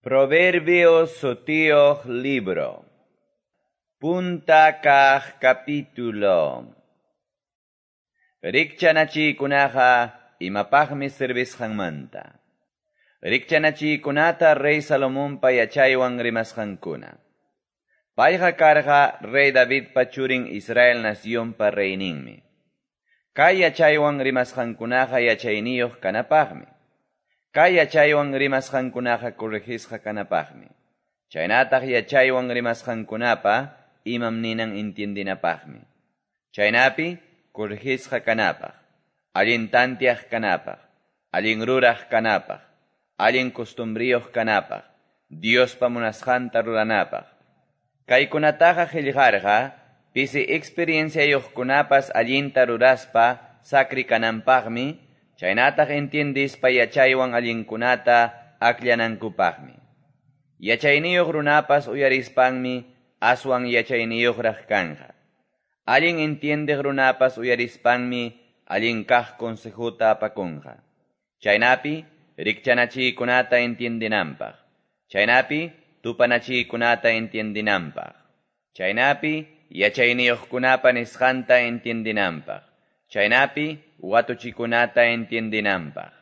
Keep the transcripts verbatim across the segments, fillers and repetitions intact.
Proverbios sutiyuq libro. Punta kaq capítulo. Rikchanachiykunaqa imapaqmi servisqanmanta. Rikchanachiykunata rey Salomonpa yachaywan rimasqankuna. Payqa karqa rey Davidpa churin Israel nacionpa reyninmi. Kay yachaywan rimasqankunaqa yachayniyuq kanapaqmi. Kay yachaywan rimasqankunaqa corregisqa kanapaqmi. Chaynataq yachaywan rimasqankunapa imam ninan entiendinapaqmi. Chaynapi corregisqa kanapaq, allin tantiaq kanapaq, allin ruraq kanapaq, allin costumbriyuq kanapaq, Diospa munasqanta ruranapaq. Kaykunataqa qillqarqa pisi experienciayuqkunapas allinta ruraspa sakri kananpaqmi, chaynataq entiendispa yachaywan allinkunata akllanankupaqmi. Yachayniyuq runapas uyarispanmi aswan yachayniyuqraq kanja. Allin entiendeq runapas uyarispanmi allin kaq consejuta apakunqa. Chaynapi rikchanachiykunata entiendinanpaq. Chaynapi tupanachiykunata entiendinanpaq. Chaynapi yachayniyuqkunapa nisqanta entiendinanpaq. Chaynapi watuchikunata entiendinanpaq.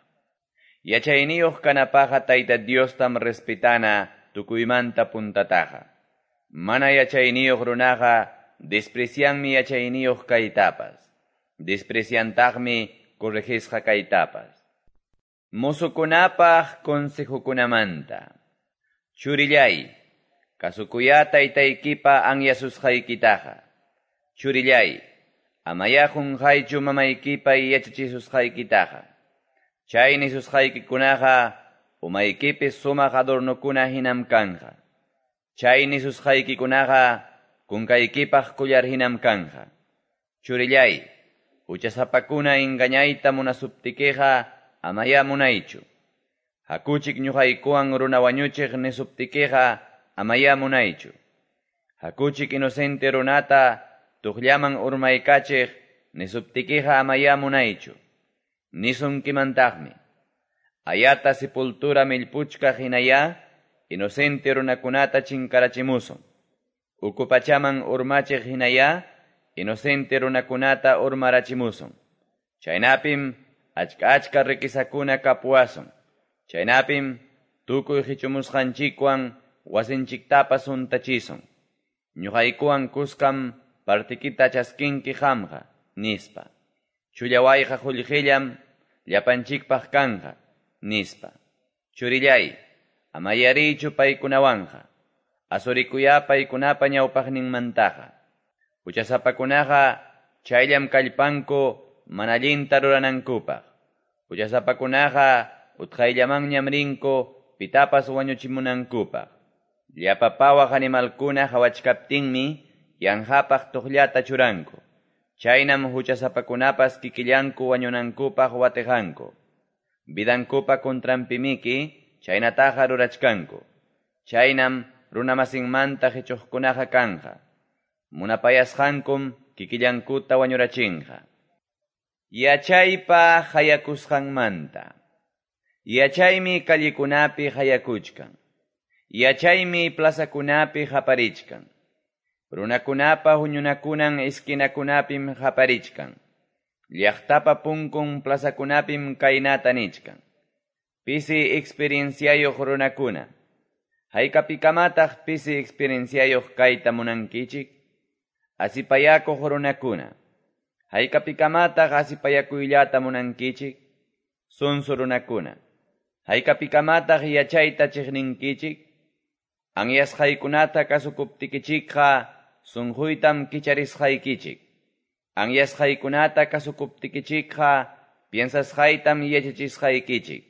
Yachayniyuq kanapaqa Tayta Diostam respetana tukuymanta puntataqa. Mana yachayniyuq runaqa desprecianmi yachayniyuq kaytapas. Despreciantaqmi corregisqa kaytapas. Musukunapaq consejokunamanta. Churillay, kasukuya taytaykipa anyasusqaykitaqa. Churillay, amaya qunqaychu mamaykipa yachachisusqaykitaqa. Chay nisusqaykikunaqa umaykipi sumaq adornokuna hinam kanja. Chay nisusqaykikunaqa kunkaykipaq kullar hinam kanja. Churillay, huchasapakuna engañayta munasuptikiqa amaya munaychu. Hakuchik ñuqaykuwan runa wañuchiq nisuptikiqa amaya munaychu. Hakuchik inocente runata tuqllaman urmaykachiq nisuptikiqa amaya munaychu. Nisunkimantaqmi. Ayata sepultura millpuchkaq hinaya inocente runakunata chinkarachimusun. Uku pachaman urmachiq hinaya inocente runakunata urmarachimusun. Chaynapim achka achka riquezakuna kapuwasun. Chaynapim tukuy qichumusqanchikwan wasinchiktapas untachisun. Ñuqaykuwan kuskam partikita chaskinki qamqa, nispa. Chullawayqa qullqillam llapanchikpaq kanja, nispa. Churillay, amayarichu paykunawanqa, asurikuya paykunapa ñawpaqninmantaqa. Huchasapakunaqa chayllam kallpanku mana allinta ruranankupaq. Huchasapakunaqa utqayllamanñam rinku pitapas wañuchimunankupaq. Llapa pawaq animalkuna hawachkaptinmi yanqapaq tuqllata churanku. Chaynam huchasapakunapas kikillanku wañunankupaq watiqanku. Vidankupa contranpimiki chaynataqa rurachkanku. Chaynam runamasinmanta qichuqkunaqa kanja. Munapayasqankum kikillankuta wañurachinqa. Yachaypa hayakusqanmanta. Yachaymi kallikunapi hayakuchkan. Yachaymi plazakunapi haparichkan. Runakunapa huñunakunan esquinakunapim haparichkan. Llaqtapa punkun plazakunapim kaynata nichkan. Pisi experienciayuq runakuna. Haykapikamataq pisi experienciayuq kayta munankichik? Asipayakuq runakuna. Haykapikamataq asipayakuyllata munankichik? Sunsu runakuna. Haykapikamataq yachayta chiqninkichik? Anyasqaykunata kasukuptikichikqa sunquytam kicharisqaykichik. Anyasqaykunata kasukuptikichikqa piensasqaytam yachachisqaykichik.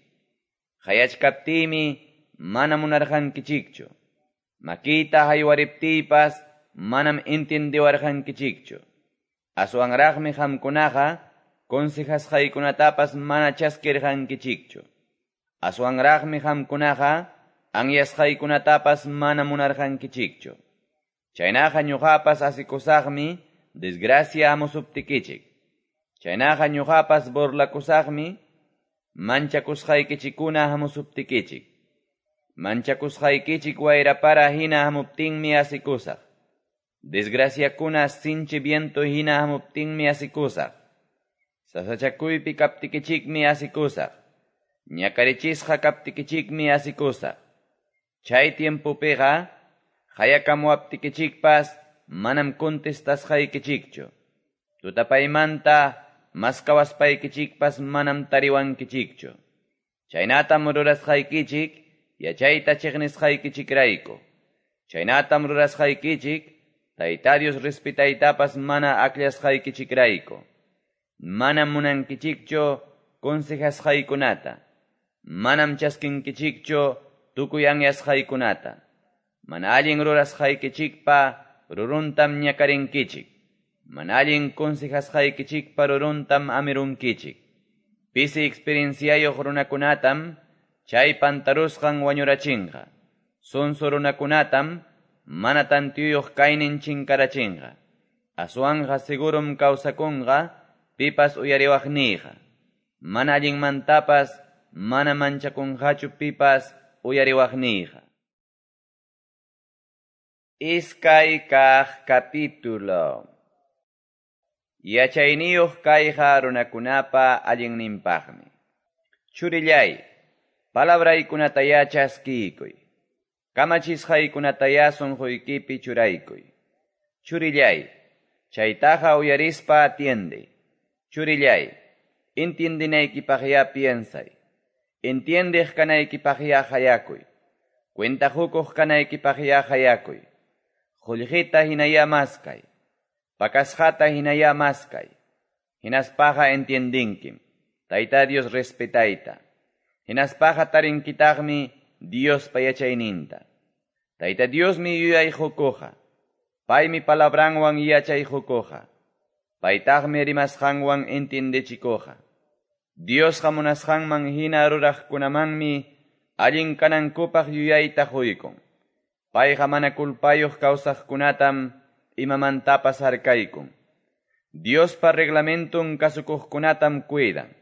Hayachkaptiymi mana munarqankichikchu. Makiyta haywariptiypas manam entiendiwarqankichikchu. Aswanraqmi qamkunaqa consejasqaykunatapas mana chaskirqankichikchu. Aswanraqmi qamkunaqa anyasqaykunatapas mana munarqankichikchu. Chaynaqa ñuqapas asikusaqmi desgracia hamusuptikichik. Chaynaqa ñuqapas burlakusaqmi manchakusqaykichikuna hamusuptikichik. Manchakusqaykichik wayra para hina hamuptinmi asikusaq. Desgraciakuna sinchi viento hina hamuptinmi asikusaq. Sasachakuypi kaptikichikmi asikusaq. Ñakarichisqa kaptikichikmi asikusaq. Chay tiempopiqa qayakamuwaptikichikpas manam contestasqaykichikchu. Tutapaymanta maskawaspaykichikpas manam tariwankichikchu. Chaynatam rurasqaykichik yachayta chiqnisqaykichikrayku. Chaynatam rurasqaykichik Tayta Dios respetaytapas mana akllasqaykichikrayku. Manam munankichikchu consejasqaykunata. Manam chaskinkichikchu tukuy anyasqaykunata. Mana allin rurasqaykichikpa ruruntam ñakarinkichik. Mana allin consejasqaykichikpa ruruntam amirunkichik. Pisi experienciayuq runakunatam chay pantarusqan wañurachinqa. Sonso runakunatam mana tantiyuq kaynin chinkarachinqa. Aswanqa segurum kawsakunqa pipas uyariwaqniyqa. Mana allinmantapas mana manchakunqachu pipas uyariwaqniyqa. Iskay kaq capítulo. Yachayniyuq kayqa runakunapa allinninpaqmi. Churillay, palabraykunatayá chaskiykuy. Kamachisqaykunatayá sunquykipi churaykuy. Churillay, chaytaqa uyarispa atiende. Churillay, entiendinaykipaqyá piensay. Entiendeq kanaykipaqyá hayakuy. Cuentajukuq kanaykipaqyá hayakuy. Qullqita hinayá maskay. Pakasqata hinayá maskay. Hinaspaqa entiendinkim. Tayta Dios respetayta. Hinaspaqa tarinkitaqmi Diospa yachayninta. Tayta Diosmi yuyayqukuqa. Paymi palabranwan yachayqukuqa. Paytaqmi rimasqanwan entiendechikuqa. Diosqa munasqanman hina ruraqkunamanmi allin kanankupaq yuyayta quykun. Payqa mana kulpayuq kawsaqkunatam imamantapas harkaykun. Diospa reglamenton kasukuqkunatam cuidan.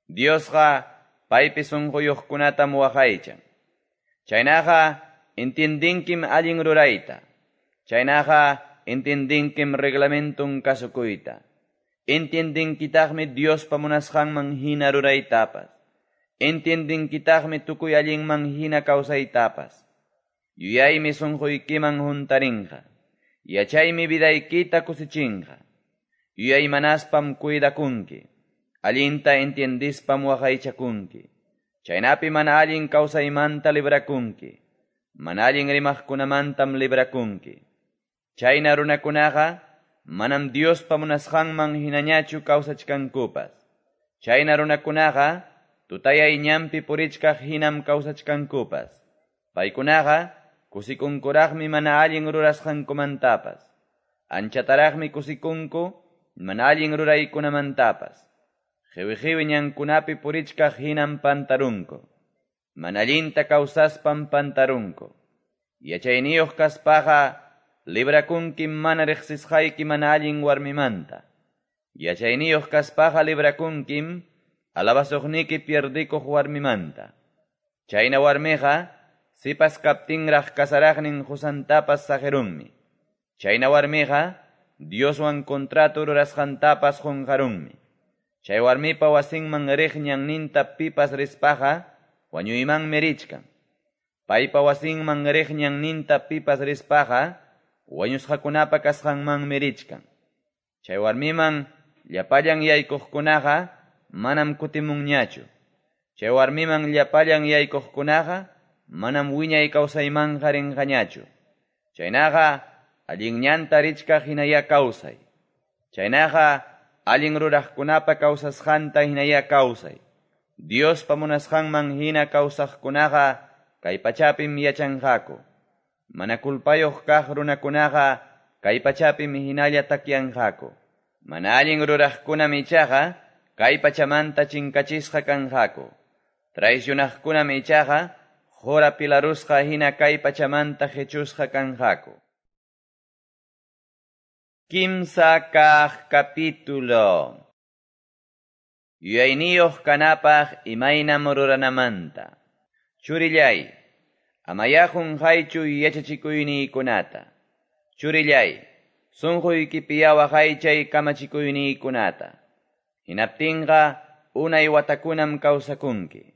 Diosqa paypi sunquyuqkunatam waqaychan. Chaynaqa entiendinkim allin rurayta. Chaynaqa entiendinkim reglamenton kasukuyta. Entiendinkitaqmi Diospa munasqanman hina ruraytapas. Entiendinkitaqmi tukuy allinman hina kawsaytapas. Yuyaymi sunquykiman huntarinqa. Yachaymi vidaykita kusichinqa. Yuyaymanaspam cuidakunki. Allinta entiendispam waqaychakunki. Chaynapi mana allin kawsaymanta librakunki. Mana allin rimaqkunamantam librakunki. Chayna runakunaqa manam Diospa munasqanman hinañachu kawsachkankupas. Chayna runakunaqa tutayay ñanpi purichkaq hinam kawsachkankupas. Paykunaqa kusikunkuraqmi mana allin rurasqankumantapas. Anchataraqmi kusikunku mana allin ruraykunamantapas. Qiwi-qiwi ñankunapi purichkaq hinam pantarunku. Mana allinta kawsaspam pantarunku. Yachayniyuq kaspaqa librakunkim mana riqsisqayki mana allin warmimanta. Yachayniyuq kaspaqa librakunkim alabasuqniki pierdikuq warmimanta. Chayna warmiqa sipas kaptinraq kasaraqnin qusantapas saqirunmi. Chayna warmiqa Dioswan contrato rurasqantapas qunqarunmi. Chay warmipa wasinman riq ñanninta pipas rispaqa wañuymanmi richkan. Paypa wasinman riq ñanninta pipas rispaqa wañusqakunapa kasqanmanmi richkan. Chay warmiman llapallan yaykuqkunaqa manam kutimunñachu. Chay warmiman llapallan yaykuqkunaqa manam wiñay kawsaymanqa rinqañachu. Chaynaqa allin ñanta richkaq hinayá kawsay. Chaynaqa allin ruraqkunapa kawsasqanta hinayá kawsay. Diospa munasqanman hina kawsaqkunaqa kay pachapim yachanqaku. Mana kulpayuq kaq runakunaqa kay pachapim hinalla takyanqaku. Mana allin ruraqkunam ichaqa kay pachamanta chinkachisqa kanqaku. Traicionaqkunam ichaqa qura pilarusqa hina kay pachamanta qichusqa kanqaku. Kimsa kaq capítulo. Yuyayniyuq kanapaq imaynam ruranamanta. Churillay, Amaya qunqaychu yachachikuyniykunata. Churillay, sunquykipiya waqaychay kamachikuyniykunata. Hinaptinqa unay watakunam kawsakunki.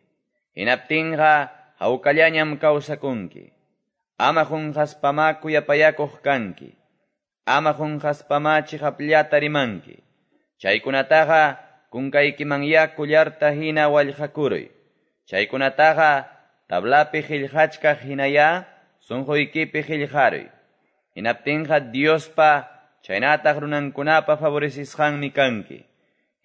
Hinaptinqa hawkallañam kawsakunki. Ama qunqaspama kuyapayakuq kanki. Ama qunqaspama chiqapllata rimanki. Chaykunataqa kunkaykimanya kullarta hina wallqakuruy. Chaykunataqa tablapi qillqachkaq hinaya sunquykipi qillqaruy. Hinaptinqa Diospa chaynataq runankunapa favorecisqanmi kanki.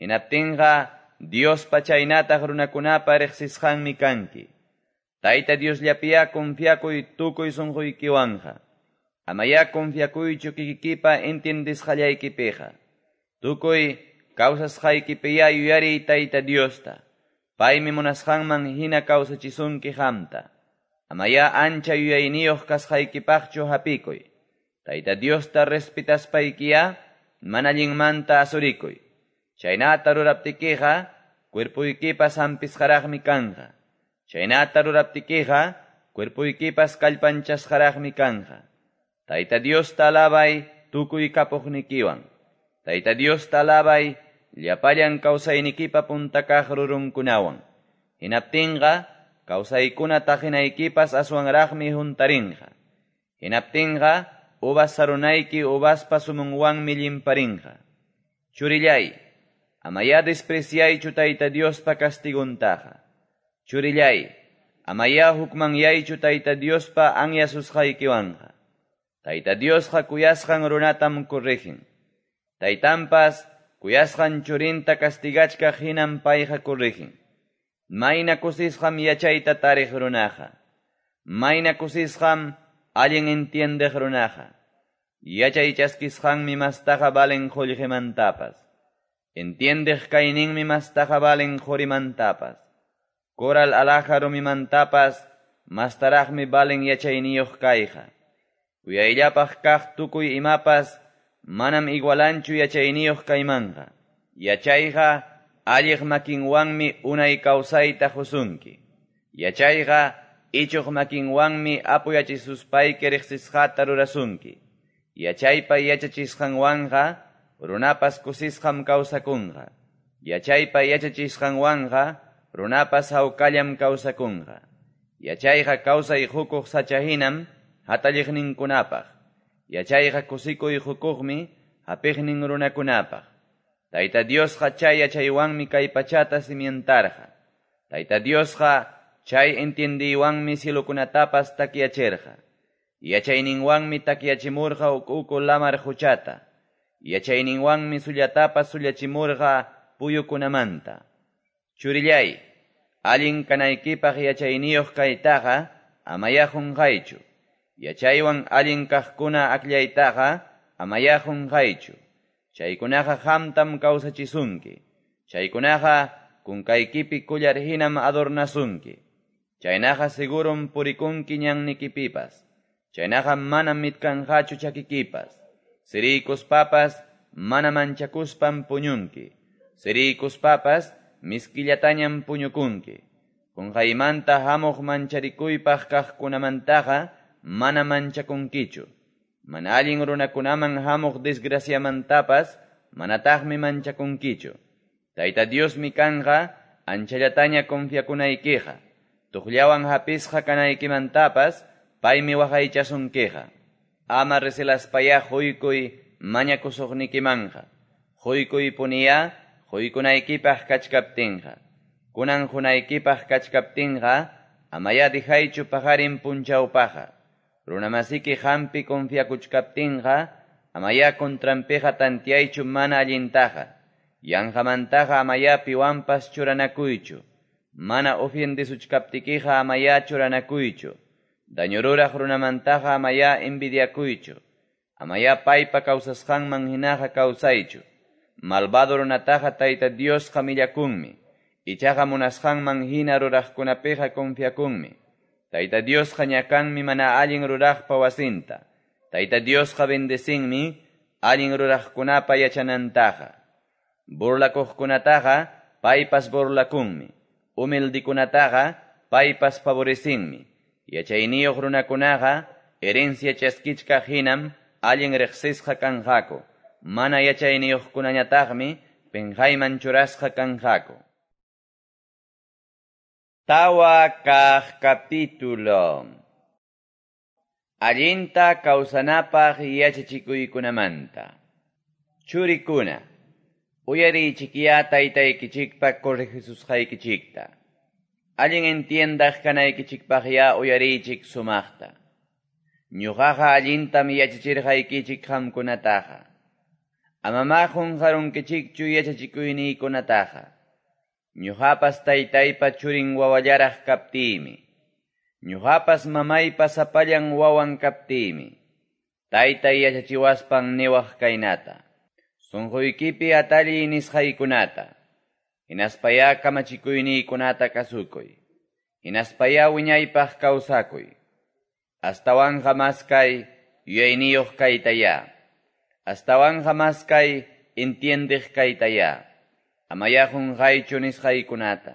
Hinaptinqa Diospa chaynataq runakunapa riqsisqanmi kanki. Tayta Diosllapiya confiakuy tukuy sunquykiwanqa. Amaya confiakuychu kikikipa entiendisqallaykipiqa. Tukuy kawsasqaykipiya yuyariy Tayta Diosta. Paymi munasqanman hina kawsachisunki qamta. Amaya ancha yuyayniyuq kasqaykipaqchu hapikuy. Tayta Diosta respetaspaykiya mana allinmanta asurikuy. Chaynata ruraptikiqa cuerpuykipas hampisqaraqmi kanqa. Chaynata ruraptikiqa cuerpuykipas kallpanchasqaraqmi kanqa. Tayta Diosta alabay tukuy kapuqnikiwan. Tayta Diosta alabay llapallan kawsaynikipa puntakaq rurunkunawan. Hinaptinqa kawsaykuna taqinaykipas aswanraqmi huntarinqa. Hinaptinqa uvas sarunayki uvaspa sumunwanmi llimparinqa. Churillay, amaya despreciaychu Tayta Diospa castiguntaqa. Churillay, amaya hukmanyaychu Tayta Diospa anyasusqaykiwanqa. Tayta Diosqa kuyasqan runatam corrigen. Taytanpas kuyasqan churinta castigachkaq hinam payqa corrigen. Mayna kusisqam yachayta tariq runaqa. Mayna kusisqam allin entiendeq runaqa. Yachay chaskisqanmi mastaqa valen qullqimantapas. Entiendeq kayninmi mastaqa valen qurimantapas. Coral alhaja rumimantapas mastaraqmi valen yachayniyuq kayqa. Kuyayllapaq kaq tukuy imapas manam igualanchu yachayniyuq kaymanqa. Yachayqa alliq makinwanmi unay kawsayta qusunki. Yachayqa ichuq makinwanmi apuyachisuspayki riqsisqata rurasunki. Yachaypa yachachisqanwanqa runapas kusisqam kawsakunqa. Yachaypa yachachisqanwanqa runapas hawkallam kawsakunqa. Yachayqa kawsay hukuq sachahinam hatalliqninkunapaq. Yachayqa kusikuy hukuqmi hapiqnin runakunapaq. Tayta Diosqa chay yachaywanmi kay pachata cimientarqa. Tayta Diosqa chay entiendiywanmi cielokunatapas takyachirqa. Yachayninwanmi takyachimurqa uku lamar quchata. Yachayninwanmi sullatapas sullachimurqa puyukunamanta. Churillay, allin kanaykipaq yachayniyuq kaytaqa amaya qunqaychu. Yachaywan allin kaqkuna akllaytaqa amaya qunqaychu. Chaykunaqa qamtam kawsachisunki. Chaykunaqa kunkaykipi kullar hinam adornasunki. Chaynaqa segurum purikunki ñannikipipas. Chaynaqa manam mitkanqachu chakikipas. Siriykuspapas mana manchakuspam puñunki. Siriykuspapas miskillatañam puñukunki. Qunqaymanta hamuq mancharikuypaq kaqkunamantaqa mana manchakunkichu. Mana allin runakunaman hamuq desgraciamantapas manataqmi manchakunkichu. Tayta Diosmi kanqa anchallataña confiakunaykiqa. Tuqllawan hapisqa kanaykimantapas paymi waqaychasunkiqa. Ama recelaspaya quykuy mañakusuqnikimanqa. Quykuy puniya quykunaykipaq kachkaptinqa. Kunan hunaykipaq kachkaptinqa amaya dihaychu paqarin punchawpaqa. Runamasiki hampi confiakuchkaptinqa amaya contranpiqa tantiaychu mana allintaqa. Yanqamantaqa amaya piwanpas churanakuychu. Mana ofiendisuchkaptikiqa amaya churanakuychu. Daño ruraq runamantaqa amaya envidiakuychu. Amaya paypa kawsasqanman hinaqa kawsaychu. Malvado runataqa Tayta Diosqa millakunmi. Ichaqa munasqanman hina ruraqkunapiqa confiakunmi. Tayta Diosqa ñakanmi mana allin ruraqpa wasinta. Tayta Diosqa bendecinmi allin ruraqkunapa yachanantaqa. Burlakuqkunataqa paypas burlakunmi. Humildikunataqa paypas favorecinmi. Yachayniyuq runakunaqa herencia chaskichkaq hinam allin riqsisqa kanqaku. Mana yachayniyuqkunañataqmi penqayman churasqa kanqaku. Tawa kaq capítulo. Allinta kawsanapaq yachachikuykunamanta. Churikuna, uyariychikya taytaykichikpa corregisusqaykichikta. Allin entiendaq kanaykichikpaqya uyariychik sumaqta. Ñuqaqa allintam yachachirqaykichik qamkunataqa. Amama qunqarunkichikchu yachachikuyniykunataqa. Ñuqapas taytaypa churin wawallaraq kaptiymi. Ñuqapas mamaypa sapallan wawan kaptiymi. Taytay yachachiwaspan niwaq kaynata. Sunquykipi atalliy nisqaykunata. Hinaspaya kamachikuyniykunata kasukuy. Hinaspaya wiñaypaq kawsakuy. Astawanqa maskay yuyayniyuq kaytaya. Astawanqa maskay entiendiq kaytaya. Amaya qunqaychu nisqaykunata.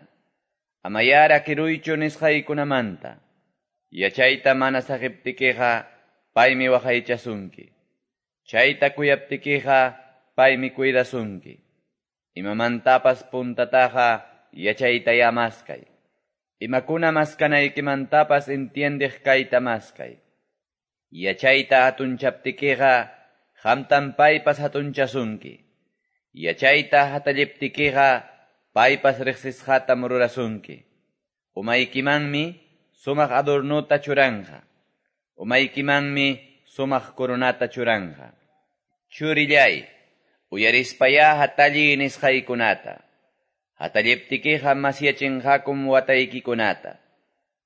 Amaya rakiruychu nisqaykunamanta. Yachayta mana saqiptikiqa paymi waqaychasunki. Chayta kuyaptikiqa paymi cuidasunki. Imamantapas puntataqa yachaytaya maskay. Imakuna maskanaykimantapas entiendiq kayta maskay. Yachayta hatunchaptikiqa qamtam paypas hatunchasunki. Yachayta hatalliptikiqa paypas riqsisqatam rurasunki. Umaykimanmi sumaq adornuta churanqa. Umaykimanmi sumaq coronata churanqa. Churillay, uyarispaya hatalliy nisqaykunata. Hatalliptikiqa masyachinqakum wataykikunata.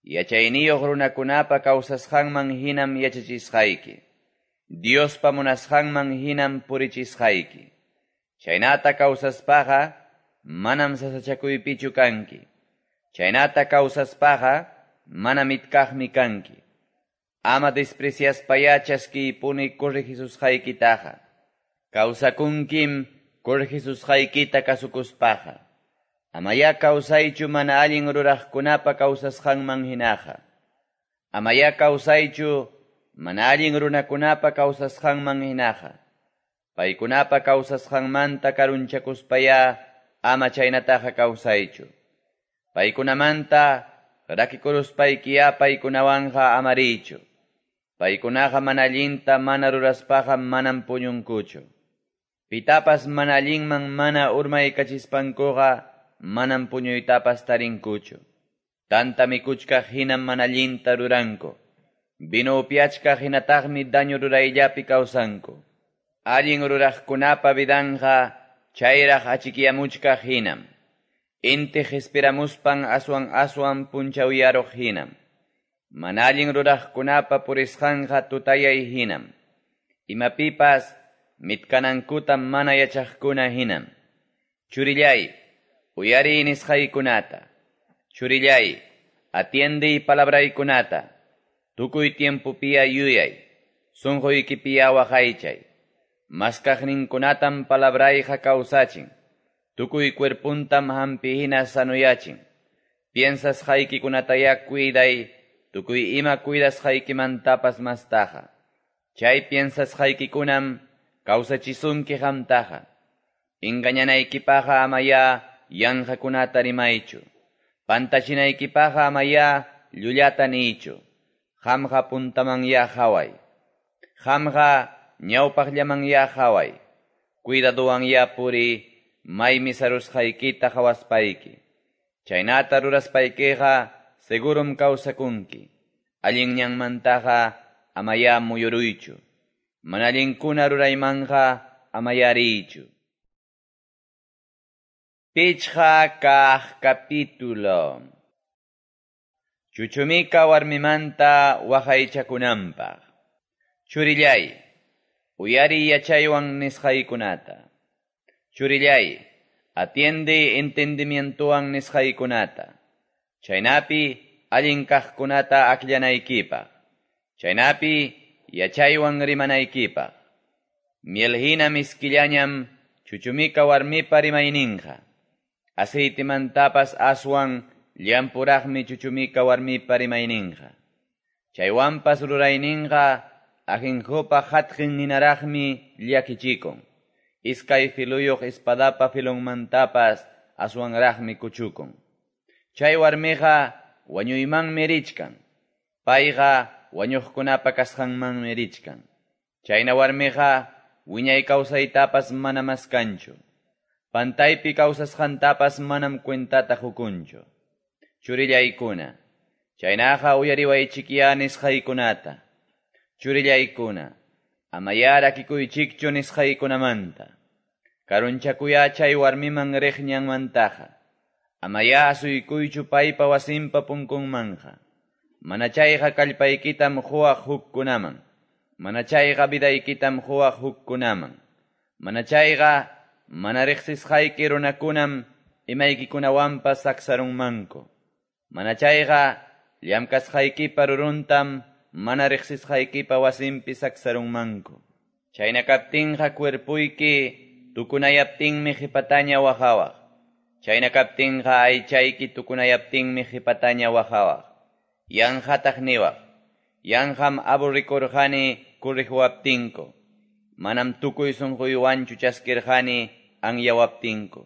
Yachayniyuq runakunapa kawsasqanman hinam yachachisqayki. Diospa munasqanman hinam purichisqayki. Chaynata kawsaspaqa manam sasachakuypichu kanki. Chaynata kawsaspaqa mana mitkaqmi kanki. Ama despreciaspaya chaskiypuni corregisusqaykitaqa. Kawsakunkim corregisusqaykita kasukuspaqa. Amaya kawsaychu mana allin ruraqkunapa kawsasqanman hinaqa. Amaya kawsaychu mana allin runakunapa kawsasqanman hinaqa. Paykunapa kawsasqanmanta karunchakuspaya ama chaynataqa kawsaychu. Paykunamanta rakikuruspaykiyá paykunawanqa amariychu. Paykunaqa mana allinta mana ruraspaqa manam puñunkuchu. Pitapas mana allinman mana urmaykachispankuqa manam puñuytapas tarinkuchu. Tanta mikuchkaq hinam mana allinta ruranku. Vino upiachkaq hinataqmi daño rurayllapi kawsanku. Allin ruraqkunapa vidanqa chayraq achikyamuchkaq hinam. Inti qispiramuspan aswan aswan punchawyaruq hinam. Mana allin ruraqkunapa purisqanqa tutayay hinam. Imapipas mitkanankuta mana yachaqkuna hinam. Churillay, uyariy nisqaykunata. Churillay, atiendiy palabraykunata. Tukuy tiempopiya yuyay. Sunquykipiya waqaychay. Maskaqninkunatam palabrayqa kawsachin. Tukuy cuerpuntam hampi hina sanuyachin. Piensasqaykikunataya cuiday, tukuy ima cuidasqaykimantapas mastaqa. Chay piensasqaykikunam kawsachisunki qamtaqa. Engañanaykipaqa amaya yanqakunata rimaychu. Pantachinaykipaqa amaya llullata niychu. Qamqa puntamanya qhaway. Qamqa ñawpaqllamanya qhaway. Cuidaduwanya puri maymi sarusqaykita qhawaspayki. Chaynata ruraspaykiqa segurum kawsakunki. Allin ñanmantaqa amaya muyuruychu. Mana allinkuna ruraymanqa amaya riychu. Pichqa kaq capítulo. Chuchumika warmimanta waqaychakunanpaq. Churillay, uyariy yachaywan nisqaykunata. Churillay, atiende entendimientowan nisqaykunata. Chaynapi allin kaqkunata akllanaykipaq. Chaynapi yachaywan rimanaykipaq. Miel hina miskillañam chuchumika warmipa rimayninqa. Aceitemantapas aswan llampuraqmi chuchumika warmipa rimayninqa. Chaywanpas rurayninqa ajenjopa qatqen hinaraqmi llakichikun. Iskay filuyuq espadapa filonmantapas aswanraqmi kuchukun. Chay warmiqa wañuymanmi richkan. Payqa wañuqkunapa kasqanmanmi richkan. Chayna warmiqa wiñay kawsaytapas mana maskanchu. Pantaypi kawsasqantapas manam cuentata qukunchu. Churillaykuna, chaynaqa uyariwaychikyá nisqaykunata. Churillaykuna, amayá rakikuychikchu nisqaykunamanta. Karunchakuyá chay warmiman riq ñanmantaqa. Amayá asuykuychu paypa wasinpa punkunmanja. Mana chayqa kallpaykitam quwaq hukkunaman. Mana chayqa vidaykitam quwaq hukkunaman. Mana chayqa mana riqsisqayki runakunam imaykikunawanpas saksarunmanku. Mana chayqa llamkasqaykipa ruruntam mana riqsisqaykipa wasinpi saksarunmanku. Chayna kaptinqa cuerpuyki tukunayaptinmi qhipataña waqawaq. Chayna kaptinqa aychayki tukunayaptinmi qhipataña waqawaq. Yanqataq niwaq. Yanqam aburrikurqani corrijuwaptinku. Manam tukuy sunquywanchu chaskirqani anyawaptinku.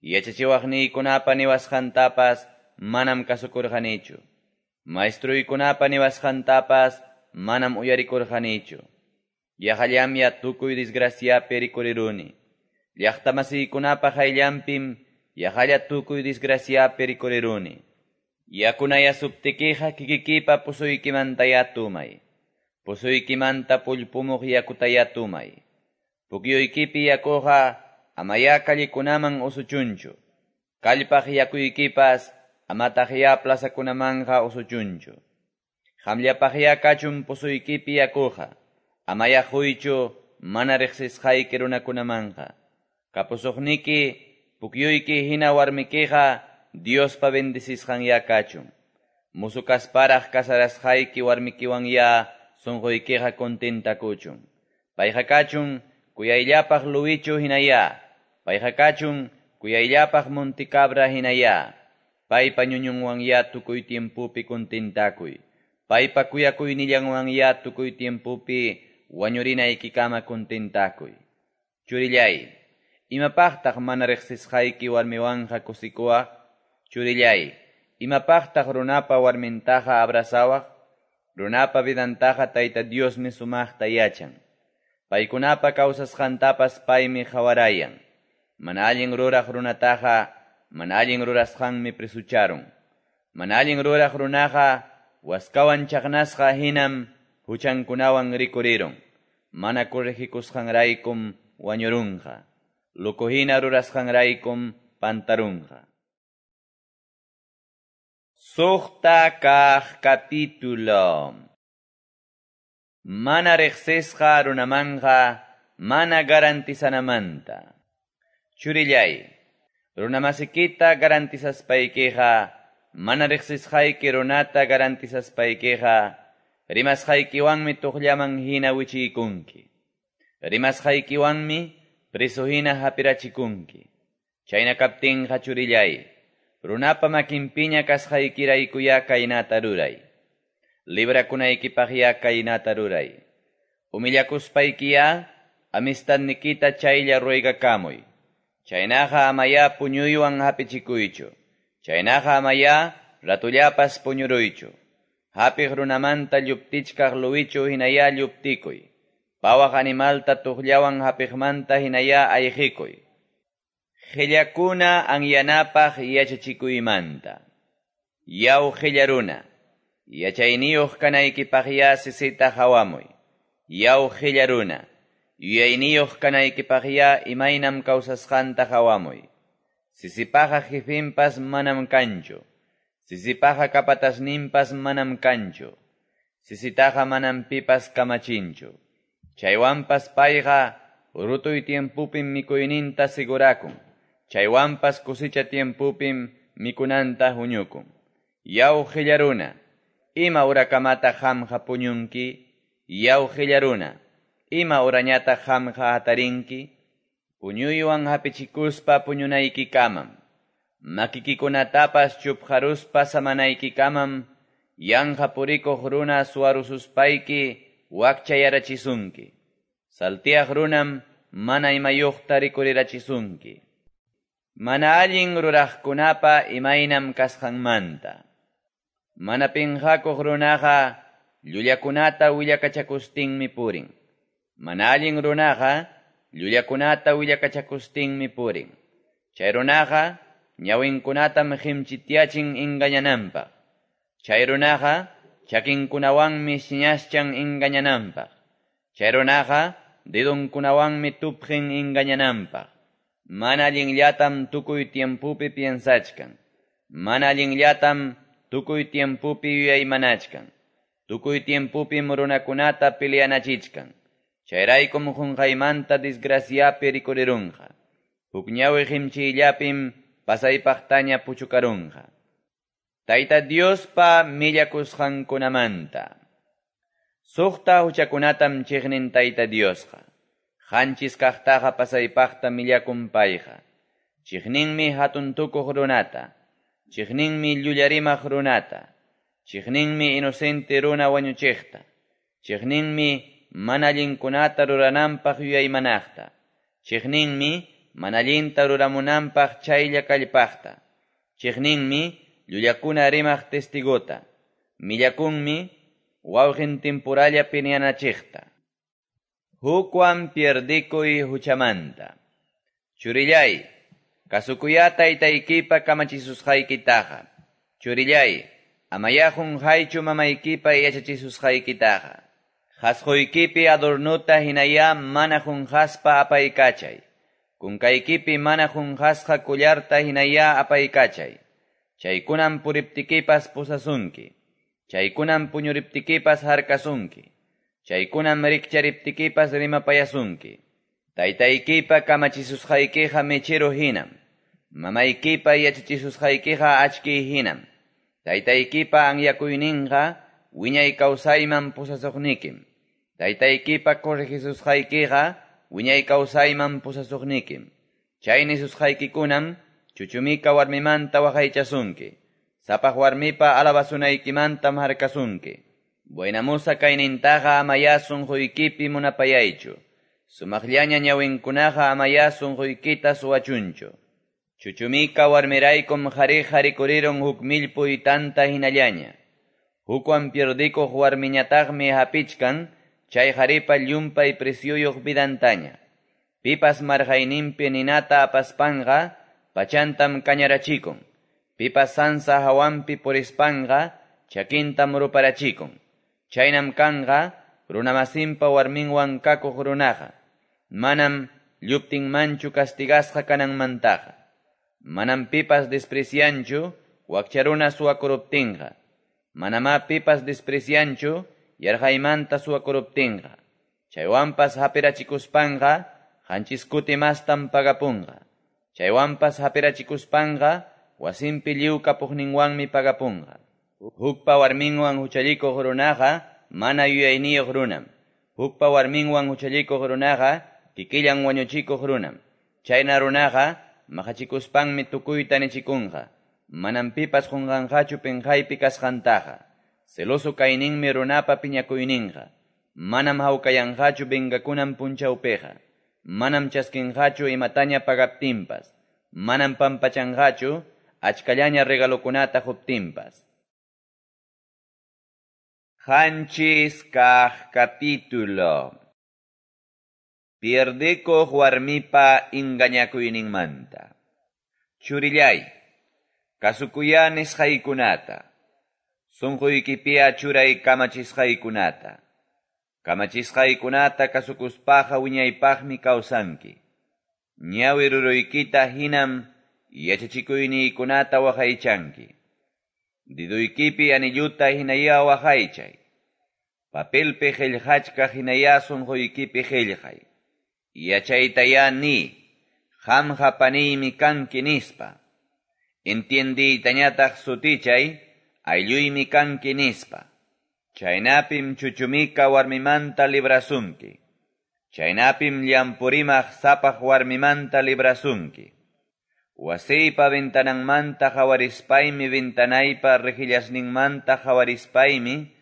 Yachachiwaqniykunapa niwasqantapas manam kasukurqanichu. Maestruykunapa niwasqantapas manam uyarikurqanichu. Yaqallamya tukuy desgraciapi rikuriruni. Llaqtamasiykunapa qayllanpim yaqalla tukuy desgraciapi rikuriruni. Yakunayasuptikiqa kikikipa pusuykimantayá tumay. Pusuykimanta pullpumuq yakutayá tumay. Pukyuykipi yakuqa amayá kallikunaman usuchunchu. Kallpaq yakuykipas amataqyá plazakunamanqa usuchunchu. Qamllapaqyá kachun pusuykipi yakuqa. Amayá quychu mana riqsisqayki runakunamanqa. Kapusuqniki pukyuyki hina warmikiqa Diospa bendecisqanyá kachun. Musu kasparaq kasarasqayki warmikiwanyá sunquykiqa contentakuchun. Payqa kachun kuyayllapaq luwichu hinayá. Payqa kachun kuyayllapaq monticabra hinayá. Paypa ñuñunwanyá tukuy tiempupi contentakuy. Paypa kuyakuynillanwanyá tukuy tiempupi wañurinaykikama contentakuy. Churillay, imapaqtaq mana riqsisqayki warmiwanqa kusikuwaq? Churillay, imapaqtaq runapa warmintaqa abrazawaq? Runapa vidantaqa Tayta Diosmi sumaqta yachan. Paykunapa kawsasqantapas paymi qhawarayan. Mana allin ruraq runataqa mana allin rurasqanmi presucharun. Mana allin ruraq runaqa waskawan chaqnasqa hinam huchankunawan rikurirun. Mana corregikusqanraykum wañurunqa. Loco hina rurasqanraykum pantarunqa. Suqta kaq capítulo. Mana riqsisqa runamanqa mana garantizanamanta. Churillay, runamasikita garantizaspaykiqa, mana riqsisqayki runata garantizaspaykiqa, rimasqaykiwanmi tuqllaman hina wichiykunki. Rimasqaykiwanmi preso hina hapirachikunki. Chayna kaptinqa churillay, runapa makinpiña kasqaykiraykuyá kaynata ruray. Librakunaykipaqyá kaynata ruray. Humillakuspaykiyá amistadnikita chaylla ruegakamuy. Chaynaqa amayá puñuywan hapichikuychu. Chaynaqa amayá ratullapas puñuruychu. Hapiq runamanta lluptichkaq luwichu hinayá lluptikuy. Pawaq animalta tuqllawan hapiqmanta hinayá ayqikuy. Qillakuna anyanapaq yachachikuymanta. Yaw qilla runa, yachayniyuq kanaykipaqyá sisita hawamuy. Yaw qilla runa, yuyayniyuq kanaykipaqyá imaynam kawsasqanta hawamuy. Sisipaqa jefinpas manam kanchu. Sisipaqa kapatasninpas manam kanchu. Sisitaqa manam pipas kamachinchu. Chaywanpas payqa rutuy tiempupim mikuyninta sigurakun. Chaywanpas kusicha tiempupim mikunanta huñukun. Yaw qilla runa, ima urakamata qamqa puñunki? Yaw qilla runa, ima urañata qamqa hatarinki? Puñuywan hapichikuspa puñunaykikamam. Makikikunatapas chupqaruspa samanaykikamam, Yanqa purikuq runa suwarususpayki wakchayarachisunki. Saltiaq runam mana imayuqta rikurirachisunki. Mana allin ruraqkunapa imaynam kasqanmanta. Mana pinqakuq runaqa llullakunata willakachakustinmi purin. Mana allin runaqa llullakunata willakachakustinmi purin. Chay runaqa ñawinkunatam qimchityachin engañananpaq. Chay runaqa chakinkunawanmi siñaschan engañananpaq. Chay runaqa dedonkunawanmi tupqin engañananpaq. Mana allinllatam tukuy tiempupi piensachkan. Mana allinllatam tukuy tiempupi yuyaymanachkan. Tukuy tiempupim runakunata peleanachichkan. Chayraykum qunqaymanta desgraciapi rikurirunqa. Huk ñawi qimchiyllapim pasaypaqtaña puchukarunqa. Tayta Diospa millakusqankunamanta. Suqta huchakunatam chiqnin Tayta Diosqa. Qanchis kaqtaqa pasaypaqta millakun payqa. Chiqninmi hatun tukuq runata. Chiqninmi llullarimaq runata. Chiqninmi inocente runa wañuchiqta. Chiqninmi mana allinkunata rurananpaq yuyaymanaqta. Chiqninmi mana allinta ruramunanpaq chaylla kallpaqta. Chiqninmi llullakuna rimaq testigota. Millakunmi wawqin timpuralla piñanachiqta. Hukwan pierdikuy huchamanta. Churillay, kasukuya taytaykipa kamachisusqaykitaqa. Churillay, amayá qunqaychu mamaykipa yachachisusqaykitaqa. Qasquykipi adornuta hinayá mana qunqaspa apaykachay. Kunkaykipi mana qunqasqa collarta hinayá apaykachay. Chaykunam puriptikipas pusasunki. Chaykunam puñuriptikipas harkasunki. Chaykunam rikchariptikipas rimapayasunki. Taytaykipa kamachisusqaykiqa mechero hinam. Mamaykipa yachachisusqaykiqa achkiy hinam. Taytaykipa anyakuyninqa wiñay kawsayman pusasuqnikim. Taytaykipa corregisusqaykiqa wiñay kawsayman pusasuqnikim. Chay nisusqaykikunam chuchumika warmimanta waqaychasunki. Sapaq warmipa alabasunaykimantam harkasunki. Buenamusa kaynintaqa amayá sunquykipi munapayaychu. Sumaqllaña ñawinkunaqa amayá sunquykita suwachunchu. Chuchumika warmiraykum qhariqa rikurirun huk millpuy tanta hinallaña. Hukwan pierdikuq warmiñataqmi hapichkan chay qharipa llumpay presyuyuq vidantaña. Pipas marqayninpi ninata apaspanqa pachantam kañarachikun. Pipas sansa hawanpi purispanqa chakintam ruparachikun. Chaynam kanqa runamasinpa warminwan kakuq runaqa. Manam lluptinmanchu castigasqa kananmantaqa. Manam pipas desprecianchu wakcha runa suwakuruptinqa. Manamá pipas desprecianchu yarqaymanta suwakuruptinqa. Chaywanpas hapirachikuspanqa qanchis kuti mastam pagapunqa. Chaywanpas hapirachikuspanqa wasinpi lliw kapuqninwanmi pagapunqa. Hukpa warminwan huchallikuq runaqa mana yuyayniyuq runam. Hukpa warminwan huchallikuq runaqa kikillan wañuchikuq runam. Chayna runaqa maqachikuspanmi tukuyta nichikunqa. Manam pipas qunqanqachu pinqaypi kasqantaqa. Celoso kayninmi runapa piñakuyninqa. Manam hawkayanqachu vengakunan punchawpiqa. Manam chaskinqachu imataña pagaptinpas. Manam pampachanqachu achkallaña regalokunata quptinpas. Qanchis kaq capítulo. Pierdikuq warmipa engañakuyninmanta. Churillay, kasukuyá nisqaykunata. Sunquykipiya churay kamachisqaykunata. Kamachisqaykunata kasukuspaqa wiñaypaqmi kawsanki. Ñawi ruruykita hinam yachachikuyniykunata waqaychanki. Diduykipi anilluta hinayá waqaychay. Papelpi qillqachkaq hinayá sunquykipi qillqay. Yachaytayá ni, qamqa paniymi kanki nispa. Entiendiytañataq sutichay, aylluymi kanki nispa. Chaynapim chuchumika warmimanta librasunki. Chaynapim llampurimaq sapaq warmimanta librasunki. Wasiypa ventananmanta qawarispaymi, ventanaypa rejillasninmanta qawarispaymi,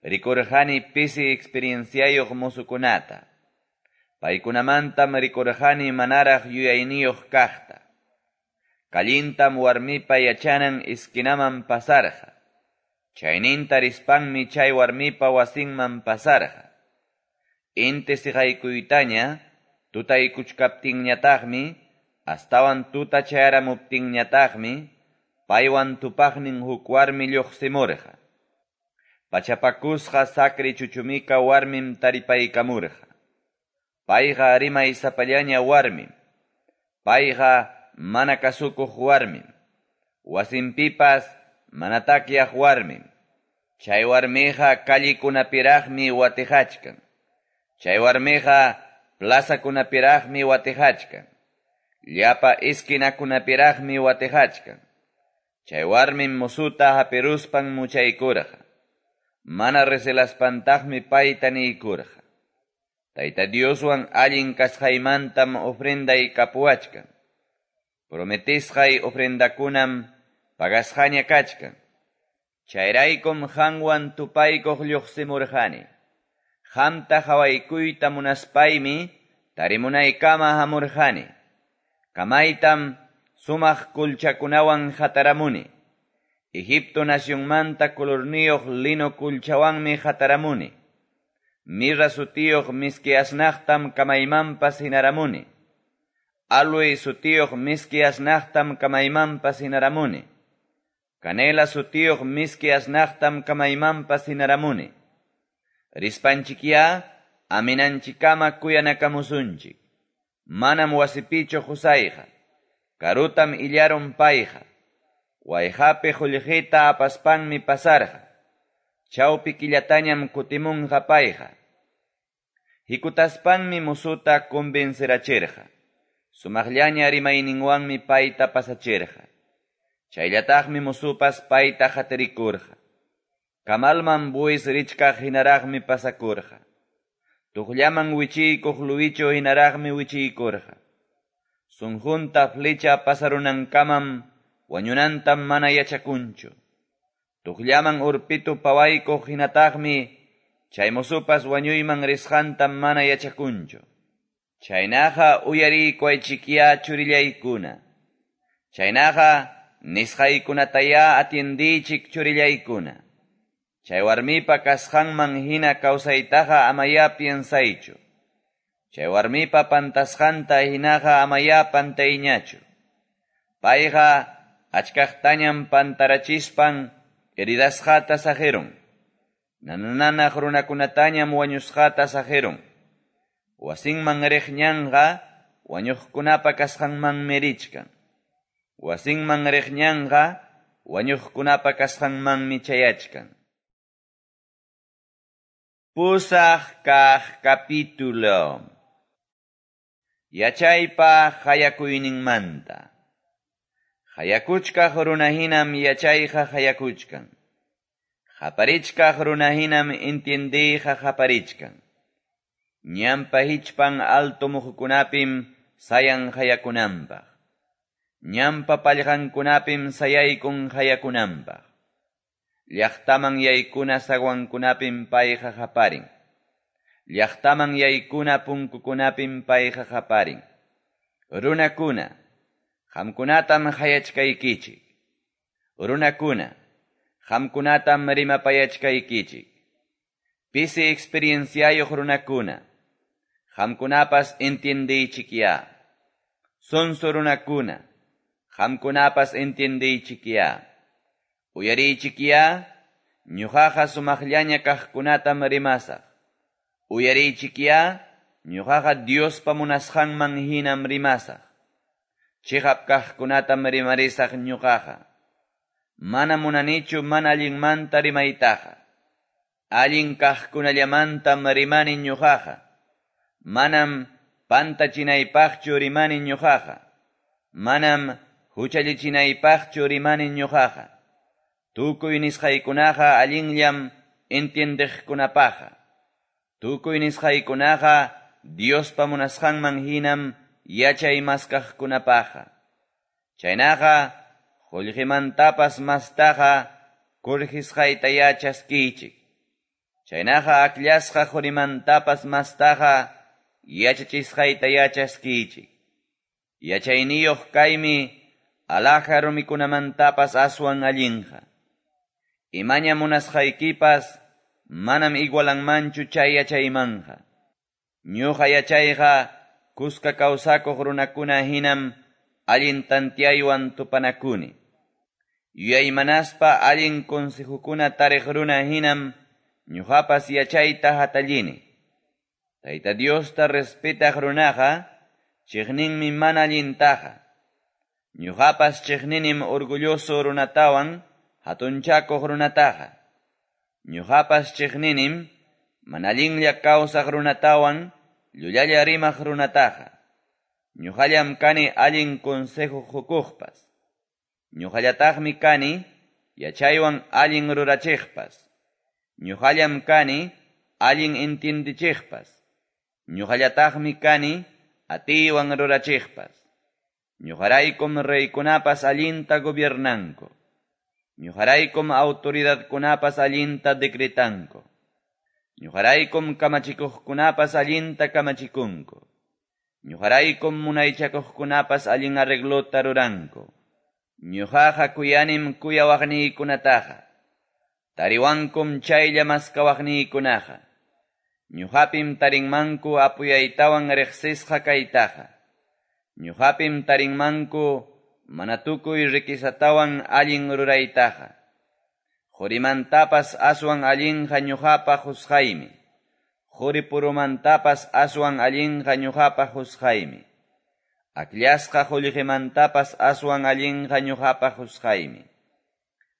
rikurqani pisi experienciayuq mozokunata. Paykunamantam rikurqani manaraq yuyayniyuq kaqta. Callintam warmipa yachanan esquinaman pasarqa. Chayninta rispanmi chay warmipa wasinman pasarqa. Inti siqaykuytaña, tutaykuchkaptinñataqmi, astawan tuta chayaramuptinñataqmi, paywan tupaqnin huk warmi lluqsimurqa. Pachapakusqa sakri chuchumika warmim taripaykamurqa. Payqa rimay sapallaña warmim. Payqa mana kasukuq warmim. Wasinpipas mana takyaq warmim. Chay warmiqa callikunapiraqmi watijachkan. Chay warmiqa plazakunapiraqmi watijachkan. Llapa esquinakunapiraqmi watijachkan. Chay warmim musuta hapiruspan muchaykurqa. Mana reselaspantaqmi payta niykurqa. Tayta Dioswan allin kasqaymantam ofrenday kapuwachkan. Prometisqay ofrendakunam pagasqaña kachkan. Chayraykum qanwan tupaykuq lluqsimurqani. Qamta qawaykuyta munaspaymi tarimunaykama hamurqani. Kamaytam sumaq kulchakunawan hataramuni. Egipto nacionmanta colorniyuq lino kulchawanmi hataramuni. Mirra sutiyuq miski asnaqtam kamaymanpas hinaramuni. Aloe sutiyuq miski asnaqtam kamaymanpas hinaramuni. Canela sutiyuq miski asnaqtam kamaymanpas hinaramuni. Rispanchikya aminanchikama kuyanakamusunchik. Manam wasipichu qusayqa. Karutam illarun payqa. Wayqapi qullqita apaspanmi pasarqa. Chawpi killatañam kutimunqa payqa. Hikutaspanmi musuta convencerachirqa. Sumaqllaña rimayninwanmi payta pasachirqa. Chayllataqmi musupas payta hatirikurqa. Kamalman buis richkaq hinaraqmi pasakurqa. Tuqllaman wichiykuq luwichu hinaraqmi wichiykurqa. Sunqunta flecha pasarunankamam wañunantam mana yachakunchu. Tuqllaman urpitu pawaykuq hinataqmi chay musupas wañuyman risqantam mana yachakunchu. Chaynaqa uyariykuwaychikya churillaykuna. Chaynaqa nisqaykunataya atiendiychik churillaykuna. Chay warmipa kasqanman hina kawsaytaqa amaya piensaychu. Chay warmipa pantasqanta hinaqa amaya pantayñachu. Payqa achkaqtañam pantarachispan heridasqata saqirun. Nanananaq runakunatañam wañusqata saqirun. Wasinman riq ñanqa wañuqkunapa kasqanmanmi richkan. Wasinman riq ñanqa wañuqkunapa kasqanmanmi chayachkan. Pusaq kaq capítulo. Yachaypa hayakuyninmanta. Hayakuchkaq runahinam yachayqa hayakuchkan. Haparichkaq runahinam entiendiyqa haparichkan. Ñampa hichpan alto muhukunapim sayan hayakunanpaq. Ñampa pallqankunapim sayaykun hayakunanpaq. Llaqtaman yaykuna zaguankunapim payqa haparin. Llaqtaman yaykuna punkukunapim payqa haparin. Runakuna, qamkunatam hayachkaykichik. Runakuna, qamkunatam rimapayachkaykichik. Pisi experienciayuq runakuna, qamkunapas entiendiychikya. Sonso runakuna, qamkunapas entiendiychikya. Uyariychikya, ñuqaqa sumaqllaña kaqkunatam rimasaq. Uyariychikya, ñuqaqa Diospa munasqanman hinam rimasaq. Chiqap kaqkunatam rimarisaq ñuqaqa. Mana munanichu mana allinmanta rimaytaqa. Allin kaqkunallamantam rimani ñuqaqa. Manam pantachinaypaqchu rimani ñuqaqa. Manam huchallichinaypaqchu rimani ñuqaqa. Tukuy nisqaykunaqa allinllam entiendeqkunapaqa. Tukuy nisqaykunaqa Diospa munasqanman hinam yachay maskaqkunapaqa. Chaynaqa qollqemantapas mastaqa corregisqaytayá chaskiychik. Chaynaqa akllasqa qorimantapas mastaqa yachachisqaytayá chaskiychik. Yachayniyuq kaymi alhaja rumikunamantapas aswan allinqa. Imaña munasqaykipas manam igualanmanchu chay yachaymanqa. Ñuqa yachayqa kuska kawsakuq runakuna hinam allin tantiaywan tupanakuni. Yuyaymanaspa allin consejukuna tariq runa hinam ñuqapas yachayta hatallini. Tayta Diosta respetaq runaqa chiqninmi mana allintaqa. Ñuqapas chiqninim orgulloso runatawan hatunchakuq runataqa. Ñuqapas chiqninim mana allinlla kawsaq runatawan llullalla rimaq runataqa. Ñuqallam kani allin consejo qukuqpas. Ñuqallataqmi kani yachaywan allin rurachiqpas. Ñuqallam kani allin entiendichiqpas. Ñuqallataqmi kani atiywan rurachiqpas. Ñuqaraykum reykunapas allinta gobiernanku. Ñuqaraykum autoridadkunapas allinta decretanku. Ñuqaraykum kamachikuqkunapas allinta kamachikunku. Ñuqaraykum munaychakuqkunapas allin arreglota ruranku. Ñuqaqa kuyanim kuyawaqniykunataqa. Tariwankum chaylla maskawaqniykunaqa. Ñuqapim tarinmanku apuyaytawan riqsisqa kaytaqa. Ñuqapim tarinmanku mana tukuy riquisatawan allin ruraytaqa. Qorimantapas aswan allinqa ñuqapa qusqaymi. Qoripurumantapas aswan allinqa ñuqapa qusqaymi. Akllasqa qullqimantapas aswan allinqa ñuqapa qusqaymi.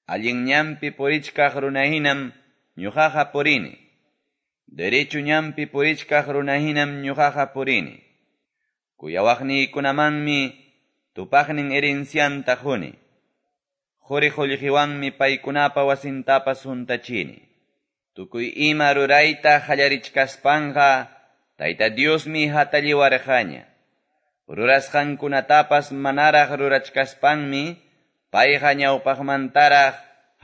Allin ñanpi purichkaq runahinam ñuqaqa purini. Derecho ñanpi purichkaq runahinam ñuqaqa purini. Kuyawaqniykunamanmi tupaqnin herencianta quni. Qori qullqiwanmi paykunapa wasintapas huntachini. Tukuy ima rurayta qallarichkaspanqa Tayta Diosmi hatalliwarqaña. Rurasqankunatapas manaraq rurachkaspanmi payqa ñawpaqmantaraq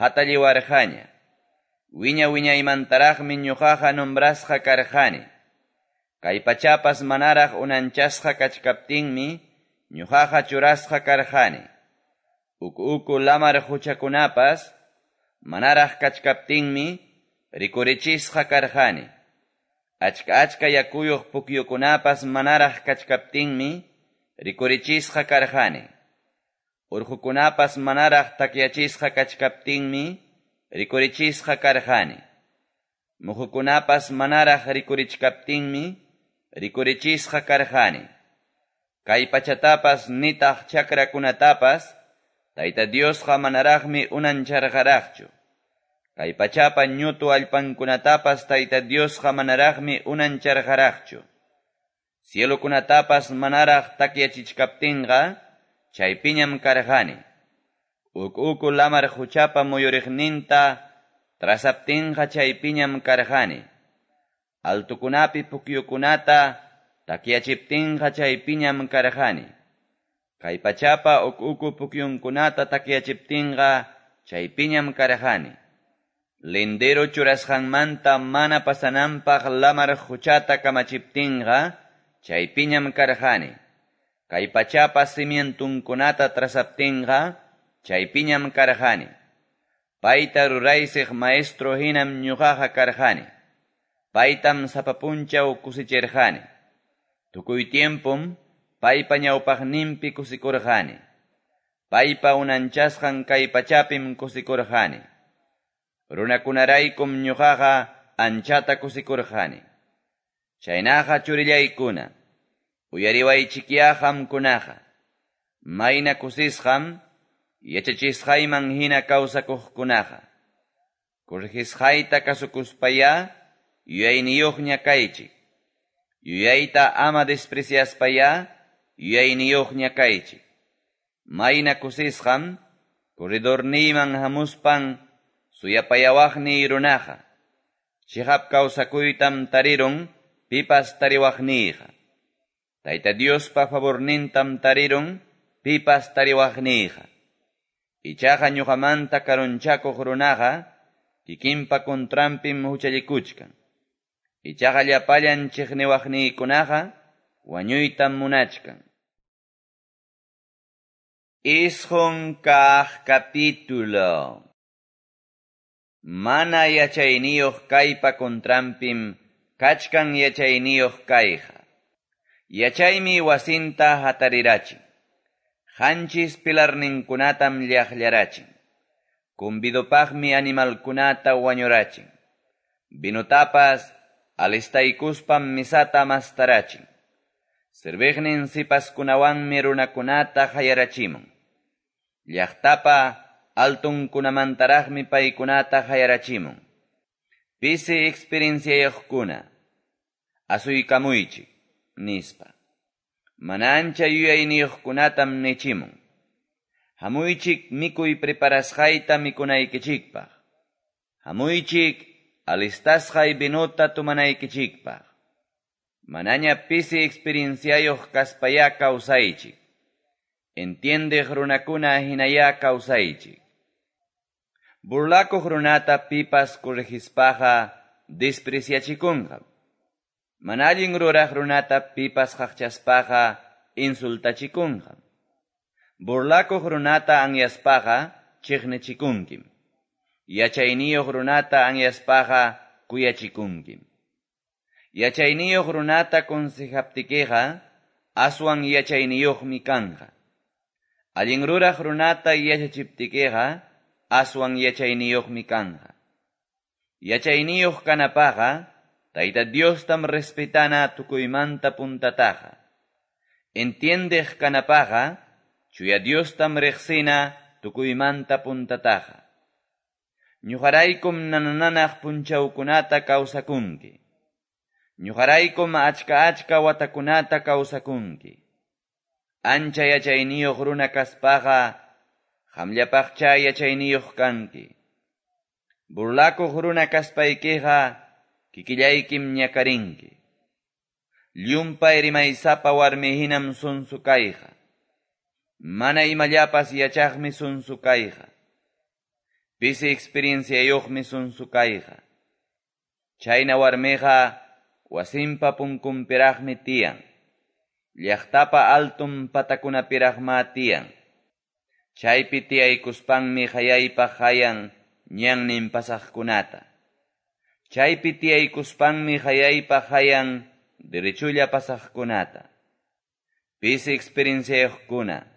hatalliwarqaña. Wiña wiñaymantaraqmi ñuqaqa nombrasqa karqani. Kay pachapas manaraq unanchasqa kachkaptinmi ñuqaqa churasqa karqani. Uku uku lamar quchakunapas manaraq kachkaptinmi rikurichisqa karqani. Achka achka yakuyuq pukyukunapas manaraq kachkaptinmi rikurichisqa karqani. Urqukunapas manaraq takyachisqa kachkaptinmi rikurichisqa karqani. Muhukunapas manaraq rikurichkaptinmi rikurichisqa karqani. Kay pachatapas nitaq chakrakunatapas Tayta Diosqa manaraqmi unancharqaraqchu. Kay pachapa ñutu allpankunatapas Tayta Diosqa manaraqmi unancharqaraqchu. Cielokunatapas manaraq takyachichkaptinqa chaypiñam karqani. Uku uku lamar quchapa muyuriqninta trazaptinqa chaypiñam karqani. Altukunapi pukyukunata takyachiptinqa chaypiñam karqani. Kay pachapa uku uku pukyunkunata takyachiptinqa chaypiñam karqani. Lindero churasqanmanta mana pasananpaq lamar quchata kamachiptinqa chaypiñam karqani. Kay pachapa cimientunkunata trazaptinqa chaypiñam karqani. Payta ruraysiq maestro hinam ñuqaqa karqani. Paytam sapa punchaw kusichirqani. Tukuy tiempom paypa ñawpaqninpi kusikurqani. Paypa unanchasqan kay pachapim kusikurqani. Runakunaraykum ñuqaqa anchata kusikurqani. Chaynaqa churillaykuna, uyariwaychikyá qamkunaqa. Mayna kusisqam yachachisqayman hina kawsakuqkunaqa. Corregisqayta kasukuspayá yuyayniyuqña kaychik. Yuyayta ama despreciaspayá yuyayniyuqña kaychik. Mayna kusisqam corredorniyman hamuspan suyapayawaqniy runaqa. Chiqap kawsakuytam tarirun pipas tariwaqniyqa. Tayta Diospa favornintam tarirun pipas tariwaqniyqa. Ichaqa ñuqamanta karunchakuq runaqa kikinpa contranpim huchallikuchkan. Ichaqa llapallan chiqniwaqniykunaqa wañuytam munachkan. Isqun kaq capítulo. Mana yachayniyuq kaypa contranpim kachkan yachayniyuq kayqa. Yachaymi wasinta hatarirachin. Qanchis pilarninkunatam llaqllarachin. Convidopaqmi animalkunata wañurachin. Vinotapas alistaykuspam misata mastarachin. Serviqnin sipaskunawanmi runakunata hayarachimun. Llaqtapa altunkunamantaraqmi paykunata hayarachimun. Pisi experienciayuqkuna, asuykamuychik, nispa. Mana ancha yuyayniyuqkunatam nichimun. Hamuychik mikuy preparasqayta mikunaykichikpaq. Hamuychik alistasqay vinota tomanaykichikpaq. Manaña pisi experienciayuq kaspayá kawsaychik. Entiendeq runakuna hinayá kawsaychik. Burlakuq runata pipas corregispaqa despreciachikunqam. Mana allin ruraq runata pipas qaqchaspaqa insultachikunqam. Burlakuq runata anyaspaqa chiqnichikunkim. Yachayniyuq runata anyaspaqa kuyachikunkim. Yachayniyuq runata consejaptikiqa aswan yachayniyuqmi kanqa. Allin ruraq runata yachachiptikiqa aswan yachayniyuqmi kanqa. Yachayniyuq kanapaqa Tayta Diostam respetana tukuymanta puntataqa. Entiendeq kanapaqa chuya Diostam riqsina tukuymanta puntataqa. Ñuqaraykum nanananaq punchawkunata kawsakunki. Ñuqaraykum achka achka watakunata kawsakunki. Ancha yachayniyuq runa kaspaqa qamllapaqcha yachayniyuq kanki. Burlakuq runa kaspaykiqa kikillaykim ñakarinki. Llumpay rimaysapa warmi hinam sunsu kayqa. Mana imallapas yachaqmi sunsu kayqa. Pisi experienciayuqmi sunsu kayqa. Chayna warmiqa wasinpa punkunpiraqmi tiyan. Llaqtapa altun patakunapiraqma tiyan. Chaypi tiyaykuspanmi hayaypaq hayan ñannin pasaqkunata. Chaypi tiyaykuspanmi hayaypaq hayan derechulla pasaqkunata. Pisi experienciayuqkuna,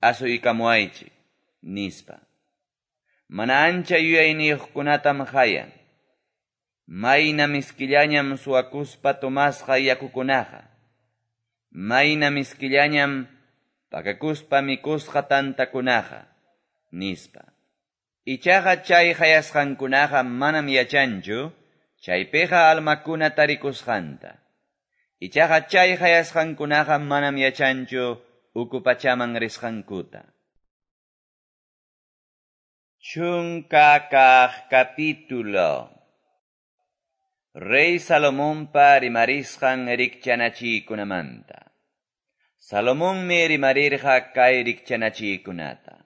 asuykamuwaychik, nispa. Mana ancha yuyayniyuqkunatam hayan. Mayna miskillañam suwakuspa tomasqa yakukunaqa. Mayna miskillañam pakakuspa mikusqa tantakunaqa, nispa. Ichaqa chay hayasqankunaqa manam yachanchu, chaypiqa almakuna tarikusqanta. Ichaqa chay hayasqankunaqa manam yachanchu uku pachaman risqankuta. Chunka kaq capítulo. Rey Salomonpa rimarisqan rikchanachiykunamanta. Salomonmi rimarirqa kay rikchanachiykunata.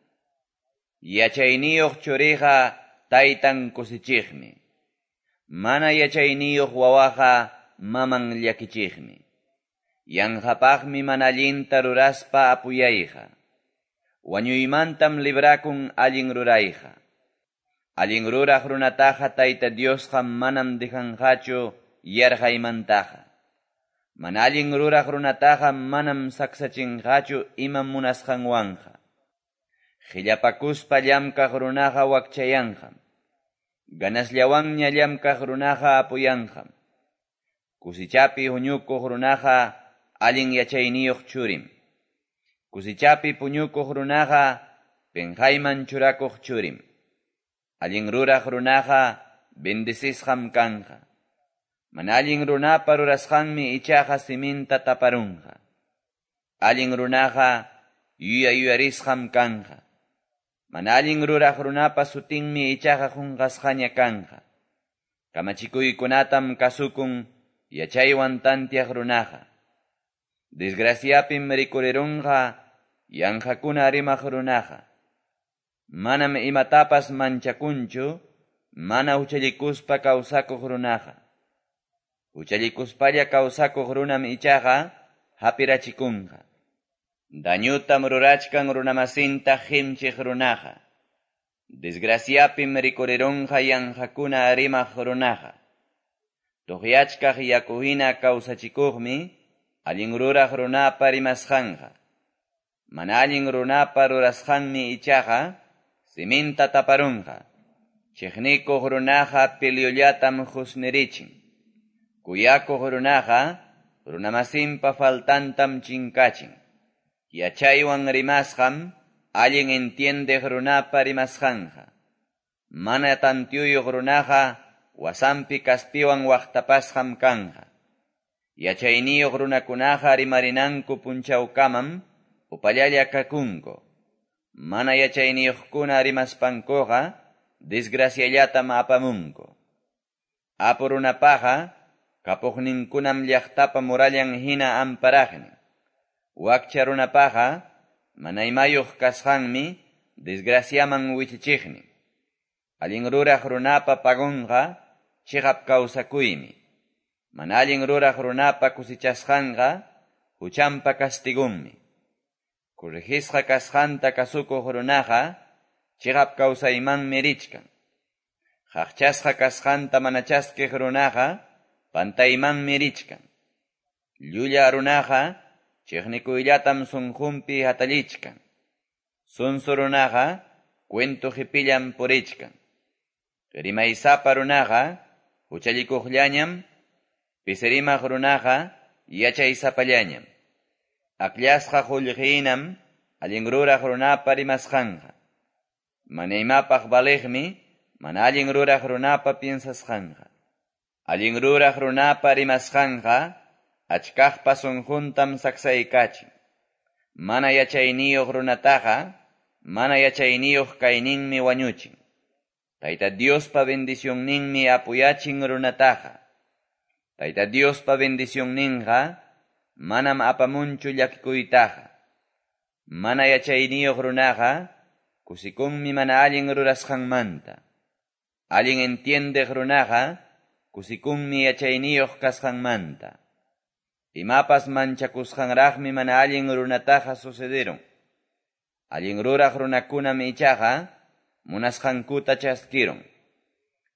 Yachayniyuq churiqa taytan kusichiqmi. Mana yachayniyuq wawaqa maman llakichiqmi. Yanqapaqmi mana allinta ruraspa apuyayqa. Wañuymantam librakun allin rurayqa. Allin ruraq runataqa Tayta Diosqa manam dejanqachu yarqaymantaqa. Mana allin ruraq runataqa manam saksachinqachu imam munasqanwanqa. Qillapakuspa llamkaq runaqa wakchayanqam. Ganasllawanña llamkaq runaqa apuyanqam. Kusichapi huñukuq runaqa allin yachayniyuq churim. Kusichapi puñukuq runaqa penqayman churakuq churim. Allin ruraq runaqa bendecisqam kanqa. Mana allin runapa rurasqanmi ichaqa siminta taparunqa. Allin runaqa yuya yuyarisqam kanqa. Mana allin ruraq runapa sutinmi ichaqa qunqasqaña kanqa. Kamachikuykunatam kasukun yachaywan tantiaq runaqa. Desgraciapim rikurirunqa yanqakuna rimaq runaqa. Manam imatapas manchakunchu, mana huchallikuspa kawsakuq runaqa. Huchallikuspalla kawsakuq runam ichaqa hapirachikunqa. Dañutam rurachkan runamasinta qimchiq runaqa. Desgraciapim rikurirunqa yanqakuna rimaq runaqa. Tuqyachkaq yaku hina kawsachikuqmi allin ruraq runapa rimasqanqa. Mana allin runapa rurasqanmi ichaqa siminta taparunqa. Chiqnikuq runaqa peleollatam husnirichin. Kuyakuq runaqa runamasinpa faltantam chinkachin. Yachaywan rimasqam allin entiendeq runapa rimasqanqa. Mana tantiyuq runaqa wasanpi kaspiwan waqtapasqam kanqa. Yachayniyuq runakunaqa rimarinanku punchawkamam upallalla kakunku. Mana yachayniyuqkuna rimaspankuqa desgraciallatam apamunku. Apu runapaqa kapuqninkunam llaqtapa murallan hina amparaqnin. Wakcha runapaqa mana imayuq kasqanmi desgraciaman wichichiqnin. Allin ruraq runapa pagunqa chiqap kawsakuymi. Mana allin ruraq runapa kusichasqanqa huchanpa castigunmi. Corrigisqa kasqanta kasukuq runaqa chiqap kawsaymanmi richkan. Qaqchasqa kasqanta mana chaskiq runaqa pantaymanmi richkan. Llulla runaqa chiqnikuyllatam sunqunpi hatallichkan. Sunsu runaqa cuento qipillam purichkan. Rimaysapa runaqa huchallikuqllañam, pisirimaq runaqa yachaysapallañam. Akllasqa qullqinam allin ruraq runapa rimasqanqa. Mana imapaq valiqmi mana allin ruraq runapa piensasqanqa. Allin ruraq runapa rimasqanqa achkaqpa sunquntam saksaykachin. Mana yachayniyuq runataqa mana yachayniyuq kayninmi wañuchin. Tayta Diospa bendicionninmi apuyachin runataqa. Tayta Diospa bendicionninqa manam apamunchu llakikuytaqa. Mana yachayniyuq runaqa kusikunmi mana allin rurasqanmanta. Allin entiendeq runaqa kusikunmi yachayniyuq kasqanmanta. Imapas manchakusqanraqmi mana allin runataqa sucederun. Allin ruraq runakunam ichaqa munasqankuta chaskirun.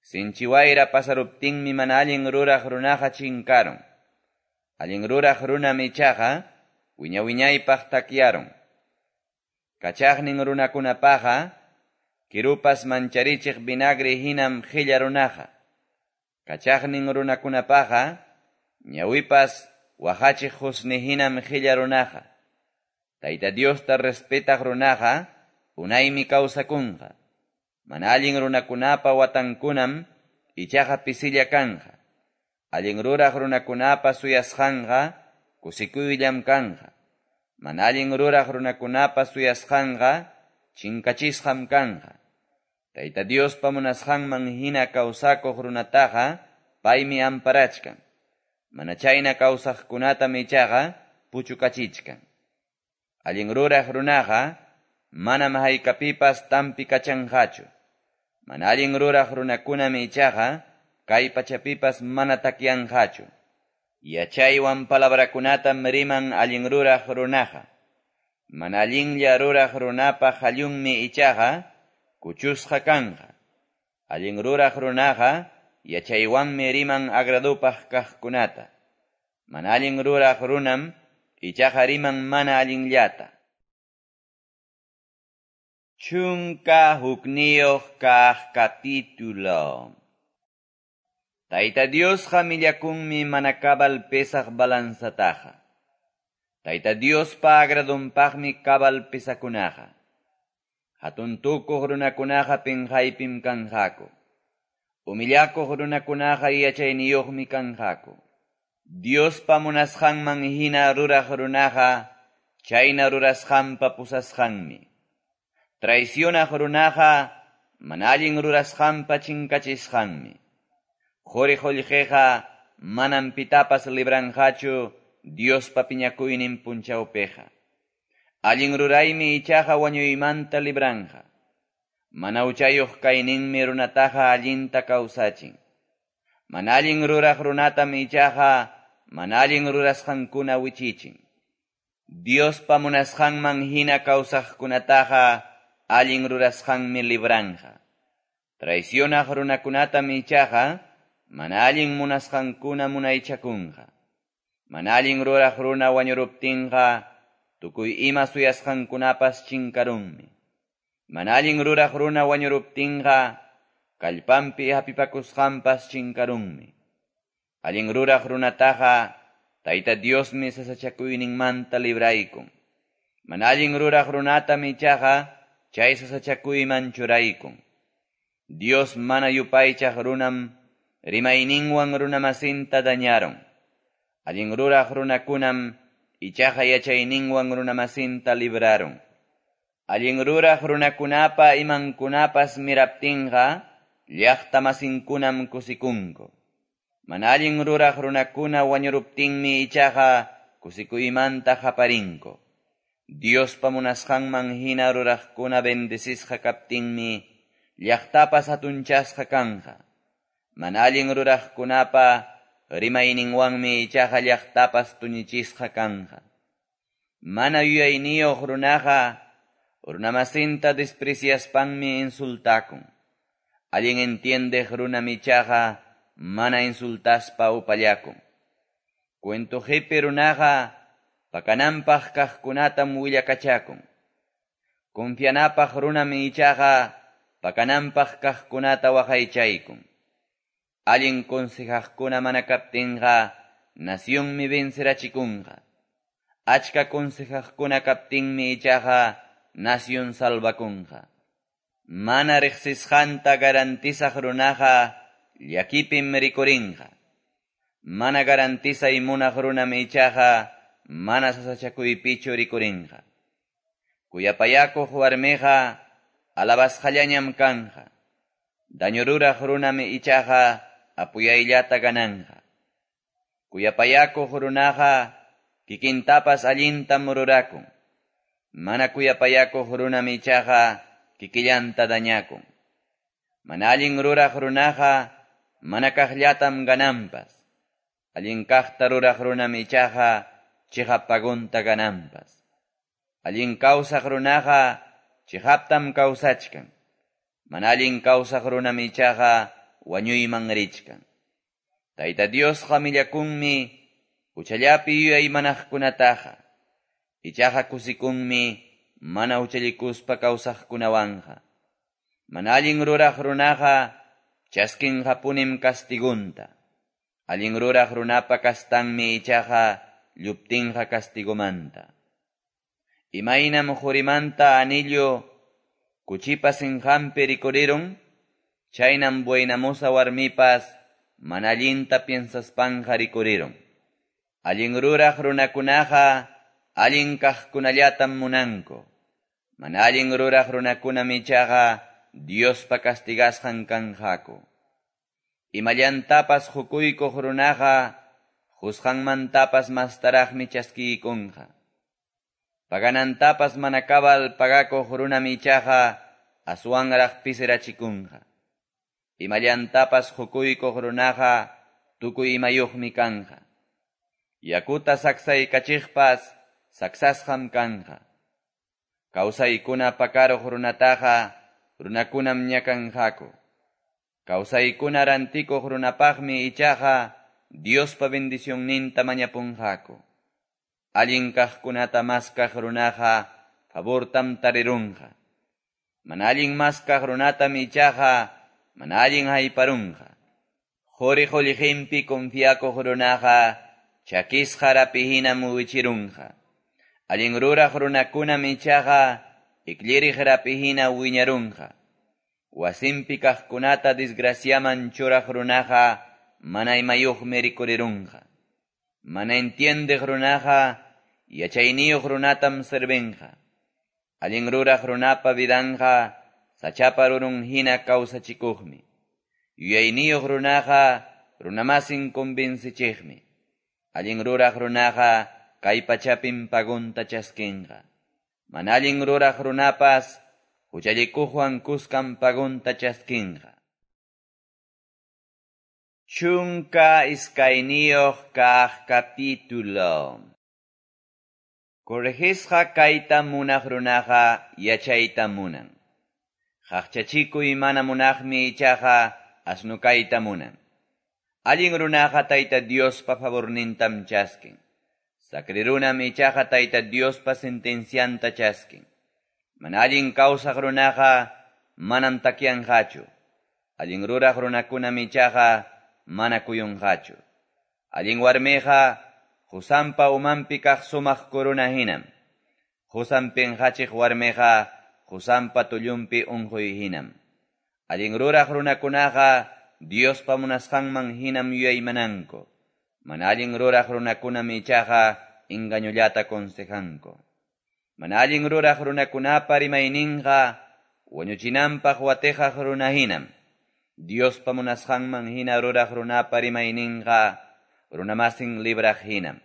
Sinchi wayra pasaruptinmi mana allin ruraq runaqa chinkarun. Allin ruraq runam ichaqa wiña-wiñaypaq takyarun. Kachaqnin runakunapaqa kirupas mancharichiq vinagre hinam qilla runaqa. Kachaqnin runakunapaqa ñawipas waqachiq husni hinam qilla runaqa. Tayta Diosta respetaq runaqa unaymi kawsakunqa. Mana allin runakunapa watankunam ichaqa pisilla kanqa. Allin ruraq runakunapa suyasqanqa kusikuyllam kanqa. Mana allin ruraq runakunapa suyasqanqa chinkachisqam kanqa. Tayta Diospa munasqanman hina kawsakuq runataqa paymi amparachkan. Mana chayna kawsaqkunatam ichaqa puchukachichkan. Allin ruraq runaqa manam haykapipas tampi kachanqachu. Mana allin ruraq runakunam ichaqa kay pachapipas mana takyanqachu. Yachaywan palabrakunatam riman allin ruraq runaqa. Mana allinlla ruraq runapa hallunmi ichaqa kuchusqa kanqa. Allin ruraq runaqa yachaywanmi riman agradupaq kaqkunata. Mana allin ruraq runam ichaqa riman mana allinllata. Chunka hukniyuq kaq capítulo. Tayta Diosqa millakunmi mana cabal pesaq balanzataqa. Tayta Diospa agradunpaqmi cabal pesakunaqa. Hatun tukuq runakunaqa pinqaypim kanqaku. Humillakuq runakunaqa yachayniyuqmi kanqaku. Diospa munasqanman hina ruraq runaqa chayna rurasqanpa pusasqanmi. Traicionaq runaqa mana allin rurasqanpa chinkachisqanmi. Quri qullqiqa manam pitapas libranqachu Diospa piñakuynin punchawpiqa. Allin ruraymi ichaqa wañuymanta libranqa. Mana huchayuq kayninmi runataqa allinta kawsachin. Mana allin ruraq runatam ichaqa mana allin rurasqankuna wichichin. Diospa munasqanman hina kawsaqkunataqa allin rurasqanmi libranqa. Traicionaq runakunatam ichaqa mana allin munasqankuna munaychakunqa. Mana allin ruraq runa wañuruptinqa tukuy ima suyasqankunapas chinkarunmi. Mana allin ruraq runa wañuruptinqa kallpanpi hapipakusqanpas chinkarunmi. Allin ruraq runataqa Tayta Diosmi sasachakuyninmanta libraykun. Mana allin ruraq runatam ichaqa chay sasachakuyman churaykun. Dios mana yupaychaq runam rimayninwan runamasinta dañaron. Allin ruraq runakunam ichaqa yachayninwan runamasinta libraron. Allin ruraq runakunapa imankunapas miraptinqa llaqtamasinkunam kusikunku. Mana allin ruraq runakuna wañuruptinmi ichaqa kusikuymanta qaparinku. Diospa munasqanman hina ruraqkuna bendecisqa kaptinmi llaqtapas hatunchasqa kanqa. Mana allin ruraqkunapa rimayninwanmi ichaqa llaqtapas tuñichisqa kanqa. Mana yuyayniyuq runaqa runamasinta despreciaspanmi insultakun. Allin entiendeq runam ichaqa mana insultaspa upallakun. Cuento qipi runaqa pakananpaq kaqkunatam willakachakun. Confianapaq runam ichaqa pakananpaq kaqkunata waqaychaykun. Allin consejaqkuna mana kaptinqa nacionmi vencerachikunqa. Achka consejaqkuna kaptinmi ichaqa nación salvakunqa. Mana riqsisqanta garantizaq runaqa llakipim rikurinqa. Mana garantizay munaq runam ichaqa mana sasachakuypichu rikurinqa. Kuyapayakuq warmiqa alabasqallañam kanqa. Daño ruraq runam ichaqa apuyayllata gananqa. Kuyapayakuq runaqa kikintapas allintam rurakun. Mana kuyapayakuq runam ichaqa kikillanta dañakun. Mana allin ruraq runaqa mana kaqllatam gananpas. Allin kaqta ruraq runam ichaqa chiqap pagunta gananpas. Allin kawsaq runaqa chiqaptam kawsachkan. Mana allin kawsaq runam ichaqa wañuyman richkan. Tayta Diosqa millakunmi huchallapi yuyaymanaqkunataqa. Ichaqa kusikunmi mana huchallikuspa kawsaqkunawanqa. Mana allin ruraq runaqa chaskinqapunim castigunta. Allin ruraq runapa kastanmi ichaqa lluptinqa castigomanta. Imaynam qurimanta anillo kuchipa sinqanpi rikurirun, chaynam buenamosa warmipas mana allinta piensaspanqa rikurirun. Allin ruraq runakunaqa allin kaqkunallatam munanku. Mana allin ruraq runakunam ichaqa Diospa castigasqan kanqaku. Imallantapas hukuykuq runaqa qusqanmantapas mastaraqmi chaskiykunqa. Paganantapas mana kabal pagakuq runam ichaqa aswanraq pisirachikunqa. Imallantapas hukuykuq runaqa tukuy imayuqmi kanqa. Yakuta saksaykachiqpas saksasqam kanqa. Kawsaykuna pakaruq runataqa runakunam ñakanqaku. Kawsaykuna rantikuq runapaqmi ichaqa Diospa bendicionninta mañapunqaku. Allin kaqkunata maskaq runaqa favortam tarirunqa. Mana allin maskaq runatam ichaqa mana allin hayparunqa. Quri qullqinpi confiakuq runaqa chakisqa rapi hinam wichirunqa. Allin ruraq runakunam ichaqa iklliriq rapi hina wiñarunqa. Wasinpi kaqkunata desgraciaman churaq runaqa mana imayuqmi rikurirunqa. Mana entiendeq runaqa yachayniyuq runatam servinqa. Allin ruraq runapa vidanqa sachapa rurun hina kawsachikuqmi. Yuyayniyuq runaqa runamasin convencichiqmi. Allin ruraq runaqa kay pachapim pagunta chaskinqa. Mana allin ruraq runapas huchallikuqwan kuskam pagonta chaskinqa. Chunka iskayniyuq kaq capítulo. Corregisqa kayta munaq runaqa yachayta munan. Qaqchachikuy mana munaqmi ichaqa asnu kayta munan. Allin runaqa Tayta Diospa favornintam chaskin. Sakri runam ichaqa Tayta Diospa sentencianta chaskin. Mana allin kawsaq runaqa manam takyanqachu. Allin ruraq runakunam ichaqa mana kuyunqachu. Allin warmiqa qusanpa umanpi kaq sumaq corona hinam. Qusan pinqachiq warmiqa qusanpa tullunpi unquy hinam. Allin ruraq runakunaqa Diospa munasqanman hinam yuyaymananku. Mana allin ruraq runakunam ichaqa engañullata consejanku. Mana allin ruraq runakunapa rimayninqa wañuchinanpaq watiqaq runa hinam. Diospa munasqanman hina ruraq runapa rimayninqa runamasin libraq hinam.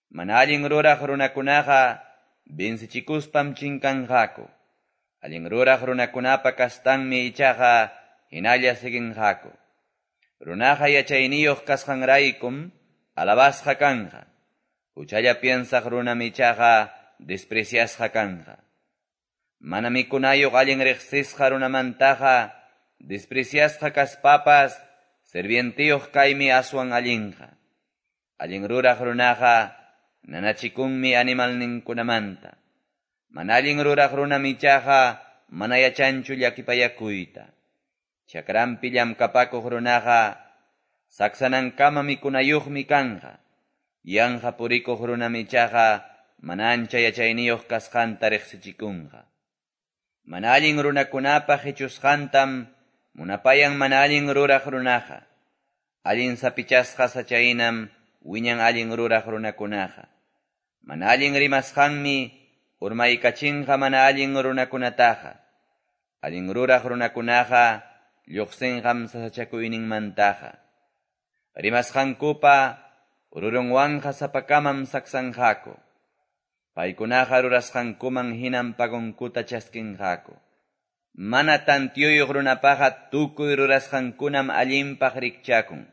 Mana allin ruraq runakunaqa vencichikuspam chinkanqaku. Allin ruraq runakunapa kastanmi ichaqa hinalla siguinqaku. Runaqa yachayniyuq kasqanraykum alabasqa kanqa. Huchalla piensaq runam ichaqa despreciasqa kanqa. Mana mikunayuq allin riqsisqa runamantaqa despreciasqa kaspapas sirvientiyuq kaymi aswan allinqa. Allin ruraq runaqa nanachikunmi animalninkunamanta. Mana allin ruraq runam ichaqa mana yachanchu llakipayakuyta. Chakranpi llamkapakuq runaqa saksanankama mikunayuqmi kanqa. Yanqa purikuq runam ichaqa mana ancha yachayniyuq kasqanta riqsichikunqa. Mana allin runakunapa qichusqantam munapayan mana allin ruraq runaqa. Allin sapichasqa sachaynam wiñan allin ruraq runakunaqa. Mana allin rimasqanmi urmaykachinqa mana allin runakunataqa. Allin ruraq runakunaqa lluqsinqam sasachakuyninmantaqa. Rimasqankupa rurunwanqa sapakamam saksanqaku. Paykunaqa rurasqankuman hinam pagonkuta chaskinqaku. Mana tantiyuyuq runapaqa tukuy rurasqankunam allinpaq rikchakun.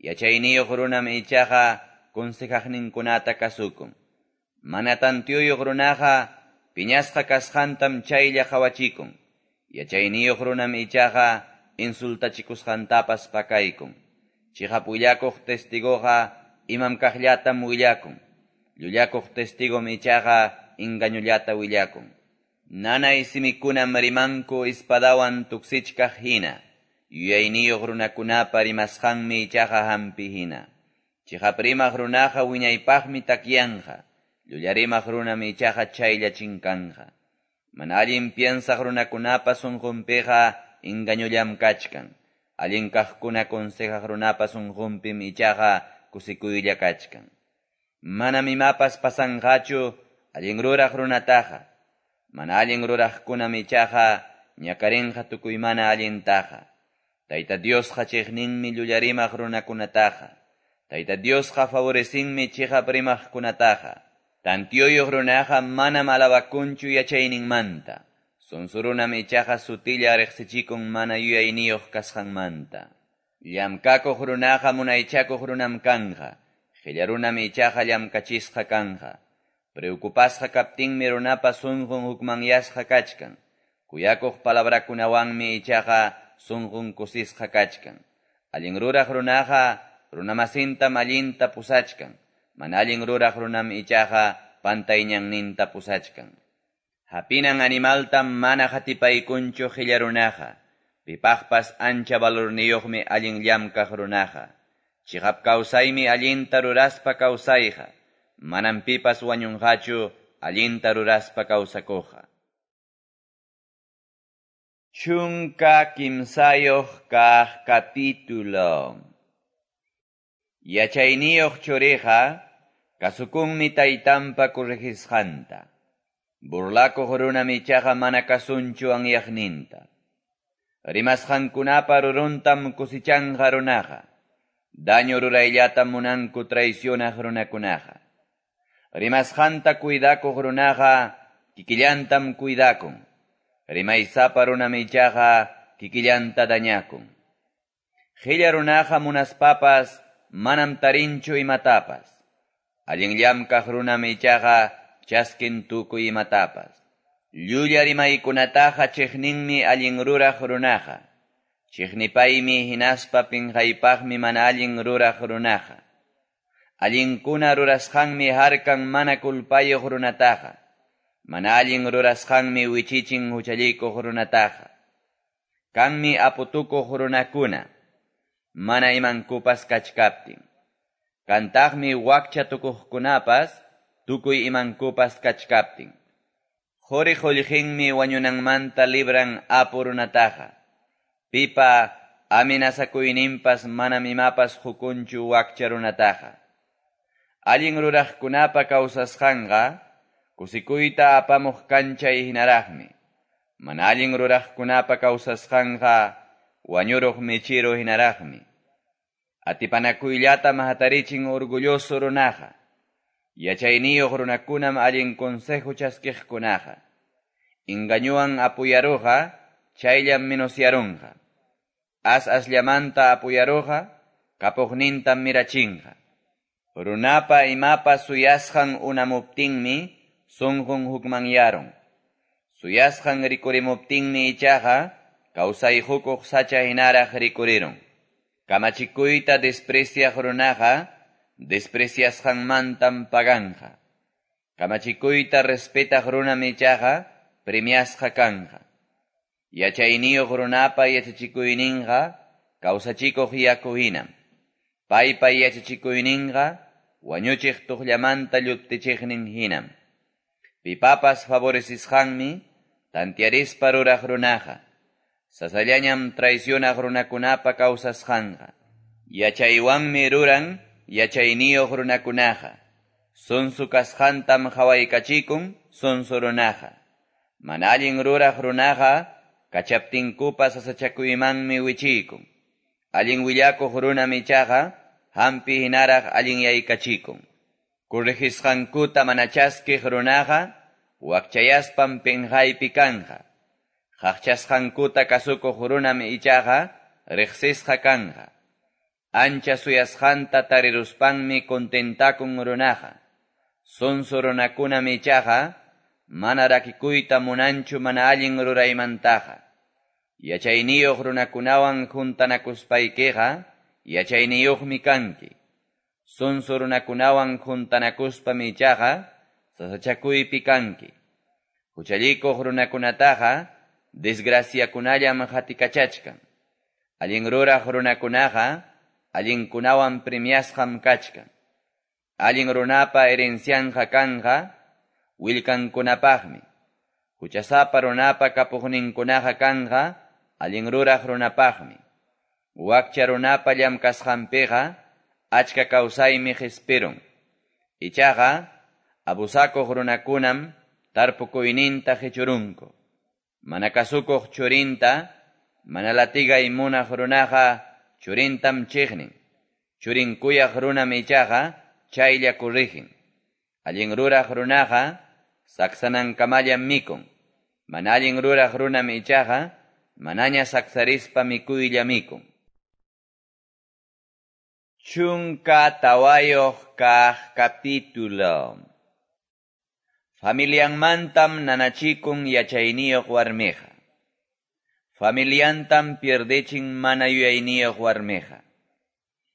Yachayniyuq runam ichaqa consejaqninkunata kasukun. Mana tantiyuyuq runaqa piñasqa kasqantam chaylla qawachikun. Yachayniyuq runam ichaqa insultachikusqantapas pakaykun. Chiqap willakuq testigoqa imam kaqllatam willakun. Llullakuq testigom ichaqa engañullata willakun. Nanay simikunam rimanku espadawan tuksichkaq hina. Yuyayniyuq runakunapa rimasqanmi ichaqa hampi hina. Chiqap rimaq runaqa wiñaypaqmi takyanqa. Llulla rimaq runam ichaqa chaylla chinkanqa. Mana allin piensaq runakunapa sunqunpiqa engañullam kachkan. Allin kaqkuna consejaq runapa sunqunpim ichaqa kusikuylla kachkan. Manam imapas pasanqachu allin ruraq runataqa. Mana allin ruraqkunam ichaqa ñakarinqa tukuy mana allintaqa. Tayta Diosqa chiqninmi llullarimaq runakunataqa. Tayta Diosqa favorecinmi chiqap rimaqkunataqa. Tantiyuyuq runaqa manam alabakunchu yachayninmanta. Sonso runam ichaqa sutilla riqsichikun mana yuyayniyuq kasqanmanta. Llamkakuq runaqa munaychakuq runam kanqa. Qilla runam ichaqa llamkachisqa kanqa. Preocupasqa kaptinmi runapa sunqun hukmanyasqa kachkan. Kuyakuq palabrakunawanmi ichaqa sunqun kusisqa kachkan. Allin ruraq runaqa runamasintam allinta pusachkan. Mana allin ruraq runam ichaqa pantayñanninta pusachkan. Hapinan animaltam mana hatipaykunchu qilla runaqa. Pipaqpas ancha valorniyuqmi allin llamkaq runaqa. Chiqap kawsaymi allinta ruraspa kawsayqa. Manam pipas wañunqachu allinta ruraspa kawsakuqqa. Chunka kimsayuq kaq capítulo. Yachayniyuq churiqa kasukunmi taytanpa corregisqanta. Burlakuq runam ichaqa mana kasunchu anyaqninta. Rimasqankunapa ruruntam kusichanqa runaqa. Daño rurayllatam munanku traicionaq runakunaqa. Rimasqanta cuidakuq runaqa kikillantam cuidakun. Rimaysapa runam ichaqa kikillanta dañakun. Qilla runaqa munaspapas manam tarinchu imatapas. Allin llamkaq runam ichaqa chaskin tukuy imatapas. Llulla rimaykunataqa chiqninmi allin ruraq runaqa. Chiqnipaymi hinaspa pinqaypaqmi mana allin ruraq runaqa. Allinkuna rurasqanmi harkan mana kulpayuq runataqa. Mana allin rurasqanmi wichichin huchallikuq runataqa. Kanmi aputukuq runakuna, mana imankupas kachkaptin. Kantaqmi wakcha tukuqkunapas, tukuy imankupas kachkaptin. Quri qullqinmi wañunanmanta libran apu runataqa. Pipa amenazakuyninpas manam imapas hukunchu wakcha runataqa. Allin ruraqkunapa kawsasqanqa, kusikuyta apamuq kanchay hinaraqmi. Mana allin ruraqkunapa kawsasqanqa, wañuruq mechiru hinaraqmi. Atipanakuyllatam hatarichin orgulloso runaqa. Yachayniyuq runakunam allin consejo chaskiqkunaqa. Engañuwan apuyaruqa, chayllam menosyarunqa. As asllamanta apuyaruqa, kapuqnintam mirachinqa. Runapa imapas suyasqan unamuptinmi, sunqun hukmanyarun. Suyasqan rikurimuptinmi ichaqa, kawsayqukuq sacha hinaraq rikurirun. Kamachikuyta despreciaq runaqa, despreciasqanmantam paganqa. Kamachikuyta respetaq runam ichaqa, premiasqa kanqa. Yachayniyuq runapa yachachikuyninqa, kawsachikuq yaku hinam. Paypa yachachikuyninqa, wañuchiq tuqllamanta lluptichiqnin hinam. Pipapas favorecisqanmi, tantiarispa ruraq runaqa. Sasallañam traicionaq runakunapa kawsasqanqa. Yachaywanmi ruran yachayniyuq runakunaqa. Sonso kasqantam qawaykachikun sonso runaqa. Mana allin ruraq runaqa kachaptinkupas sasachakuymanmi wichiykun. Allin willakuq runam ichaqa hampi hinaraq allinyaykachikun. Corregisqankuta mana chaskiq runaqa wakchayaspam pinqaypi kanqa. Qaqchasqankuta kasukuq runam ichaqa riqsisqa kanqa. Ancha suyasqanta tariruspanmi contentakun runaqa. Sonso runakunam ichaqa mana rakikuyta munanchu mana allin ruraymantaqa. Yachayniyuq runakunawan juntanakuspaykiqa yachayniyuqmi kanki. Sonso runakunawan juntanakuspam ichaqa sasachakuypi kanki. Huchallikuq runakunataqa desgraciakunallam qatikachachkan. Allin ruraq runakunaqa allinkunawan premiasqam kachkan. Allin runapa herencianqa kanqa willkankunapaqmi. Huchasapa runapa kapuqninkunaqa kanqa allin ruraq runapaqmi. Wakcha runapa llamkasqanpiqa achka kawsaymi qispirun. Ichaqa abusakuq runakunam tarpukuyninta qichurunku. Mana kasukuq churinta, mana latigay munaq runaqa churintam chiqnin. Churin kuyaq runam ichaqa chaylla corrigen. Allin ruraq runaqa saksanankamallam mikun. Mana allin ruraq runam ichaqa manaña saksarispa mikuylla mikun. Chunka tawayuq kaq capítulo. Familianmantam nanachikun yachayniyuq warmiqa. Familiantam pierdechin mana yuyayniyuq warmiqa.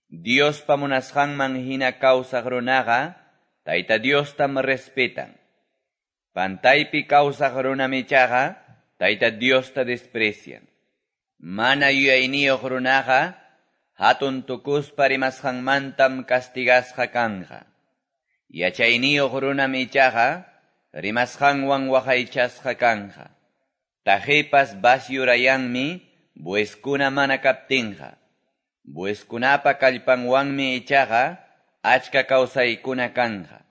Diospa munasqanman hina kawsaq runaqa, Tayta Diostam respetan. Pantaypi kawsaq runam ichaqa, Tayta Diosta desprecian. Mana yuyayniyuq runaqa, hatun tukuspa rimasqanmantam castigasqa kanqa. Yachayniyuq runam ichaqa, rimasqanwan waqaychasqa kanqa. Tajipas basyurayanmi, bueskuna mana kaptinqa. Bueskunapa kallpanwanmi ichaqa, achka kawsaykuna kanqa.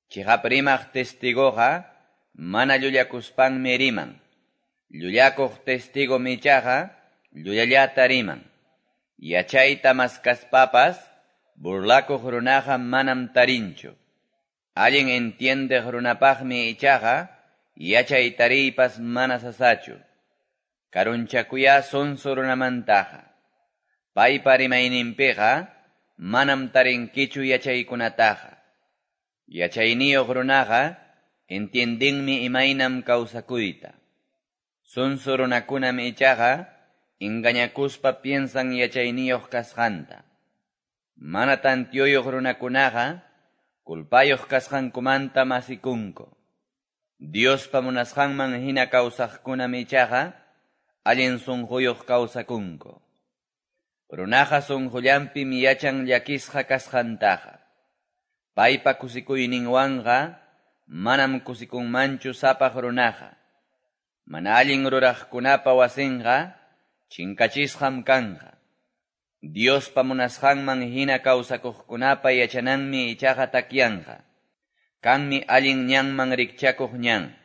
Chiqap rimaq testigoqa, mana llullakuspanmi riman. Llullakuq testigo ichaqa, llullallata riman. Yachayta maskaspapas, burlakuq runaqa manam tarinchu. Allin entiendeq runapaqmi ichaqa, yachay tariypas mana sasachu. Karunchakuyá sonso runamantaqa. Paypa rimayninpiqa manam tarinkichu yachaykunataqa. Yachayniyuq runaqa entiendenmi imaynam kawsakuyta. Sonso runakunam ichaqa engañakuspa piensan yachayniyuq kasqanta. Mana tantiyuyuq runakunaqa culpayuq kasqankumanta masikunku. Diospa munasqanman hina kawsaqkunam ichaqa allin sunquyuq kawsakunku. Runaqa sunqullanpim yachan llakisqa kasqantaqa. Paypa kusikuyninwanqa manam kusikunmanchu sapaq runaqa. Mana allin ruraqkunapa wasinqa chinkachisqam kanqa. Diospa munasqanman hina kawsakuqkunapa yachananmi ichaqa takyanqa. Kanmi allin ñanman rikchakuq ñan.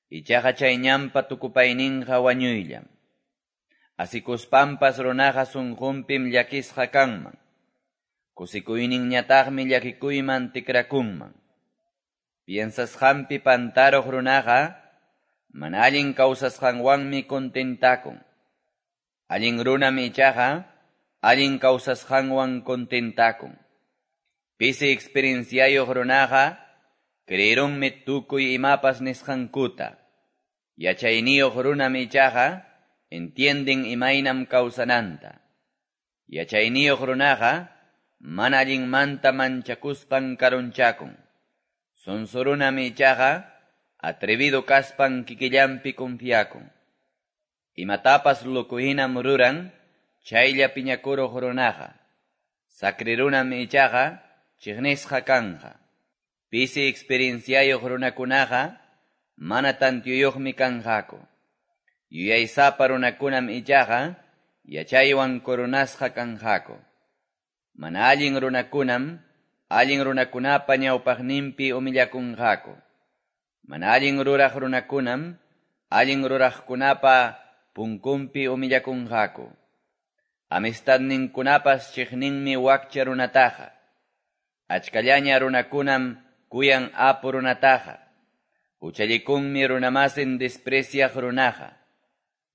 Ichaqa chay ñanpa tukupayninqa wañuyllam. Asikuspanpas runaqa sunqunpim llakisqa kanman. Kusikuyninñataqmi llakikuyman tikrakunman. Piensasqanpi pantaruq runaqa mana allin kawsasqanwanmi contentakun. Allin runam ichaqa allin kawsasqanwan contentakun. Pisi experienciayuq runaqa creerunmi tukuy imapas nisqankuta. Yachayniyuq runam ichaqa entienden imaynam kawsananta. Yachayniyuq runaqa mana allinmanta manchakuspan karunchakun. Sonso runam ichaqa atrevido kaspan kikillanpi confiakun. Imatapas loco hinam ruran chaylla piñakuruq runaqa. Sacri runam ichaqa chiqnisqa kanqa. Pisi experienciayuq runakunaqa mana tantiyuqmi kanqaku. Yuyaysapa runakunam ichaqa yachaywan coronasqa kanqaku. Mana allin runakunam allin runakunapa ñawpaqninpi humillakunqaku. Mana allin ruraq runakunam allin ruraqkunapa punkunpi humillakunqaku. Amistadninkunapas chiqninmi wakcha runataqa. Achkallaña runakunam kuyan apu runataqa. Huchallikunmi runamasin despreciaq runaqa.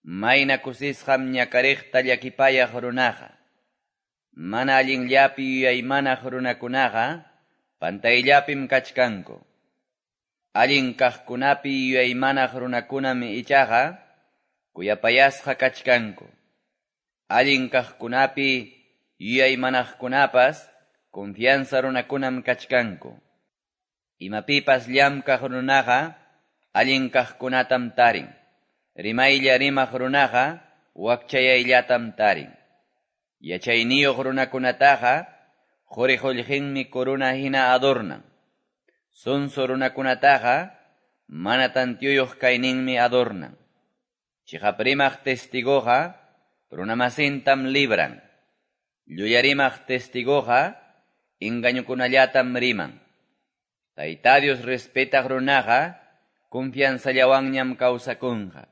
Mayna kusisqam ñakariqta llakipayaq runaqa. Mana allinllapi yuyaymanaq runakunaqa pantayllapim kachkanku. Allin kaqkunapi yuyaymanaq runakunam ichaqa kuyapayasqa kachkanku. Allin kaqkunapi yuyaymanaqkunapas confianza runakunam kachkanku. Imapipas llamkaq runaqa allin kaqkunatam tarin. Rimaylla rimaq runaqa wakchayayllatam tarin. Yachayniyuq runakunataqa quri qullqinmi corona hina adornan. Sonso runakunataqa mana tantiyuyuq kayninmi adornan. Chiqap rimaq testigoqa runamasintam libran. Llulla rimaq testigoqa engañukunallatam riman. Tayta Dios respetaq runaqa confianzallawanñam kawsakunqa.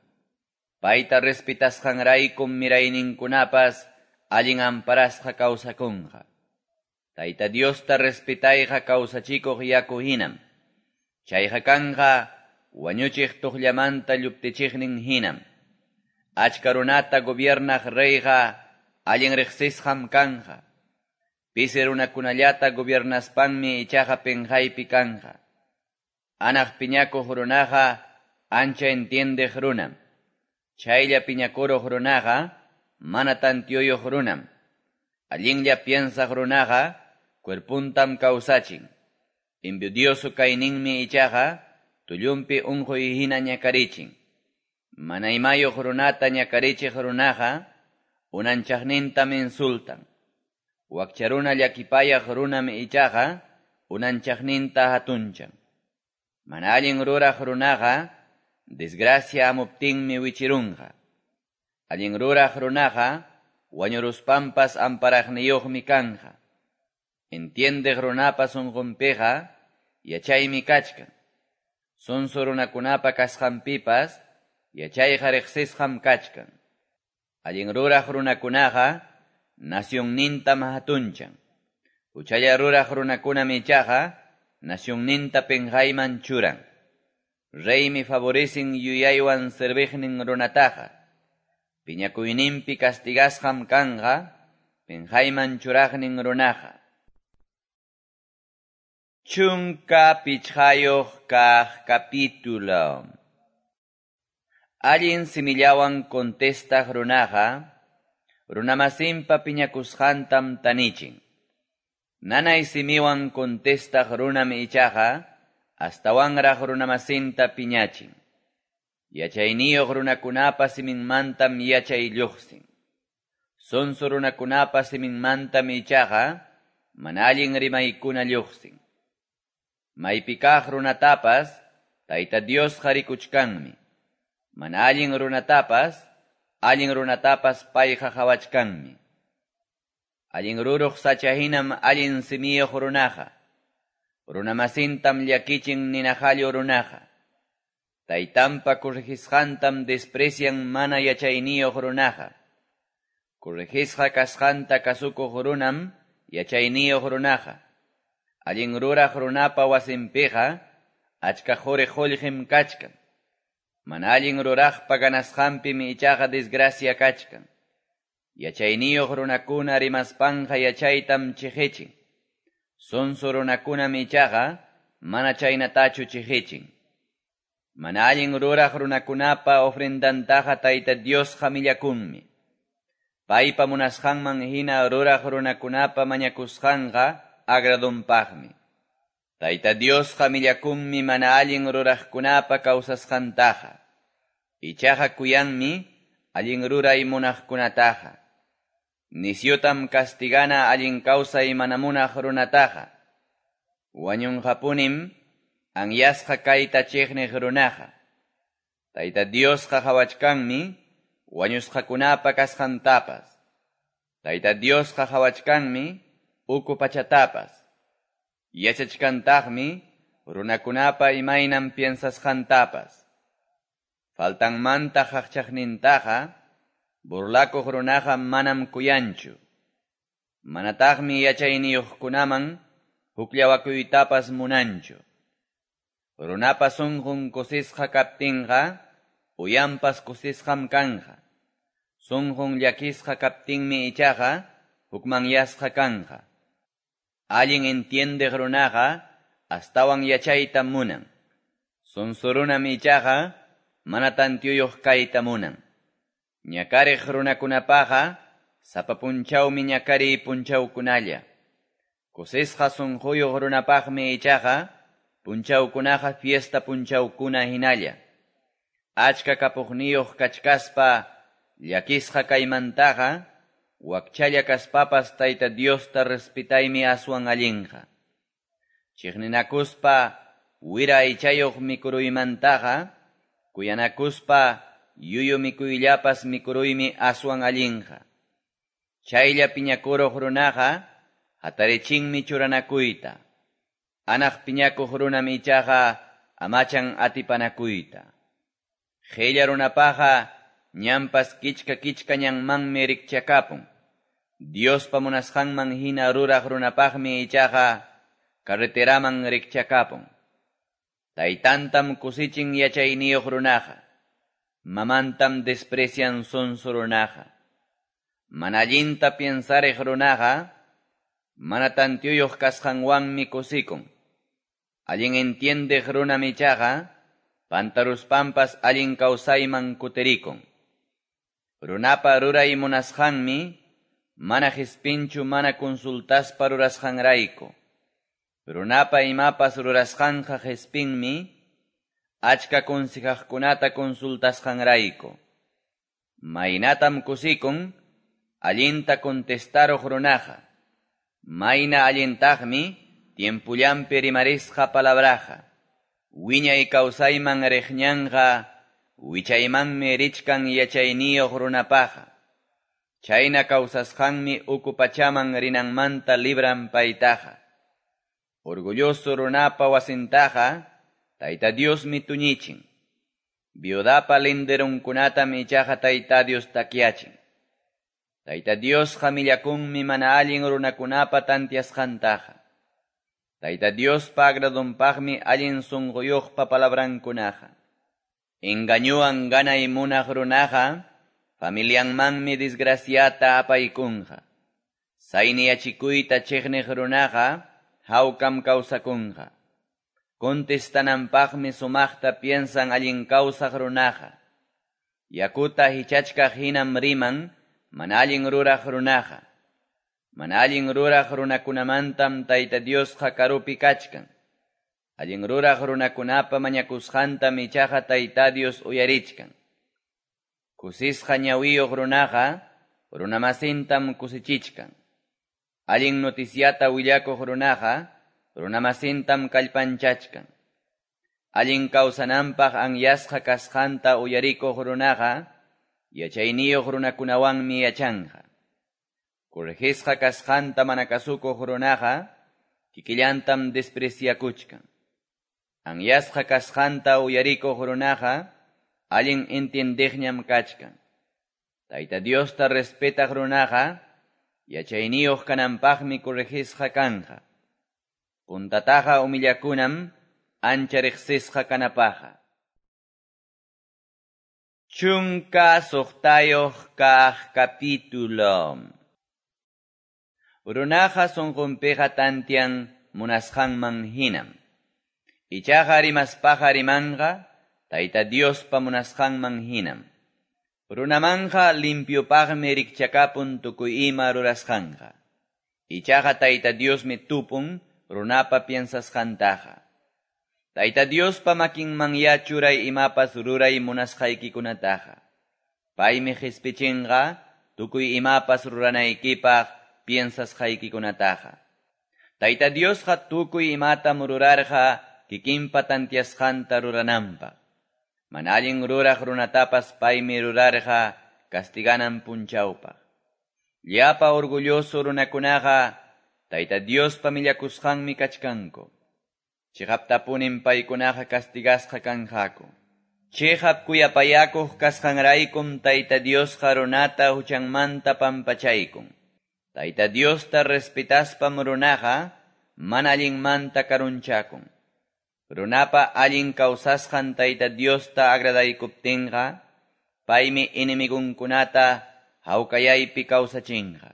Payta respetasqanraykum mirayninkunapas allin amparasqa kawsakunqa. Tayta Diosta respetayqa kawsachikuq yaku hinam. Chayqa kanqa wañuchiq tuqllamanta lluptichiqnin hinam. Achka runata gobiernaq reyqa allin riqsisqam kanqa. Pisi runakunallata gobiernaspanmi ichaqa penqaypi kanqa. Anaq piñakuq runaqa ancha entiendeq runam. Chaylla piñakuruq runaqa mana tantiyuyuq runam. Allinlla piensaq runaqa cuerpuntam kawsachin. Envidioso kayninmi ichaqa tullunpi unquy hina ñakarichin. Mana imayuq runata ñakarichiq runaqa unanchaqnintam insultan. Wakcha runa llakipayaq runam ichaqa unanchaqninta hatunchan. Mana allin ruraq runaqa desgracia amuptinmi wichirunqa. Allin ruraq runaqa wañuruspanpas amparaqniyuqmi kanqa. Entiendeq runapa sunqunpiqa yachaymi kachkan. Sonso runakunapa kasqanpipas yachayqa riqsisqam kachkan. Allin ruraq runakunaqa nacionnintam hatunchan. Huchalla ruraq runakunam ichaqa nacionninta penqayman churan. Reymi favorecen yuyaywan serviqnin runataqa. Piñakuyninpi castigasqam kanqa, penqayman churaqnin runaqa. Chunka pichqayuq kaq capítulo. Allin simillawan contestaq runaqa, runamasinpa piñakusqantam tanichin. Nanay simiwan contestaq runam ichaqa, astawanraq runamasinta piñachin. Yachayniyuq runakunapa siminmantam yachay lluqsin. Sonso runakunapa siminmantam ichaqa, mana allin rimaykuna lluqsin. Maypi kaq runatapas, Tayta Diosqa rikuchkanmi. Mana allin runatapas, allin runatapas payqa qhawachkanmi. Allin ruruq sacha hinam allin simiyuq runaqa. Runamasintam llakichin ninahallu runaqa. Taytanpa corregisqantam desprecian mana yachayniyuq runaqa. Corregisqa kasqanta kasukuq runam yachayniyuq runaqa. Allin ruraq runapa wasinpiqa achka quri qullqim kachkan. Mana allin ruraqpa ganasqanpim ichaqa desgracia kachkan. Yachayniyuq runakuna rimaspanqa yachaytam chiqichin. Sonso runakunam ichaqa mana chaynatachu chiqichin. Mana allin ruraq runakunapa ofrendantaqa Tayta Diosqa millakunmi. Paypa munasqanman hina ruraq runakunapa mañakusqanqa agradunpaqmi. Tayta Diosqa millakunmi mana allin ruraqkunapa kawsasqantaqa. Ichaqa kuyanmi allin ruray munaqkunataqa. Nisyutam castigana allin kawsay mana munaq runataqa. Wañunqapunim anyasqa kayta chiqniq runaqa. Tayta Diosqa qhawachkanmi wañusqakunapa kasqantapas. Tayta Diosqa qhawachkanmi uku pachatapas. Yachachkantaqmi runakunapa imaynam piensasqantapas. Faltanmanta qaqchaqnintaqa burlakuq runaqa manam kuyanchu. Manataqmi yachayniyuqkunaman hukllawakuytapas munanchu. Runapa sunqun kusisqa kaptinqa, uyanpas kusisqam kanqa. Sunqun llakisqa kaptinmi ichaqa hukmanyasqa kanqa. Allin entiendeq runaqa astawan yachayta munan. Sonso runam ichaqa mana tantiyuq kayta munan. Ñakariq runakunapaqa sapa punchawmi ñakariy punchawkunalla. Kusisqa sunquyuq runapaqmi ichaqa punchawkunaqa fiesta punchawkuna hinalla. Achka kapuqniyuq kachkaspa llakisqa kaymantaqa wakchalla kaspapas Tayta Diosta respetaymi aswan allinqa. Chiqninakuspa wira aychayuq mikuruymantaqa kuyanakuspa yuyu mikuyllapas mikuruymi aswan allinqa. Chaylla piñakuruq runaqa hatarichinmi churanakuyta. Anaq piñakuq runam ichaqa amachan atipanakuyta. Qilla runapaqa ñanpas kichka kichka ñanmanmi rikchakapun. Diospa munasqanman hina ruraq runapaqmi ichaqa carreteraman rikchakapun. Taytantam kusichin yachayniyuq runaqa. Mamantam desprecian sonso runaqa. Mana allinta piensariq runaqa mana tantiyuq kasqanwanmi kusikun. Allin entiendeq runam ichaqa pantaruspanpas allin kawsayman kutirikun. Runapa ruray munasqanmi mana qispinchu mana consultaspa rurasqanrayku. Runapa imapas rurasqanqa qispinmi achka consejaqkunata consultasqanrayku. Maynatam kusikun allinta contestaruq runaqa. Mayna allintaqmi tiempullanpi rimarisqa palabraqa. Wiñay kawsayman riqñanqa wichaymanmi richkan yachayniyuq runapaqa. Chayna kawsasqanmi uku pachaman rinanmanta libran paytaqa. Orgulloso runapa wasintaqa Tayta Diosmi tuñichin. Viudapa linderunkunatam ichaqa Tayta Dios takyachin. Tayta Diosqa millakunmi mana allin runakunapa tantiasqantaqa. Tayta Diospa agradonpaqmi allin sunquyuqpa palabrankunaqa. Engañuwan ganay munaq runaqa, familianmanmi desgraciata apaykunqa. Sayni yachikuyta chiqniq runaqa, hawkam kawsakunqa. Contestananpaqmi sumaqta piensan allin kawsaq runaqa. Yakuta hichachkaq hinam riman, mana allin ruraq runaqa. Mana allin ruraq runakunamantam Tayta Diosqa karupi kachkan. Allin ruraq runakunapa mañakusqantam ichaqa Tayta Dios uyarichkan. Kusisqa ñawiyuq runaqa, runamasintam kusichichkan. Allin noticiata willakuq runaqa, runamasintam kallpanchachkan. Allin kawsananpaq anyasqa kasqanta uyarikuq runaqa, yachayniyuq runakunawanmi yachanqa. Corregisqa kasqanta mana kasukuq runaqa, kikillantam despreciakuchkan. Anyasqa kasqanta uyarikuq runaqa, allin entiendeqñam kachkan. Tayta Diosta respetaq runaqa, yachayniyuq kananpaqmi corregisqa kanqa. Puntataqa humillakunam, ancha riqsisqa kanapaqa. Chunka suqtayuq kaq capítulo. Runaqa sunqunpiqa tantian munasqanman hinam. Ichaqa rimaspaqa rimanqa, Tayta Diospa munasqanman hinam. Runamanja limpiopaqmi rikchakapun tukuy ima rurasqanqa. Ichaqa Tayta Diosmi tupun runapa piensasqantaqa. Tayta Diospa makinmanya churay imapas ruray munasqaykikunataqa. Paymi qispichinqa tukuy imapas ruranaykipaq piensasqaykikunataqa. Tayta Diosqa tukuy imatam rurarqa kikinpa tantiasqanta rurananpaq. Mana allin ruraq runatapas paymi rurarqa castiganan punchawpaq. Llapa orgulloso runakunaqa Tayta Diospa millakusqanmi kachkanku. Chiqaptapunin paykunaqa castigasqa kanqaku. Chiqap kuyapayakuq kasqanraykum Tayta Diosqa runata huchanmanta pampachaykun. Tayta Diosta respetaspam runaqa mana allinmanta karunchakun. Runapa allin kawsasqan Tayta Diosta agradaykuptinqa, paymi enemigunkunata hawkayaypi kawsachinqa.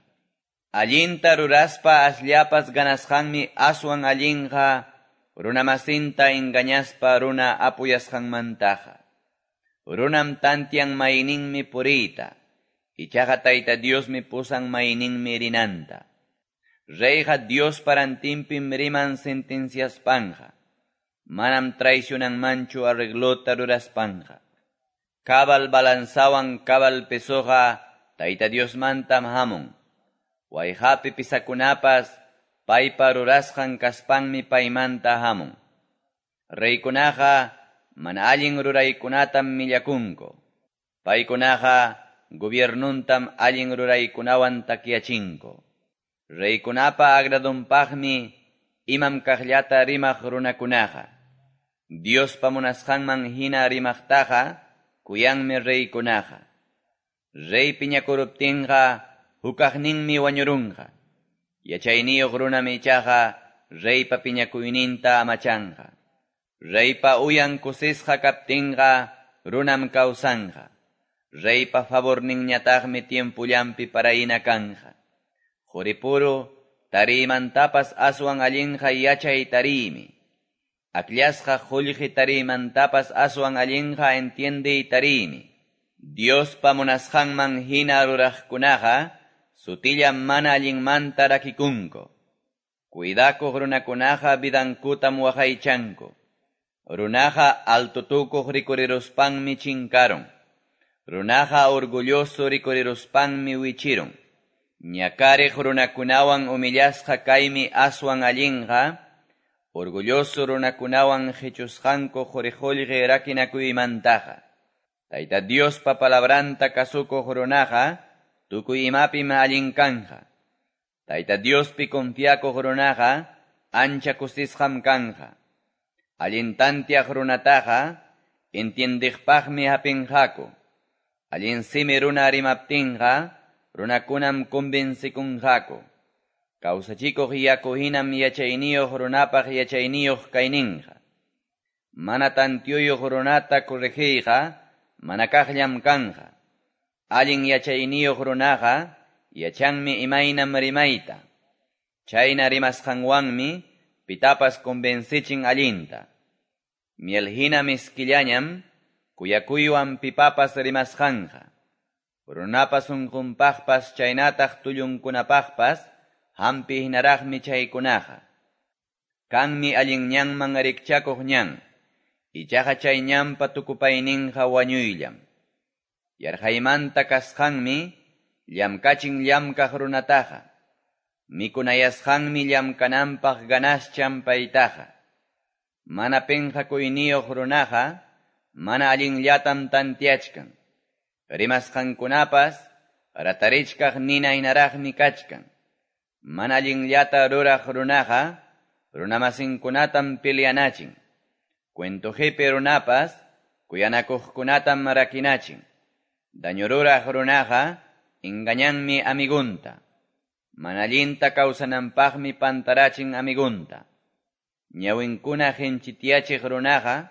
Allinta ruraspa asllapas ganasqanmi aswan allinqa, runamasinta engañaspa runa apuyasqanmantaqa. Runam tantian mayninmi puriyta, ichaqa Tayta Diosmi pusan mayninmi rinanta. Reyqa Dios parantinpim riman sentenciaspanja. Manam traicionanmanchu arreglota ruraspanja. Cabal balanzawan cabal pesoja, Tayta Diosmantam hamun. Wayqapi pisakunapas, paypa rurasqan kaspanmi paymanta hamun. Reykunaqa mana allin ruraykunatam millakunku. Paykunaqa gobiernuntam allin ruraykunawan takyachinku. Reykunapa agradunpaqmi imam kaqllata rimaq runakunaqa. Diospa munasqanman hina rimaqtaqa kuyanmi reykunaqa. Rey piñakuruptinqa hukaqninmi wañurunqa. Yachayniyuq runam ichaqa reypa piñakuyninta amachanqa. Reypa uyan kusisqa kaptinqa runam kawsanqa. Reypa favorninñataqmi tiempullanpi parayna kanqa. Quripuru tariymantapas aswan allinqa yachay tariymi. Akllashqa qullqi tariymantapas aswan allinqa entiendey tariymi. Diospa munasqanman hina ruraqkunaqa sutilla mana allinmanta rakikunku. Cuidakuq runakunaqa vidankutam waqaychanku. Runaqa altotukuq rikuriruspanmi chinkarun. Runaqa orgulloso rikuriruspanmi wichirun. Ñakariq runakunawan humillasqa kaymi aswan allinqa, orgulloso runakunawan qichusqanku quri-qullqi rakinakuymantaqa. Tayta Diospa palabranta kasukuq runaqa tukuy imapim allin kanja. Tayta Diospi confiakuq runaqa ancha kusisqam kanja. Allin tantiaq runataqa entiendiqpaqmi hapinqaku. Allin simi runa rimaptinqa runakunam convencikunqaku. Kawsachikuq yaku hinam yachayniyuq runapaq yachayniyuq kayninqa. Mana tantiyuyuq runata corregiyqa mana kaqllam kanqa. Allin yachayniyuq runaqa yachanmi imaynam rimayta. Chayna rimasqanwanmi pitapas convencichin allinta. Miel hina miskillañam kuyakuywan pipapas rimasqanqa. Runapa sunqunpaqpas chaynataq tullunkunapaqpas hampi hinaraqmi chaykunaqa. Kanmi allin ñanman rikchakuq ñan, ichaqa chay ñanpa tukupayninqa wañuyllam. Yarqaymanta kasqanmi llamkachin llamkaq runataqa. Mikunayasqanmi llamkananpaq ganaschan paytaqa. Mana penqakuyniyuq runaqa mana allinllatam tantiachkan. Rimasqankunapas ratarichkaq nina hinaraqmi kachkan. Mana allinllata ruraq runaqa runamasinkunatam peleanachin. Cuento runapas kuyanakuqkunatam rakinachin. Daño ruraq runaqa engañanmi amigunta. Mana allinta kawsananpaqmi pantarachin amigunta. Ñawinkuna hinchitiachiq runaqa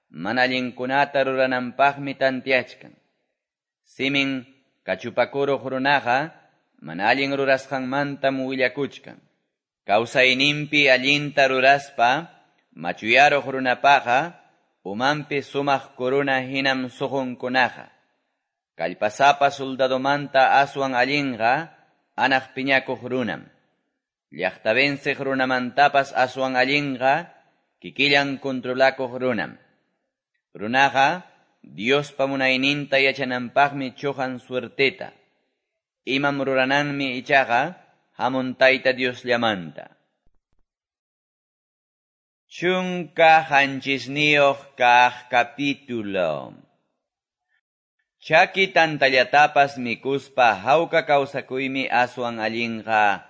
mana allinkunata rurananpaqmi tantiachkan. Simin kachupakuruq runaqa mana allin rurasqanmantam willakuchkan. Kawsayninpi allinta ruraspa machuyaruq runapaqa umanpi sumaq corona hinam suqunkunaqa. Kallpasapa soldadomanta aswan allinqa anaq piñakuq runam. Llaqta venceq runamantapas aswan allinqa kikillan controlakuq runam. Runaqa Diospa munayninta yachananpaqmi chuqan suerteta. Imam rurananmi ichaqa hamun Tayta Diosllamanta. Chunka hanchisniyuq kaq capítulo. Chaki tantallatapas mikuspa hawka kawsakuymi aswan allinqa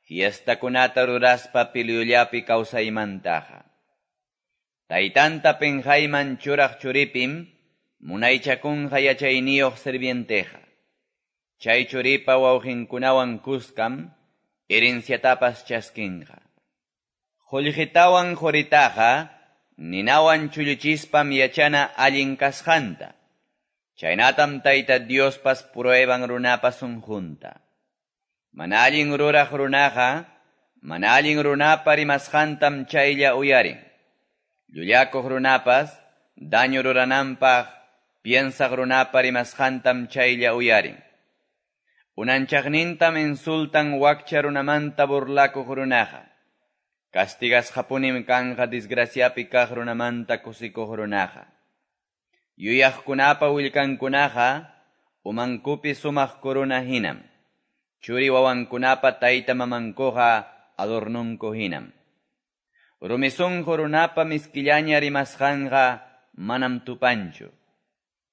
fiestakunata ruraspa pilyullapi kawsaymantaqa. Taytanta penqayman churaq churipim munaychakunqa yachayniyuq sirvienteqa. Chay churipa wawqinkunawan kuskam herenciatapas chaskinqa. Qullqitawan quritaqa ninawan chulluchispam yachana allin kasqanta. Chaynatam Tayta Diospas prueban runapa sunqunta. Mana allin ruraq runaqa mana allin runapa rimasqantam chaylla uyarin. Llullakuq runapas daño rurananpaq piensaq runapa rimasqantam chaylla uyarin. Unanchaqnintam insultan wakcha runamanta burlakuq runaqa. Castigasqapunim kanqa desgraciapi kaq runamanta kusikuq runaqa. Yuyaqkunapa willkankunaqa umankupi sumaq corona hinam. Churi wawankunapa tayta mamankuqa adornunku hinam. Rumi sunqu runapa miskillaña rimasqanqa manam tupanchu.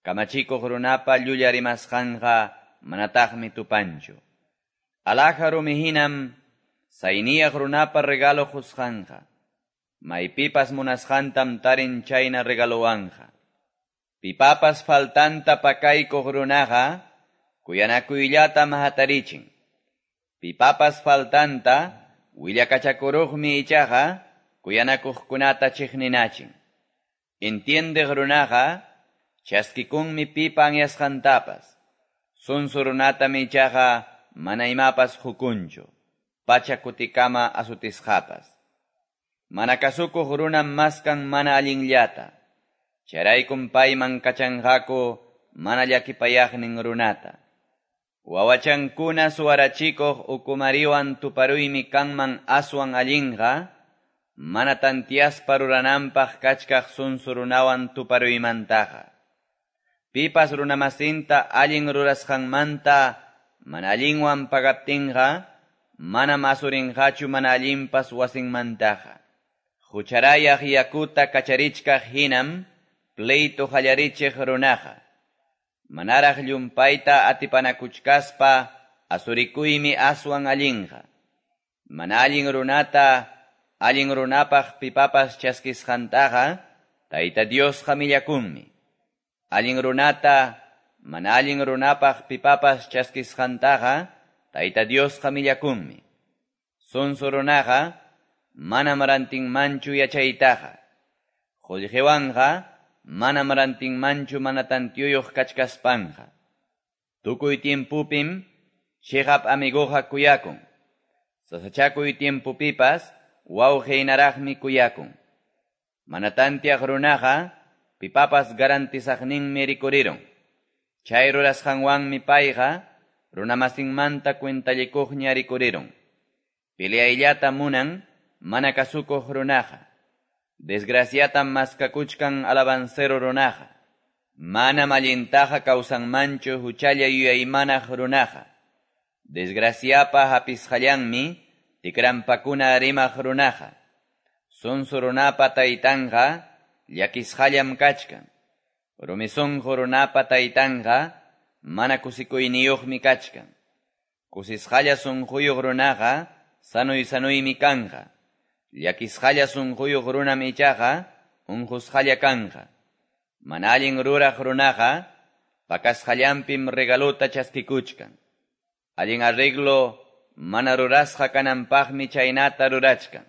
Kamachikuq runapa llulla rimasqanqa manataqmi tupanchu. Alhaja rumi hinam sayniyaq runapa regalo qusqanqa. Maypipas munasqantam tarin chayna regalowanqa. Pipapas faltanta pakaykuq runaqa kuyanakuyllatam hatarichin. Pipapas faltanta willakachakuruqmi ichaqa kuyanakuqkunata chiqninachin. Entiendeq runaqa chaskikunmi pipa anyasqantapas. Sunsu runatam ichaqa mana imapas hukunchu, pacha kutikama asutisqapas. Mana kasukuq runam maskan mana allinllata. Chayraykum payman kachanqaku mana llakipayaqnin runata. Wawachankuna suwarachikuq ukumariwan tuparuymi kanman aswan allinqa, mana tantiaspa rurananpaq kachkaq sunsu runawan tuparuymantaqa. Pipas runamasinta allin rurasqanmanta mana allinwan pagaptinqa, manam asurinqachu mana allinpas wasinmantaqa. Hucharayaq yakuta kacharichkaq hinam pleito qallarichiq runaqa. Manaraq llumpayta atipanakuchkaspa asurikuymi aswan allinqa. Mana allin runata allin runapaq pipapas chaskisqantaqa Tayta Diosqa millakunmi. Allin runata mana allin runapaq pipapas chaskisqantaqa Tayta Diosqa millakunmi. Sonso runaqa manam rantinmanchu yachaytaqa. Qullqiwanqa manam rantinmanchu mana tantiyuyuq kachkaspanqa. Tukuy tiempupim chiqap amiguqa kuyakun. Sasachakuy tiempupipas wawqinaraqmi kuyakun. Mana tantiaq runaqa pipapas garantizaqninmi rikurirun. Chay rurasqanwanmi payqa runamasinmanta cuentallikuqña rikurirun. Peleayllata munan mana kasukuq runaqa. Desgraciatam maskakuchkan alabancero runaqa. Manam allintaqa kawsanmanchu huchalla yuyaymanaq runaqa. Desgraciapa hapisqallanmi tikrampakuna rimaq runaqa. Sonso runapa taytanqa llakisqallam kachkan. Rumi sunqu runapa taytanqa mana kusikuyniyuqmi kachkan. Kusisqalla sunquyuq runaqa sanuy sanuymi kanqa. Llakisqalla sunquyuq runam ichaqa unqusqalla kanqa. Mana allin ruraq runaqa pakasqallanpim regaluta chaskikuchkan. Allin arreglo mana rurasqa kananpaqmi chaynata rurachkan.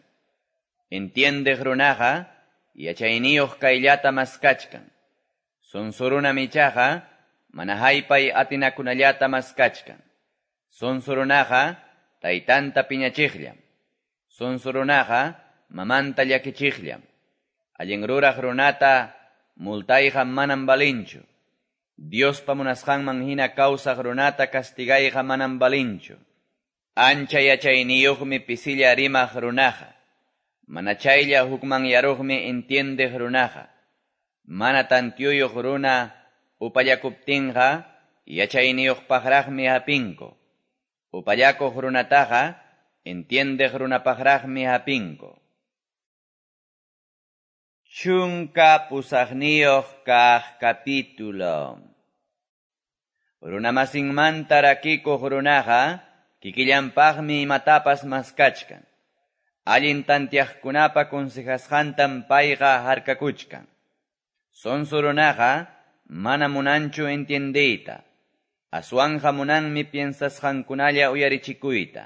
Entiendeq runaqa yachayniyuq kayllata maskachkan. Sonso runam ichaqa mana haypay atinakunallata maskachkan. Sonso runaqa taytanta piñachiqllam. Sonso runaqa mamanta llakichiqllam. Allin ruraq runata multayqa manam valinchu. Diospa munasqanman hina kawsaq runata kastigayqa manam valinchu. Ancha yachayniyuqmi pisilla rimaq runaqa. Mana chaylla hukmanyaruqmi entiendeq runaqa. Mana tantiyuyuq runa upallakuptinqa yachayniyuqpaqraqmi hapinku. Upallakuq runataqa entiendeq runapaqraqmi hapinku. Chunka pusaqniyuq kaq capítulo. Runamasinmanta rakikuq runaqa kikillanpaqmi imatapas maskachkan. Allin tantiaqkunapa consejasqantam payqa harkakuchkan. Sonso runaqa mana munanchu entiendeyta. Aswanja munanmi piensasqankunalla uyarichikuyta.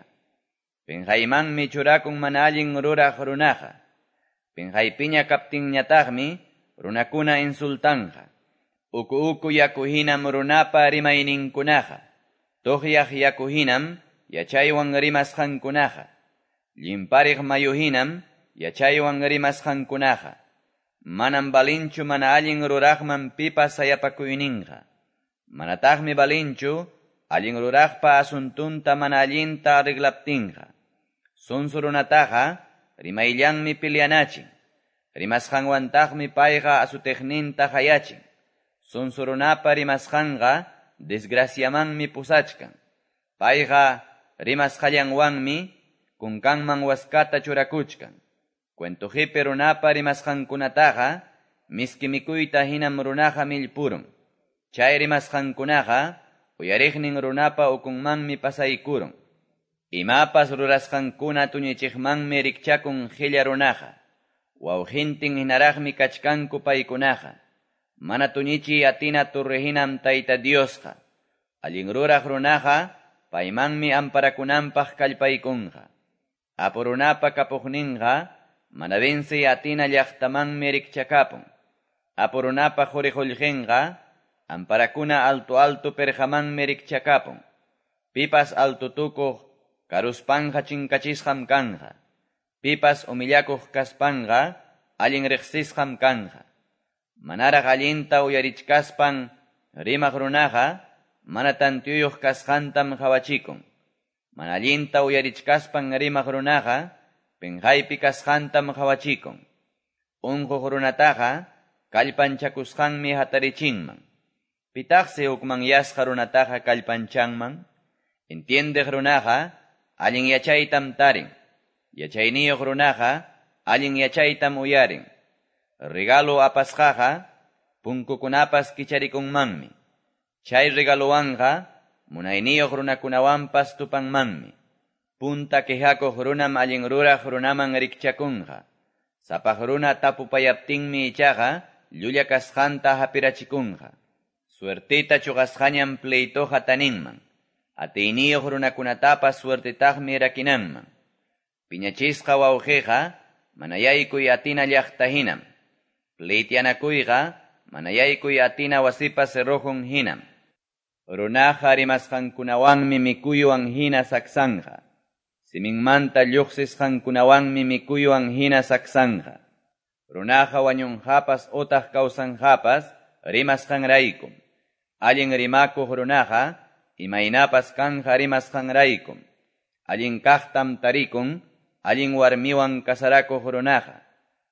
Pinqaymanmi churakun mana allin ruraq runaqa. Pinqaypiña kaptinñataqmi runakuna insultanja. Uku uku yaku hinam runapa rimayninkunaqa. Tuqyaq yaku hinam yachaywan rimasqankunaqa. Llimpariq mayu hinam yachaywan rimasqankunaqa. Manam balinchu mana allin ruraqman pipas sayapakuyninqa. Manataqmi balinchu allin ruraqpa asuntunta mana allinta arreglaptinqa. Sonso runataqa rimayllanmi peleanachin. Rimasqanwantaqmi payqa asuteqninta hayachin. Sonso runapa rimasqanqa desgraciamanmi pusachkan. Payqa rimasqallanwanmi kunkanman waskata churakuchkan. Cuentojipe runapa rimasqankunataqa miski mikuyta hinam runaqa millpurun. Chay rimasqankunaqa uyariqnin runapa ukunmanmi pasaykurun. Imapas rurasqankuna tuñichiqmanmi rikchakun qilla runaqa. Wawqintin hinaraqmi kachkanku paykunaqa. Mana tuñichiy atina torre hinam Tayta Diosqa. Allin ruraq runaqa paymanmi amparakunanpaq kallpaykunqa. Apu runapa kapuqninqa mana vencey atina llaqtamanmi rikchakapun. Apu runapa quri qullqinqa amparakuna alto alto perqamanmi rikchakapun. Pipas alto tukuq karuspanja chinkachisqam kanja. Pipas humillakuq kaspanja allin riqsisqam kanja. Manaraq allinta uyarichkaspan rimaq runaqa mana tantiyuyuq kasqantam qhawachikun. Mana allinta uyarichkaspan rimaq runaqa pinqaypi kasqantam qhawachikun. Unquq runataqa kallpanchakusqanmi hatarichinman. Pitaqsi hukmanyasqa runataqa kallpanchanman. Entiendeq runaqa allin yachaytam tarin. Yachayniyuq runaqa allin yachaytam uyarin. Regalo apasqaqa punkukunapas kicharikunmanmi. Chay regalowanqa munayniyuq runakunawanpas tupanmanmi. Punta quejakuq runam allin ruraq runaman rikchakunqa. Sapaq runa tapupayaptinmi ichaqa llulla kasqanta hapirachikunqa. Suertita chuqasqañam pleitoqa taninman. Atiyniyuq runakunatapas suertetaqmi rakinanman. Piñachisqa wawqiqa mana yaykuy atina llaqta hinam. Pleityanakuyqa mana yaykuy atina wasipa cerrojon hinam. Runaqa rimasqankunawanmi mikuywan hina saksanqa. Siminmanta lluqsisqankunawanmi mikuywan hina saksanqa. Runaqa wañunqapas utaq kawsanqapas rimasqanraykum. Allin rimakuq runaqa imaynapas kanqa rimasqanraykum. Allin kaqtam tarikun allin warmiwan kasarakuq runaqa.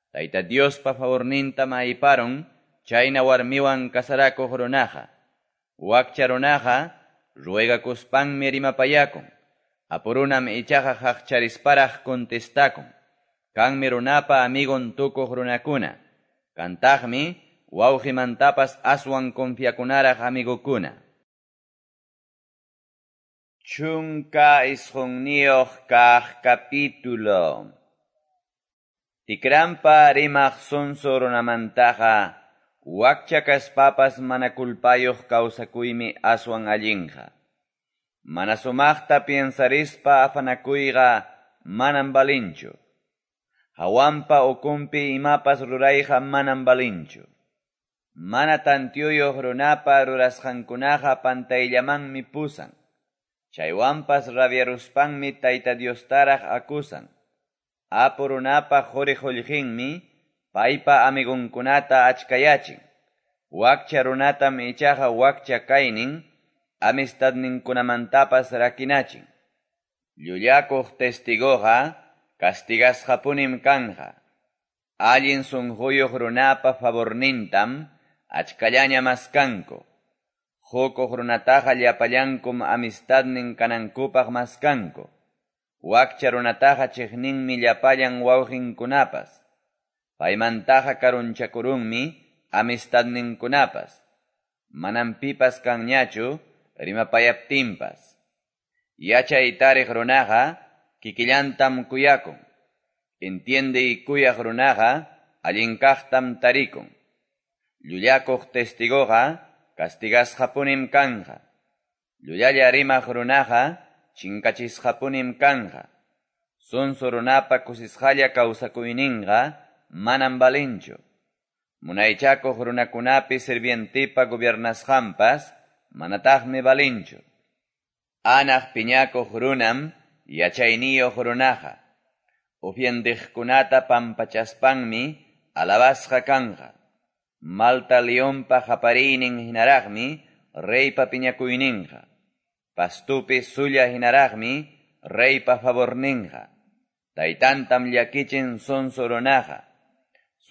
Tayta Diospa favornintam ayparun chayna warmiwan kasarakuq runaqa. Wakcha runaqa ruegakuspanmi rimapayakun. Apurunam ichaqa haqcharisparaq contestakun. Kanmi runapa amigon tukuq runakuna. Kantaqmi wawqimantapas aswan confiakunaraq amigokuna. Chunka isqunniyuq kaq capítulo. Tikrampa rimaq sonso runamantaqa wakcha kaspapas mana kulpayuq kawsakuymi aswan allinqa. Mana sumaqta piensarispa afanakuyqa manam balinchu. Hawanpa ukunpi imapas rurayqa manam balinchu. Mana tantiyuyuq runapa rurasqankunaqa pantayllamanmi pusan. Chaywanpas rabiaruspanmi Tayta Diostaraq akusan. Apu runapa quri qullqinmi paypa amigunkunata achkayachin. Wakcha runatam ichaqa wakcha kaynin amistadninkunamantapas rakinachin. Llullakuq testigoqa castigasqapunim kanqa. Allin sunquyuq runapa favornintam achkallaña maskanku. Hukuq runataqa llapallankum amistadnin kanankupaq maskanku. Wakcha runataqa chiqninmi llapallan wawqinkunapas. Paymantaqa karunchakurunmi amistadninkunapas. Manam pipas kanñachu rimapayaptinpas. Yachay tariq runaqa kikillantam kuyakun. Entiende kuyaq runaqa allin kaqtam tarikun. Llullakuq testigoqa castigasqapunim kanqa. Llullalla rimaq runaqa chinkachisqapunim kanqa. Sonso runapa kusisqalla kawsakuyninqa manam balinchu. Munaychakuq runakunapi sirvientipa gobiernasqanpas manataqmi balinchu. Anaq piñakuq runam yachayniyuq runaqa. Ufiendiqkunata pampachaspanmi alabasqa kanqa. Malta leonpa qapariynin hinaraqmi reypa piñakuyninqa. Pastupi sulla hinaraqmi reypa favorninqa. Taytantam llakichin sonso runaqa.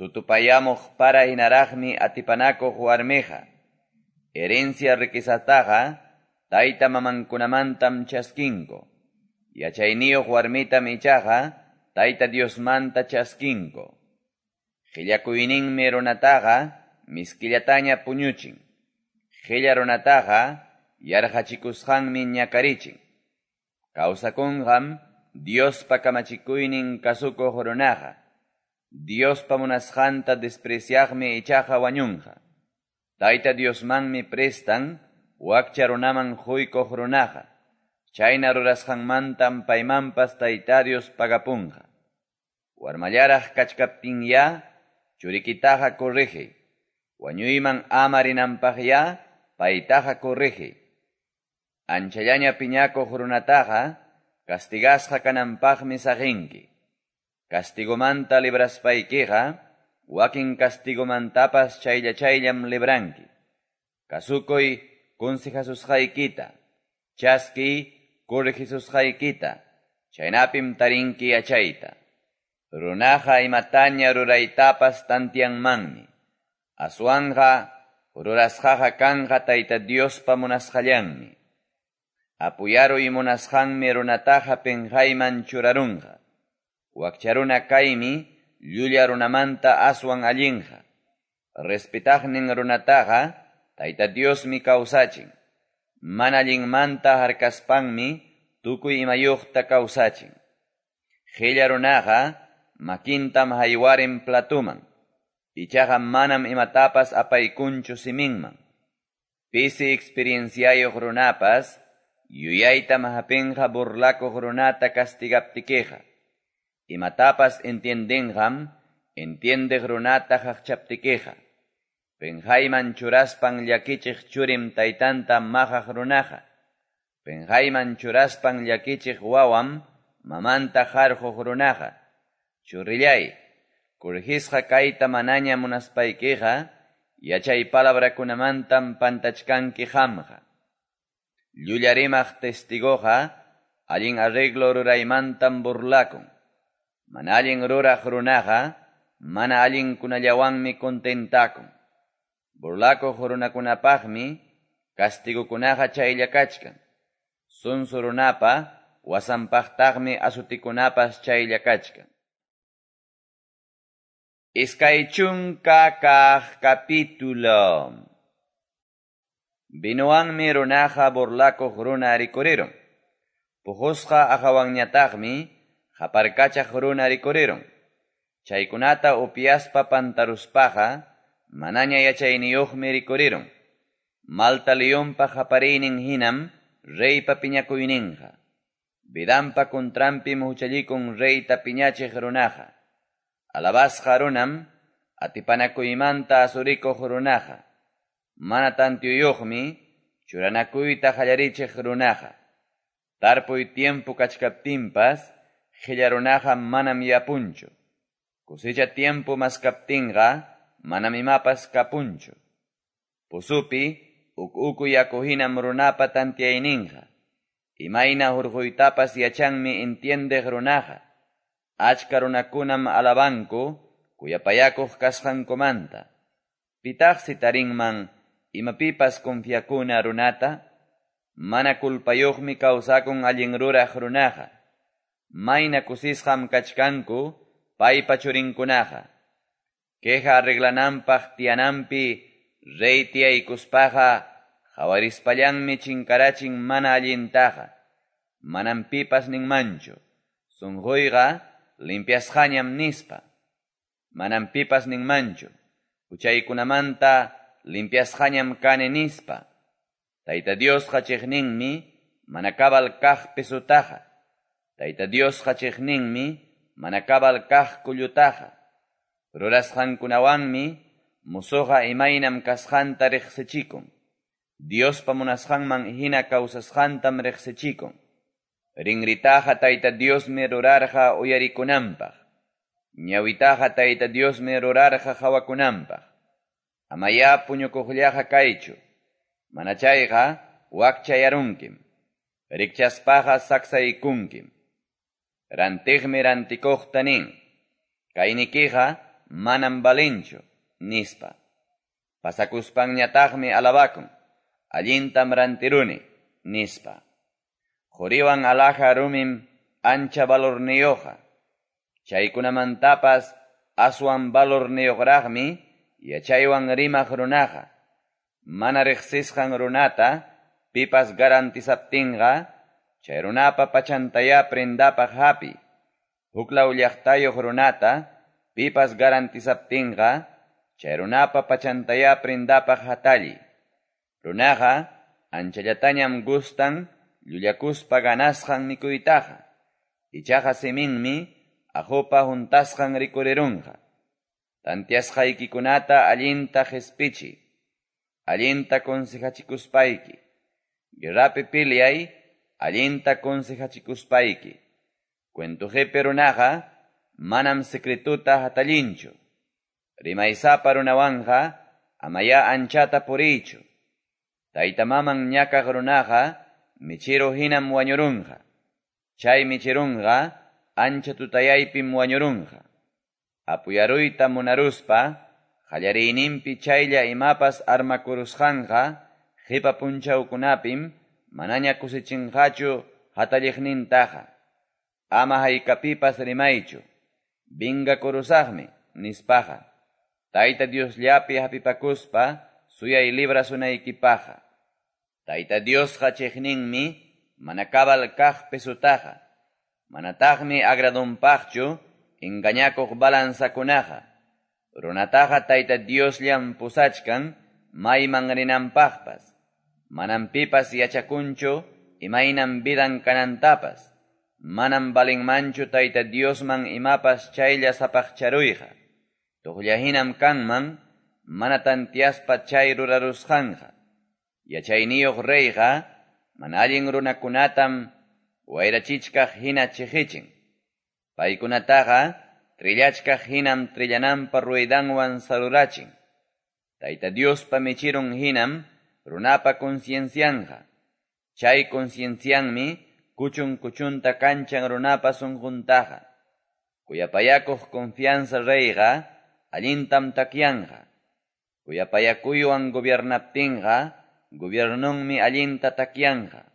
Sutupayamuq para hinaraqmi atipanakuq warmiqa. Herencia riquezataqa tayta mamankunamantam chaskinku. Yachayniyuq warmitam ichaqa Tayta Diosmanta chaskinku. Qillakuyninmi runataqa miskillataña puñuchin. Qilla runataqa yarqachikusqanmi ñakarichin. Kawsakunqam Diospa kamachikuynin kasukuq runaqa. Diospa munasqanta despreciaqmi ichaqa wañunqa. Tayta Diosmanmi prestan wakcha runaman quykuq runaqa. Chayna rurasqanmantam paymanpas Tayta Dios pagapunqa. Warmallaraq kachkaptinya churikitaqa corrige. Wañuyman ama rinanpaqya paytaqa corrige. Anchallaña piñakuq runataqa castigasqa kananpaqmi saqinki. Castigomanta libraspaykiqa wakin castigomantapas chaylla chayllam libranki. Kasukuy consejasusqaykita, chaskiy corregisusqaykita, chaynapim tarinki yachayta. Runaqa imataña ruraytapas tantianmanmi. Aswanqa rurasqaqa kanqa Tayta Diospa munasqallanmi. Apuyaruy munasqanmi runataqa pinqayman churarunqa. Wakcha runa kaymi llulla runamanta aswan allinqa. Respetaqnin runataqa Tayta Diosmi kawsachin. Mana allinmanta harkaspanmi tukuy imayuqta kawsachin. Qilla runaqa makintam haywarin platuman. Ichaqa manam imatapas apaykunchu siminman. Pisi experienciayuq runapas yuyaytam hapinqa burlakuq runata castigaptikiqa. Imatapas entiendenqam entiendeq runata qaqchaptikiqa. Penqayman churaspan llakichiq churim taytanta maqaq runaqa. Penqayman churaspan llakichiq wawam mamanta qarqoq runaqa. Churillay, corregisqa kayta manaña munaspaykiqa, yachay palabrakunamantam pantachkanki qamqa. Llulla rimaq testigoqa, allin arreglo ruraymantam burlakun. Mana allin ruraq runaqa, mana allinkunallawanmi contentakun. Burlakuq runakunapaqmi, castigokunaqa chaylla kachkan. Sunsu runapa, wasanpaqtaqmi asutikunapas chaylla kachkan. Iskay chunka kaq capítulo. Vinowanmi runaqa burlakuq runa rikurirun. Puqusqa aqhawanñataqmi qaparkachaq runa rikurirun. Chaykunata upyaspa pantaruspaqa manaña yachayniyuqmi rikurirun. Malta leonpa qapariynin hinam reypa piñakuyninqa. Vidanpa contranpim huchallikun reyta piñachiq runaqa. Alabasqa runam atipanakuymanta asurikuq runaqa. Mana tantiyuqmi churanakuyta qallarichiq runaqa. Tarpuy tiempo kachkaptinpas qilla runaqa manam yapunchu. Cosecha tiempo maskaptinqa manam imapas kapunchu. Pusupi uk uku yaku hinam runapa tantiyayninqa. Imayna hurquytapas yachanmi entiendeq runaqa. Achka runakunam alabanku kuyapayakuq kasqankumanta. Pitaqsi tarinman imapipas confiakuna runata? Mana kulpayuqmi kawsakun allin ruraq runaqa. Mayna kusisqam kachkanku paypa churinkunaqa. Queja arreglananpaq tiyananpi rey tiyaykuspaqa qhawarispallanmi chinkarachin mana allintaqa. Manam pipas ninmanchu. Sunquyqa limpiasqañam nispa. Manam pipas ninmanchu. Huchaykunamanta limpiasqañam kani nispa. Tayta Diosqa chiqninmi mana cabal kaq pesutaqa. Tayta Diosqa chiqninmi mana cabal kaq kullutaqa. Rurasqankunawanmi musuqa imaynam kasqanta riqsichikun. Diospa munasqanman hina kawsasqantam riqsichikun. Rinritaqa Tayta Diosmi rurarqa uyarikunanpaq. Ñawitaqa Tayta Diosmi rurarqa qhawakunanpaq. Amaya puñukuqllaqa kaychu. Mana chayqa wakchayarunkim. Rikchaspaqa saksaykunkim. Rantiqmi rantikuqta nin. Kaynikiqa manam valinchu, nispa. Pasakuspanñataqmi alabakun. Allintam rantiruni, nispa. Quriwan alhaja rumim ancha valorniyuqqa. Chaykunamantapas aswan valorniyuqraqmi yachaywan rimaq runaqa. Mana riqsisqan runata pipas garantizaptinqa chay runapa pachantaya prendapaq hapi. Huklaw llaqtayuq runata pipas garantizaptinqa chay runapa pachantaya prendapaq hatalli. Runaqa anchallatañam gustan llullakuspa ganasqan mikuytaqa. Ichaqa siminmi aqupa huntasqan rikurirunqa. Tantiasqaykikunata allinta qispichi. Allinta consejachikuspayki. Guerrapi piliay, allinta consejachikuspayki. Cuentujepe runaqa manam secretuta hatallinchu. Rimaysapa runawanqa amaya anchata puriychu. Tayta maman ñakaq runaqa michiru hinam wañurunqa. Chay michirunqa ancha tutayaypim wañurunqa. Apuyaruyta munaruspa qallariyninpi chaylla imapas armakurusqanqa qipa punchawkunapim manaña kusichinqachu hatalliqnintaqa. Ama haykapipas rimaychu. Vingakurusaqmi nispaqa. Tayta Diosllapi hapipakuspa suyay librasunaykipaqqa. Tayta Diosqa chiqninmi mana cabal kaq pesutaqa. Manataqmi agradunpaqchu engañakuq balanzakunaqa. Runataqa Tayta Diosllam pusachkan mayman rinanpaqpas. Manam pipas yachakunchu imaynam vidan kanantapas. Manam valenmanchu Tayta Diosman imapas chaylla sapaqcharuyqa. Toqlla hinam kanman mana tanteaspa chay rurarusqanqa. Yachayniyuq reyqa mana allin runakunatam wayrachichkaq hina cheqechin. Paykunataqa trillachkaq hinam trillananpa ruedanwan sarurachin. Tayta Diospa mechirun hinam runapa conciencianqa. Chay conciencianmi kuchun kuchunta kanchan runapa sunquntaqa. Kuyapayakuq confianza reyqa allintam takyanqa. Kuyapayakuywan gobiernaptinqa gobiernunmi allinta takyanqa.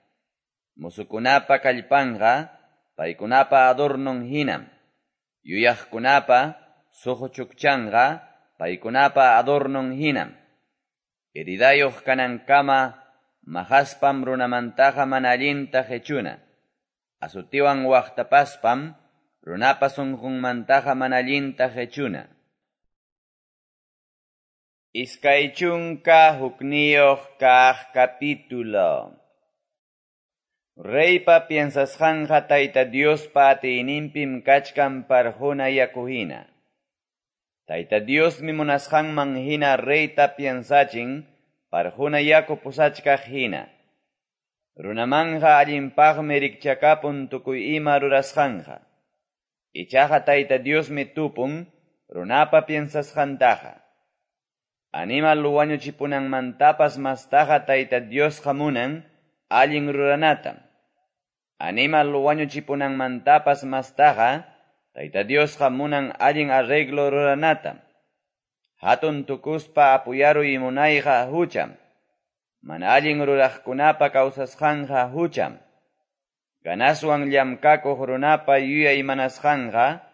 Musukunapa kallpanqa paykunapa adornon hinam. Yuyaqkunapa suquchukchanqa paykunapa adornon hinam. Heridayuq kanankama mahaspam runamantaqa mana allinta qechuna. Azutiwan waqtapaspam runapa sunqunmantaqa mana allinta qechuna. Iskay chunka hukniyuq kaq capítulo. Reypa piensasqanqa Tayta Diospa atiyninpim kachkan parquna yaku hina. Tayta Diosmi munasqanman hina reyta piensachin parquna yaku pusachkaq hina. Runamanja allinpaqmi rikchakapun tukuy ima rurasqanqa. Ichaqa Tayta Diosmi tupun runapa piensasqantaqa. Animal wañuchipunanmantapas mastaqa Tayta Diosqa munan allin ruranatam. Animal wañuchipunanmantapas mastaqa Tayta Diosqa munan allin arreglo ruranatam. Hatun tukuspa apuyaruy munayqa hucham. Mana allin ruraqkunapa kawsasqanqa hucham. Ganaswan llamkakuq runapa yuyay manasqanqa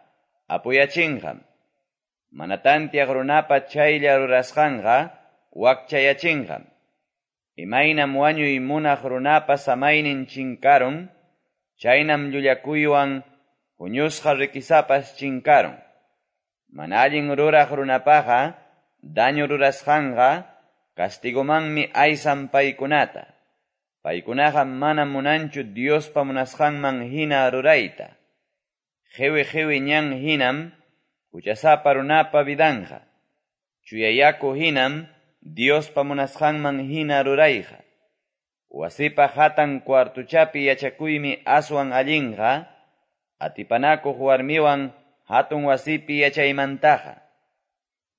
apuyachinqam. Mana tantiaq runapa chaylla rurasqanqa wakchayachinqam. Imaynam wañuy munaq runapa samaynin chinkarun, chaynam llullakuywan huñusqa rikisapas chinkarun. Mana allin ruraq runapaqa daño rurasqanqa castigomanmi aysan paykunata. Paykunaqa manam munanchu Diospa munasqanman hina rurayta. Qiwi qiwi ñan hinam huchasapa runapa vidanqa. Chuyayaku hinam Diospa munasqanman hina rurayqa. Wasipa hatan cuartuchapi yachakuymi aswan allinqa, atipanakuq warmiwan hatun wasipi yachaymantaqa.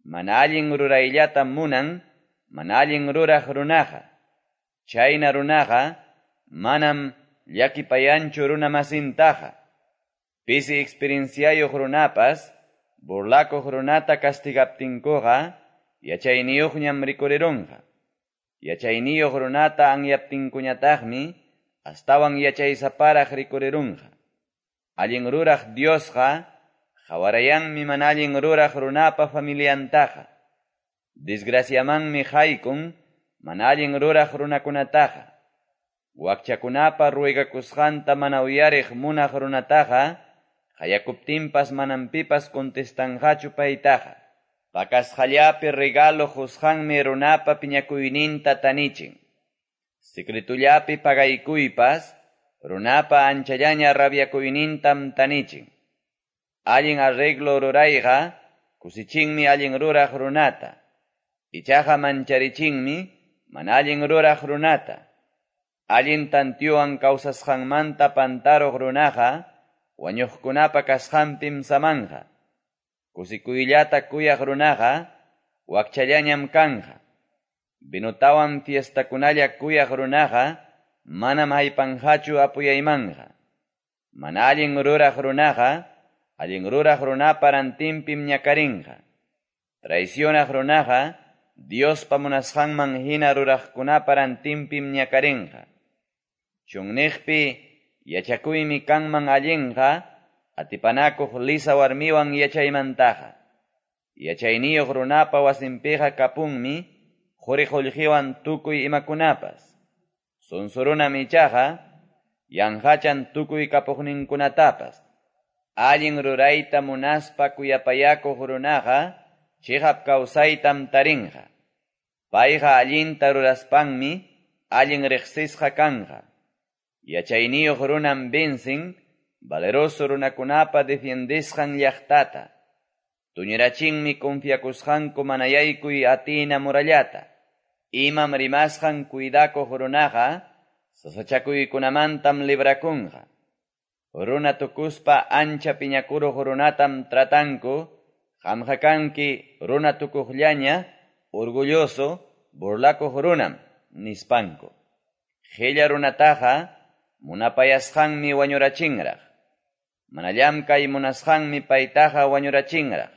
Mana allin rurayllata munan, mana allin ruraq runaqa. Chayna runaqa manam llakipayanchu runamasintaqa. Pisi experienciayuq runapas, burlakuq runata castigaptinkuqa, yachayniyuqñam rikurirunqa. Yachayniyuq runata anyaptinkuñataqmi, astawan yachaysaparaq rikurirunqa. Allin ruraq Diosqa, qhawarayanmi mana allin ruraq runapa familiantaqa. Desgraciamanmi haykun mana allin ruraq runakunataqa. Wakchakunapa ruegakusqanta mana uyariq munaq runataqa, qayakuptinpas manam pipas contestanqachu paytaqa. Pakasqallapi regalo qusqanmi runapa piñakuyninta tanichin. Secretullapi pagaykuypas runapa anchallaña rabiakuynintam tanichin. Allin arreglo rurayqa kusichinmi allin ruraq runata. Ichaqa mancharichinmi mana allin ruraq runata. Allin tantiyuwan kawsasqanmanta pantaruq runaqa wañuqkunapa kasqanpim samanqa. Kusikuyllata kuyaq runaqa wakchallañam kanqa. Vinutawan fiestakunalla kuyaq runaqa manam haypanqachu apuyaymanqa. Mana allin ruraq runaqa allin ruraq runapa rantinpim ñakarinqa. Traicionaq runaqa Diospa munasqanman hina ruraqkunapa rantinpim ñakarinqa. Chunniqpi yachakuymi kanman allinqa atipanakuq lisa warmiwan yachaymantaqa. Yachayniyuq runapa wasinpiqa kapunmi quri qullqiwan tukuy imakunapas. Sunsurunam ichaqa yanqachan tukuy kapuqninkunatapas. Allin rurayta munaspa kuyapayakuq runaqa chiqap kawsaytam tarinqa. Payqa allinta ruraspanmi allin riqsisqa kanqa. Yachayniyuq runam vencen valeroso runakunapa defiendesqan llaqtata. Tuñirachinmi confiakusqanku mana yaykuy atina murallata. Imam rimasqan cuidakuq runaqa sasachakuykunamantam librakunqa. Runa tukuspa ancha piñakuruq runatam tratanku, qamqa kanki runa tukuqllaña, orgulloso, burlakuq runam, nispanku. Qilla runataqa munapayasqanmi wañurachinraq. Mana llamkay munasqanmi paytaqa wañurachinraq.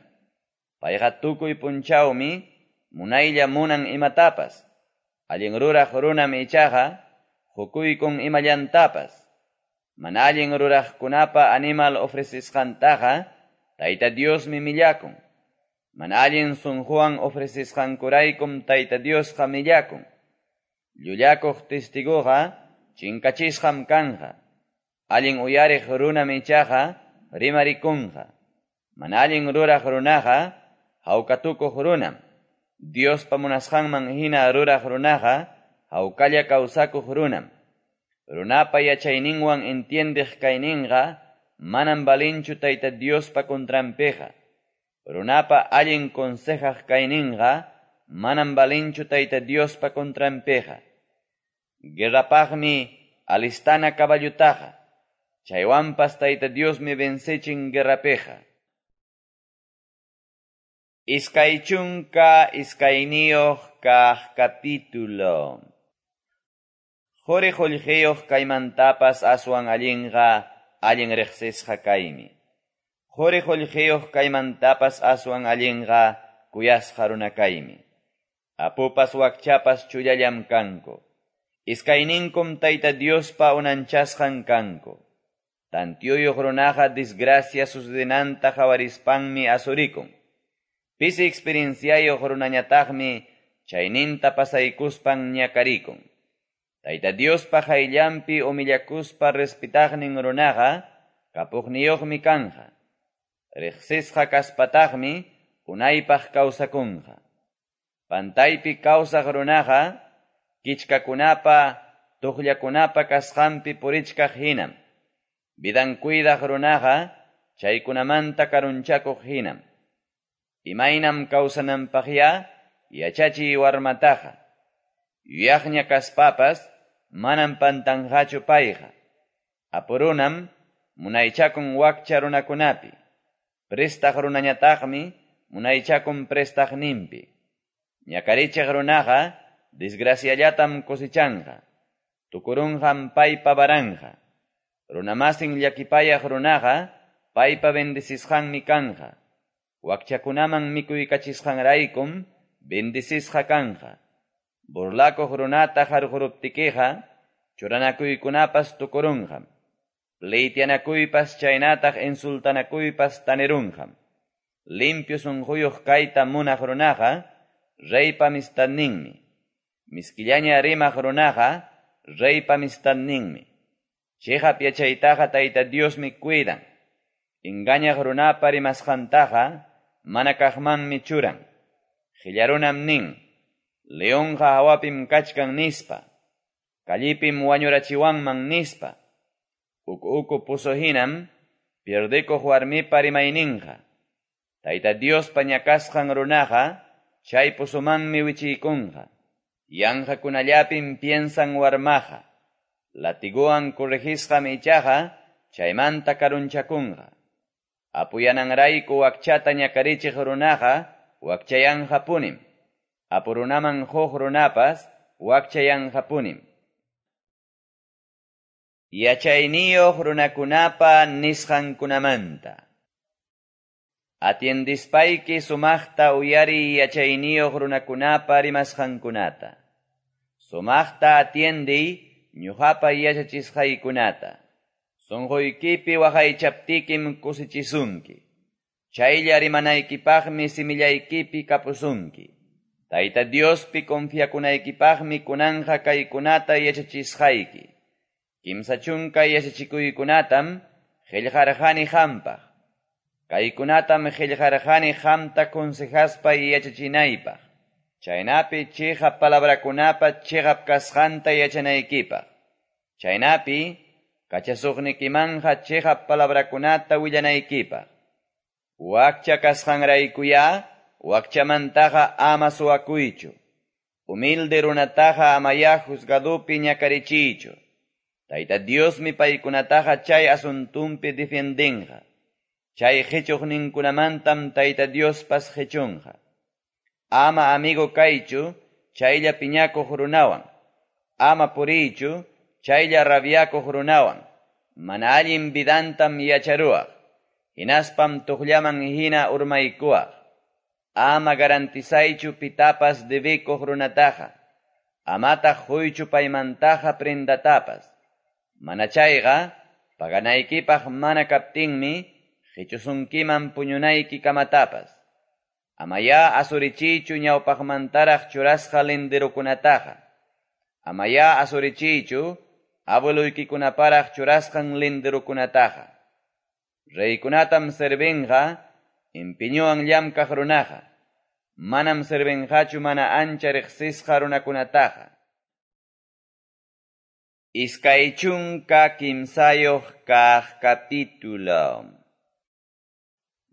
Payqa tukuy punchawmi munaylla munan imatapas. Allin ruraq runam ichaqa hukuykun imallantapas. Mana allin ruraqkunapa animal ofrecisqantaqa Tayta Diosmi millakun. Mana allin sunquwan ofrecisqankuraykum Tayta Diosqa millakun. Llullakuq testiguqa chinkachisqam kanqa. Allin uyariq runam ichaqa rimarikunqa. Mana allin ruraq runaqa hawkatukuq runam. Diospa munasqanman hina ruraq runaqa hawkalla kawsakuq runam. Runapa yachayninwan entiendeq kayninqa manam balinchu Tayta Diospa contranpiqa. Runapa allin consejaq kayninqa manam balinchu Tayta Diospa contranpiqa. Guerrapaqmi alistana caballutaqa. Chaywanpas Tayta Diosmi vencechin guerrapiqa. Iskay chunka iskayniyuq kaq capítulo. Quri qullqiyuq kaymantapas aswan allinqa allin riqsisqa kaymi. Quri qullqiyuq kaymantapas aswan allinqa kuyasqa runa kaymi. Apupas wakchapas chullallam kanku. Iskayninkum Tayta Diospa unanchasqan kanku. Tantiyuyuq runaqa desgracia sucedenanta qawarispanmi asurikun. Pisi experienciayuq runañataqmi chayninta pasaykuspan ñakarikun. Tayta Diospa qayllanpi humillakuspa respetaqnin runaqa kapuqniyuqmi kanja. Riqsisqa kaspataqmi unaypaq kawsakunqa. Pantaypi kawsaq runaqa kichkakunapa tuqllakunapa kasqanpi purichkaq hinam. Vidan cuidaq runaqa chaykunamanta karunchakuq hinam. Imaynam kawsananpaqya yachachiy warmataqa. Yuyaqña kaspapas manam pantanqachu payqa. Apurunam munaychakun wakcha runakunapi. Prestaq runañataqmi munaychakun prestaqninpi. Ñakarichiq runaqa desgraciallatam cosechanqa. Tukurunqam paypa baranja. Runamasin llakipayaq runaqa paypa bendecisqanmi kanja. Wakchakunaman mikuykachisqanraykum bendecisqa kanja. Burlakuq runata harquruptikiqa churanakuykunapas tukurunqam. Pleityanakuypas chaynataq insultanakuypas tanirunqam. Limpio sunquyuq kayta munaq runaqa reypa amistadninmi. Miskillaña rimaq runaqa reypa amistadninmi. Chiqap yachaytaqa Tayta Diosmi cuidan. Engañaq runapa rimasqantaqa mana kaqmanmi churan. Qillarunam nin, leonqa hawapim kachkan nispa, kallipim wañurachiwanman nispa. Uku uku puso hinam pierdikuq warmipa rimayninqa. Tayta Diospa ñakasqan runaqa chay pusumanmi wichiykunqa. Yanqakunallapim piensan warmaqa. Latiguwan corregisqam ichaqa chaymanta karunchakunqa. Apuyananrayku wakchata ñakarichiq runaqa wakchayanqapunim. Apurunaman huk runapas wakchayanqapunim. Yachayniyuq runakunapa nisqankunamanta. Atiendispayki sumaqta uyariy yachayniyuq runakunapa rimasqankunata. Sumaqta atiendiy ñuqapa yachachisqaykunata. Sunquykipi waqaychaptikim kusichisunki. Chaylla rimanaykipaqmi simillaykipi kapusunki. Tayta Diospi confiakunaykipaqmi kunanqa kaykunata yachachisqayki. Kimsa chunka yachachikuykunatam qillqarqani qampaq. Kaykunatam qillqarqani qamta consejaspa yachachinaypaq. Chaynapi chiqap palabrakunapa chiqap kasqanta yachanaykipaq. Chaynapi Kachasuqnikimanqa cheqap palabrakunata willanaykipaq. Wakcha kasqanraykuyá, wakchamantaqa ama suwakuychu. Humilde runataqa amayá juzgadopi ñakarichiychu. Tayta Diosmi paykunataqa chay asuntunpi defiendenqa. Chay qechuqninkunamantam Tayta Diospas qechunqa. Ama amigo kaychu, chaylla piñakuq runawan. Ama puriychu, chaylla rabiakuq runawan. Mana allin vidantam yacharuwaq. Hinaspam tuqllaman hina urmaykuwaq. Ama garantizaychu pitapas debikuq runataqa. Amataq huychu paymantaqa prendatapas. Mana chayqa, paganaykipaq mana kaptinmi, qichusunkiman puñunayki kamatapas. Amayá asurichiychu ñawpaqmantaraq churasqa linderukunataqa. Amayá asurichiychu abueloykikunaparaq churasqan linderukunataqa. Reykunatam servinqa, empeñuwan llamkaq runaqa. Manam servinqachu mana ancha riqsisqa runakunataqa. Iskay chunka kimsayuq kaq capítulo.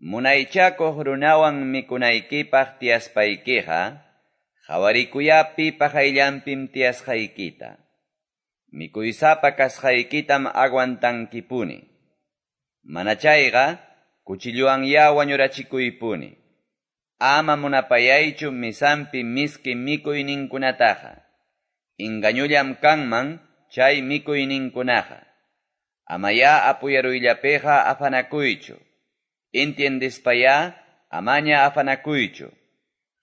Munaychakuq runawan mikunaykipaq tiyaspaykiqa, qawarikuya pipa qayllanpim tiyasqaykita. Mikuysapa kasqaykitam aguantankipuni. Mana chayqa, kuchilluwanyá wañurachikuypuni. Ama munapayaychu misampi miski mikuyninkunataqa. Engañullam kanman chay mikuyninkunaqa. Amayá apuyaruyllapiqa afanakuychu. Entiendispayá amaña afanakuychu.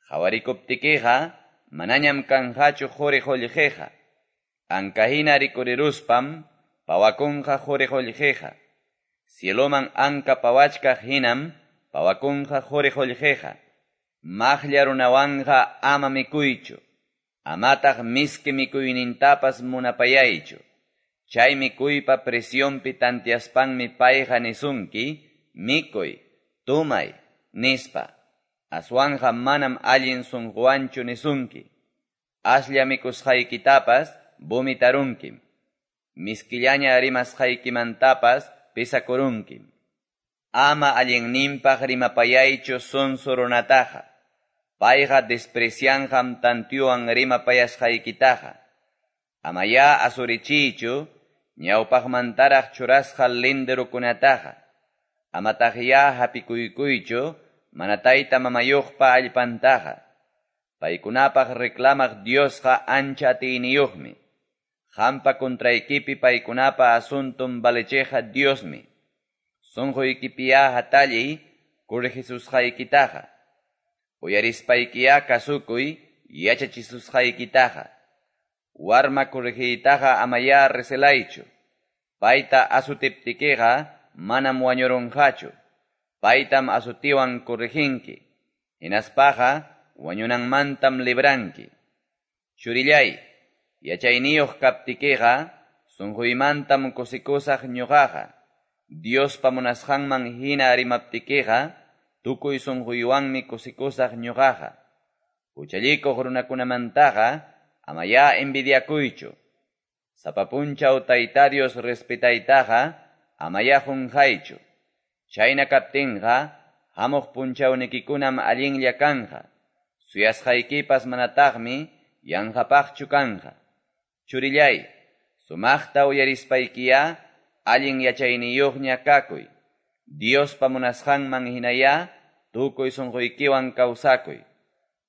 Qawarikuptikiqa manañam kanqachu quri qullqiqa. Ankahina rikuriruspam pawakunqa quri qullqiqa. Cieloman anka pawachkaq hinam pawakunqa quri qullqiqa. Maqlla runawanqa ama mikuychu. Amataq miski mikuynintapas munapayaychu. Chay mikuypa presionpi tantiaspanmi payqa nisunki, mikuy, tumay, nispa. Aswanja manam allin sunquwanchu nisunki. Aslla mikusqaykitapas vomitarunkim. Miskillaña rimasqaykimantapas pesakurunkim. Ama allinninpaq rimapayaychu sonso runataqa. Payqa desprecianqam tantiyuwan rimapayasqaykitaqa. Amayá asurichiychu ñawpaqmantaraq churasqa linderukunataqa. Amataqyá hapikuykuychu mana tayta mamayuqpa allpantaqa. Paykunapaq reclamaq Diosqa ancha atiyniyuqmi. Qampa contraykipi paykunapa asunton valecheqa Diosmi. Sunquykipiyá hatalliy corregisusqaykitaqa. Uyarispaykiyá kasukuy yachachisusqaykitaqa. Warma corregiytaqa amayá recelaychu. Payta asutiptikiqa manam wañurunqachu. Paytam asutiwan correginki. Hinaspaqa wañunanmantam libranki. Churillay, yachayniyuq kaptikiqa sunquymantam kusikusaq ñuqaqa. Diospa munasqanman hina rimaptikiqa tukuy sunquywanmi kusikusaq ñuqaqa. Huchallikuq runakunamantaqa amayá envidiakuychu. Sapa punchaw Tayta Dios respetaytaqa amayá qunqaychu. Chayna kaptinqa hamuq punchawnikikunam allinlla kanqa. Suyasqaykipas manataqmi yanqapaqchu kanqa. Churillay, sumaqta uyarispaykiyá allin yachayniyuqña kakuy. Diospa munasqanman hinayá tukuy sunquykiwan kawsakuy.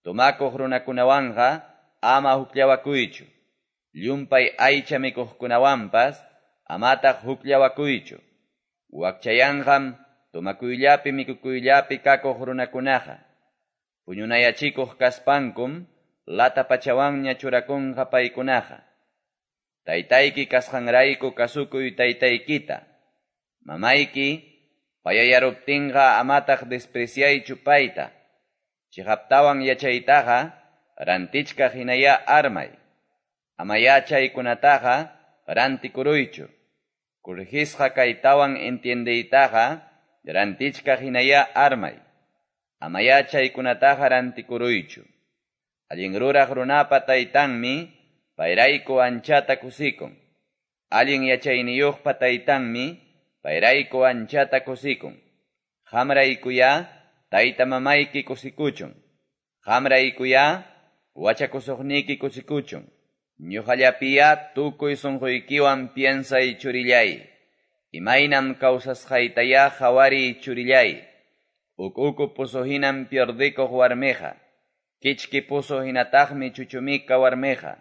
Tumakuq runakunawanqa ama hukllawakuychu. Llumpay aycha mikuqkunawanpas amataq hukllawakuychu. Wakchayanqam tumakuyllapi mikukuyllapi kakuq runakunaqa. Puñunayachikuq kaspankum lata pachawanña churakunqa paykunaqa. Taytayki kasqanrayku kasukuy taytaykita. Mamayki payayaruptinqa amataq despreciaychu payta. Chiqaptawan yachaytaqa rantichkaq hinayá armay. Amayá chaykunataqa rantikuruychu. Corregisqa kaytawan entiendeytaqa rantichkaq hinayá armay. Amayá chaykunataqa rantikuruychu. Allin ruraq runapa taytanmi payrayku anchata kusikun. Allin yachayniyuqpa taytanmi payrayku anchata kusikun. Qamraykuyá tayta-mamayki kusikuchun. Qamraykuyá wachakusuqniki kusikuchun. Ñuqallapiyá tukuy sunquykiwan piensay churillay. Imaynam kawsasqaytayá qawariy churillay. Uku-uku pozo hinam pierdikuq warmiqa. Kichki pozo hinataqmi chuchumika warmiqa.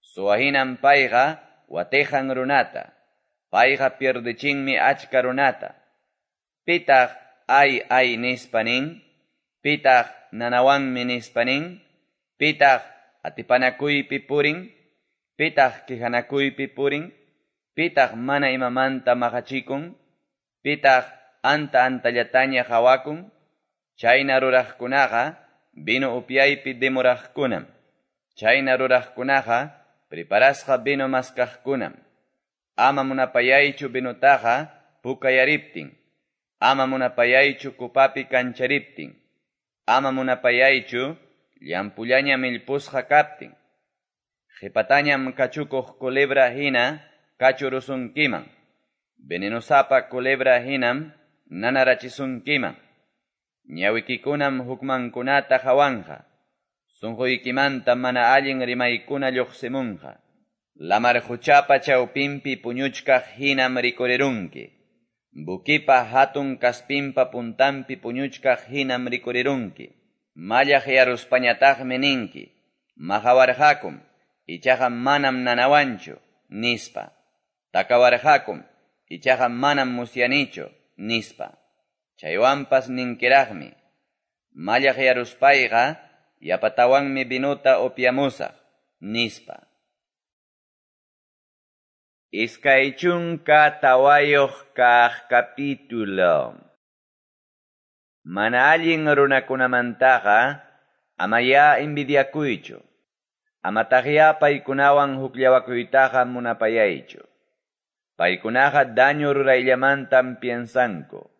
Suwa hinam payqa watiqan runata. Payqa pierdichinmi achka runata. Pitaq ay ay nispa nin? Pitaq nanawanmi nispa nin? Pitaq atipanakuypi purin? Pitaq quejanakuypi purin? Pitaq mana imamanta maqachikun? Pitaq anta antallataña qawakun? Chayna ruraqkunaqa vino upyaypi demoraqkunam. Chayna ruraqkunaqa preparasqa vino maskaqkunam. Ama munapayaychu vinotaqa pukayariptin. Ama munapayaychu kupapi kanchariptin. Ama munapayaychu llampullaña millpusqa kaptin. Qhipatañam kachukuq culebra hina kachurusunkiman. Venenosapa culebra hinam nanarachisunkiman. Ñawikikunam hukmankunata qhawanqa. Sunquykimanta mana allin rimaykuna lluqsimunqa. Lamar quchapa chawpinpi puñuchkaq hinam rikurirunki. Bukipa hatun kaspinpa puntanpi puñuchkaq hinam rikurirunki. Mallaqyaruspañataqmi ninki. Maqawarqakum, ichaqa manam nanawanchu, nispa. Takawarqakum, ichaqa manam musyanichu, nispa. Chaywanpas ninkiraqmi. Mallaqyaruspayqa yapatawanmi vinuta upyamusaq, nispa. Iskay chunka tawayuq kaq capítulo. Mana allin runakunamantaqa amayá envidiakuychu. Amataqyá paykunawan hukllawakuytaqa munapayaychu. Paykunaqa daño rurayllamantam piensanku.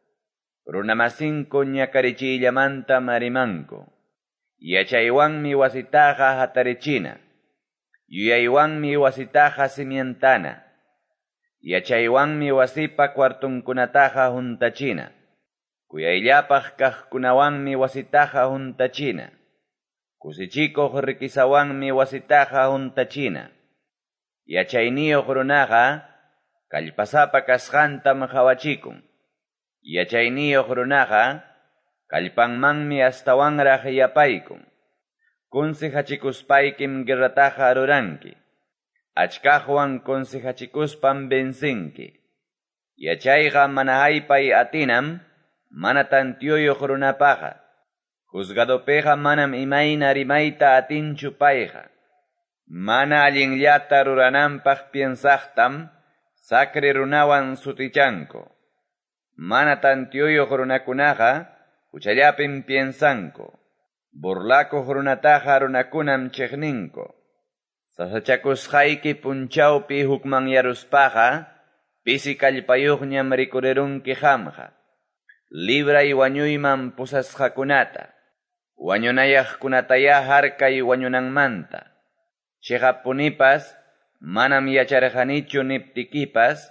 Runamasinku ñakarichiyllamantam rimanku. Yachaywanmi wasitaqa hatarichina. Yuyaywanmi wasitaqa cimientana. Yachaywanmi wasipa cuartunkunataqa huntachina. Kuyayllapaq kaqkunawanmi wasitaqa huntachina. Kusichikuq riquisawanmi wasitaqa huntachina. Yachayniyuq runaqa kallpasapa kasqantam qhawachikun. Yachayniyuq runaqa kallpanmanmi astawanraq yapaykun. Consejachikuspaykim guerrataqa ruranki. Achkaqwan consejachikuspam vencinki. Yachayqa mana haypay atinam, mana tantiyuyuq runapaqa. Juzgadopiqa manam imayna rimayta atinchu payqa. Mana allinllata rurananpaq piensaqtam sacre runawan sutichanku. Mana tantiyuyuq runakunaqa huchallapim piensanku. Burlakuq runataqa runakunam chiqninku. Sasachakusqayki punchawpi hukmanyaruspaqa pisi kallpayuqñam rikurirunki qamqa. Libray wañuyman pusasqakunata. Wañunayaqkunatayá harkay wañunanmanta. Chiqapunipas manam yacharqanichu niptikipas,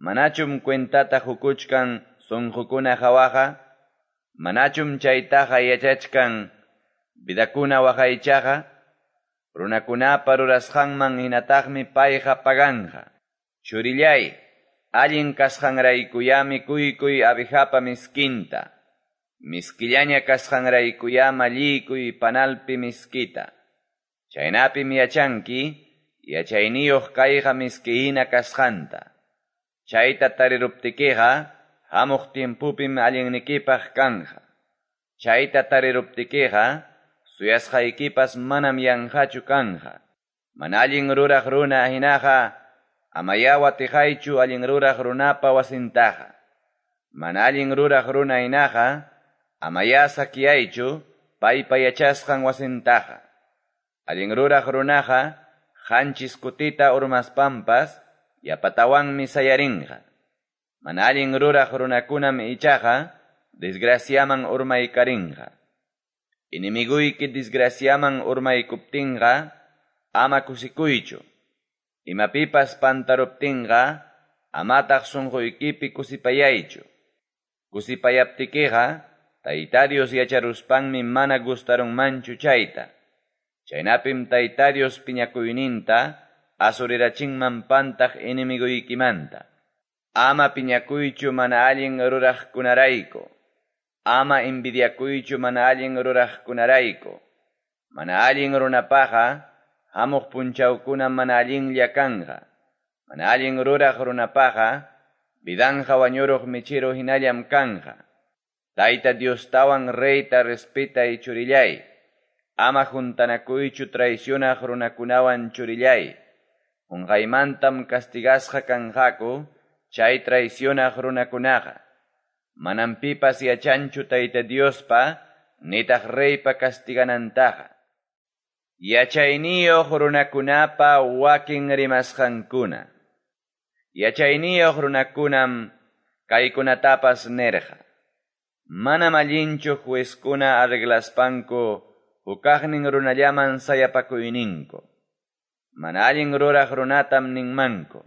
manachum cuentata hukuchkan sunqukuna hawaqa, manachum chaytaqa yachachkan vidakuna waqaychaqa, runakunapa rurasqanman hinataqmi payqa paganqa. Churillay, allin kasqanraykuyá mikuykuy abejapa miskinta. Miskillaña kasqanraykuyá malliykuy panalpi miskita. Chaynapim yachanki, yachayniyuq kayqa miskihina kasqanta. Chayta tariruptikiqa, hamuq tiempupim allinnikipaq kanja. Chayta tariruptikiqa, suyasqaykipas manam yanqachu kanja. Mana allin ruraq runa hinaqa, amayá watiqaychu allin ruraq runapa wasintaqa. Mana allin ruraq runa hinaqa, amayá sakyaychu paypa yachasqan wasintaqa. Allin ruraq runaqa, qanchis kutita urmaspampas, yapatawanmi sayarinqa. Mana allin ruraq runakunam ichaqa, desgraciaman urmaykarinqa. Enemiguyki desgraciaman urmaykuptinqa, ama kusikuychu. Imapipas pantaruptinqa amataq sonqoykipi kusipayaychu. Kusipayaptikiqa Tayta Dios yacharuspanmi mana gustarunmanchu chayta. Chaynapim Tayta Dios piñakuyninta asurirachinman pantaq enemigoykimanta. Ama piñakuychu mana allin ruraqkunarayku. Ama envidiakuychu mana allin ruraqkunarayku. Mana allin runapaqa hamuq punchawkuna mana allinlla kanqa. Mana allin ruraq runapaqa vidanqa wañuruq michiru hinallam kanqa. Tayta Diostawan reyta respetay churillay. Ama juntanakuychu traicionaq runakunawan churillay. Qunqaymantam castigasqa kanqaku chay traicionaq runakunaqa. Manam pipas yachanchu Tayta Diospa nitaq reypa castiganantaqa. Yachayniyuq runakunapa wakin rimasqankuna. Yachayniyuq runakunam kaykunatapas nirqa. Manam allinchu juezkuna arreglaspanku hukaqnin runallaman sayapakuyninku. Mana allin ruraq runatam ninmanku.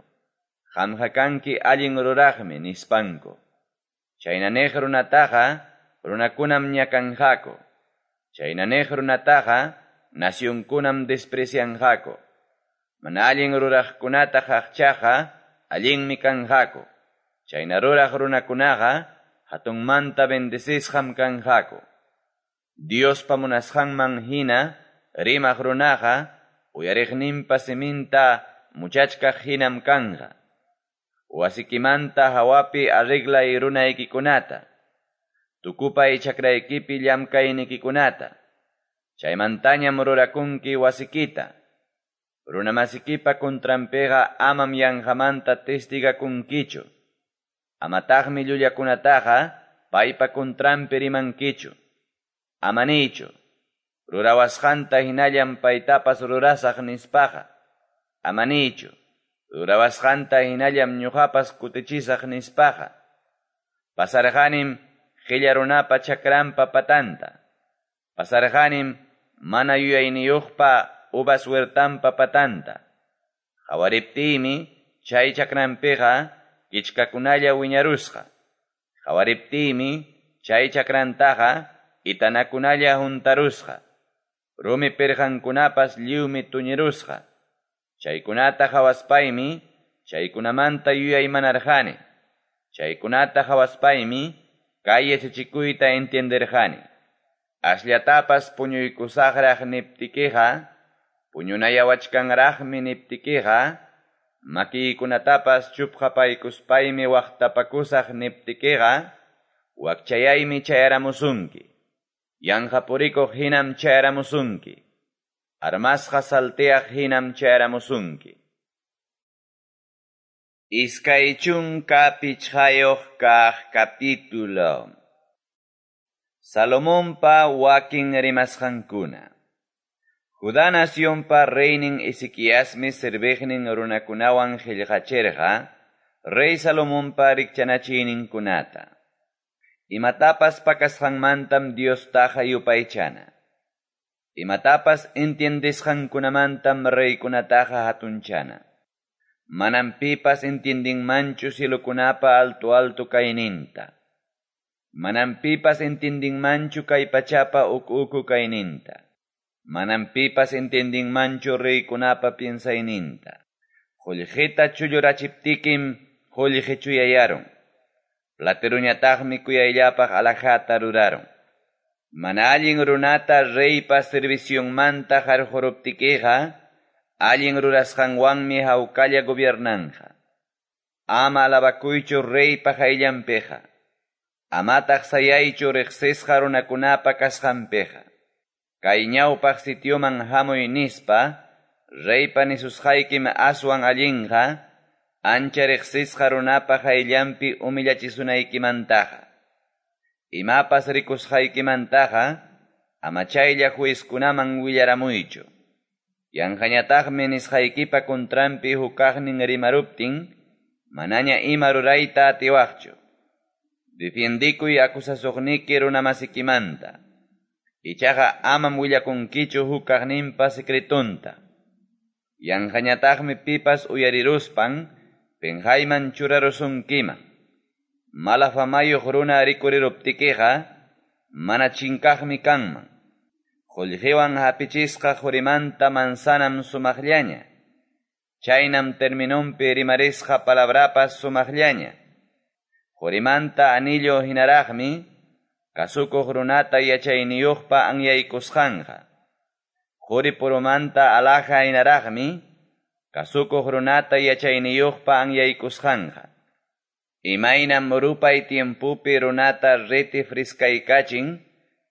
Qamqa kanki allin ruraqmi nispanku. Chayna niq runataqa runakunam ñakanqaku. Chayna niq runataqa nacionkunam desprecianqaku. Mana allin ruraqkunata qaqchaqa allinmi kanqaku. Chayna ruraq runakunaqa hatunmanta bendecisqam kanqaku. Diospa munasqanman hina rimaq runaqa uyariqninpa siminta muchachkaq hinam kanqa. Wasikimanta hawapi arreglay runaykikunata. Tukupay chakraykipi llamkaynikikunata. Chaymantañam rurakunki wasikita. Runamasikipa contranpiqa amam yanqamanta testigakunkichu. Amataqmi llullakunataqa paypa contranpi rimankichu. Ama niychu, rurawasqanta hinallam paytapas rurasaq nispaqa. Ama niychu, rurawasqanta hinallam ñuqapas kutichisaq nispaqa. Pasarqanim qilla runapa chakranpa patanta. Pasarqanim mana yuyayniyuqpa uvas huertanpa patanta. Qawariptiymi chay chakranpiqa kichkakunalla wiñarusqa. Qawariptiymi chay chakrantaqa itanakunalla huntarusqa. Rumi pirqankunapas lliwmi tuñirusqa. Chaykunata qawaspaymi chaykunamanta yuyaymanarqani. Chaykunata qawaspaymi kay yachachikuyta entienderqani. Asllatapas puñuykusaqraq niptikiqa, puñunayawachkanraqmi niptikiqa, makiykunatapas chupqapaykuspaymi waqtapakusaq niptikiqa, wakchayaymi chayaramusunki. Yanqa purikuq hinam chayaramusunki. Armasqa salteaq hinam chayaramusunki. Iskay chunka pichqayuq kaq capítulo. Salomonpa wakin rimasqankuna. Judá nacionpa reynin Ezequiasmi serviqnin runakunawan qillqachirqa rey Salomonpa rikchanachiyninkunata. Imatapas pakasqanmantam Diostaqa yupaychana. Imatapas entiendesqankunamantam reykunataqa hatunchana. Manam pipas entiendinmanchu cielokunapa alto alto kayninta. Manam pipas entiendinmanchu kay pachapa uku uku kayninta. Manam pipas entiendinmanchu reykunapa piensayninta. Qullqita chullurachiptikim qullqi chuyayarun. Plateruñataqmi kuyayllapaq alhajata rurarun. Mana allin runata reypa servicionmanta qarquruptikiqa, allin rurasqanwanmi hawkalla gobiernanqa. Ama alabakuychu reypa qayllanpiqa. Amataq sayaychu riqsisqa runakunapa kasqanpiqa. Kay ñawpaq sitioman hamuy nispa, reypa nisusqaykim aswan allinqa, ancha riqsisqa runapa qayllanpi humillachisunaykimantaqa. Imapas rikusqaykimantaqa, ama chaylla juezkunaman willaramuychu. Yanqañataqmi nisqaykipa contranpi hukaqnin rimaruptin, manaña ima rurayta atiwaqchu. Defiendikuy acusasuqniki runamasikimanta. Ichaqa amam willakunkichu hukaqninpa secretonta. Yanqañataqmi pipas uyariruspan penqayman churarusunkiman. Mala famayuq runa rikuriruptikiqa mana chinkaqmi kanman. Qollqewan hapichisqa qorimanta manzanam sumaqllaña. Chaynam terminonpi rimarisqa palabrapas sumaqllaña. Qorimanta anillo hinaraqmi kasukuq runata yachayniyuqpa anyaykusqanqa. Qori purumanta alhaja hinaraqmi kasukuq runata yachayniyuqpa anyaykusqanqa. Imaynam rupay tiempupi runata riti friskaykachin,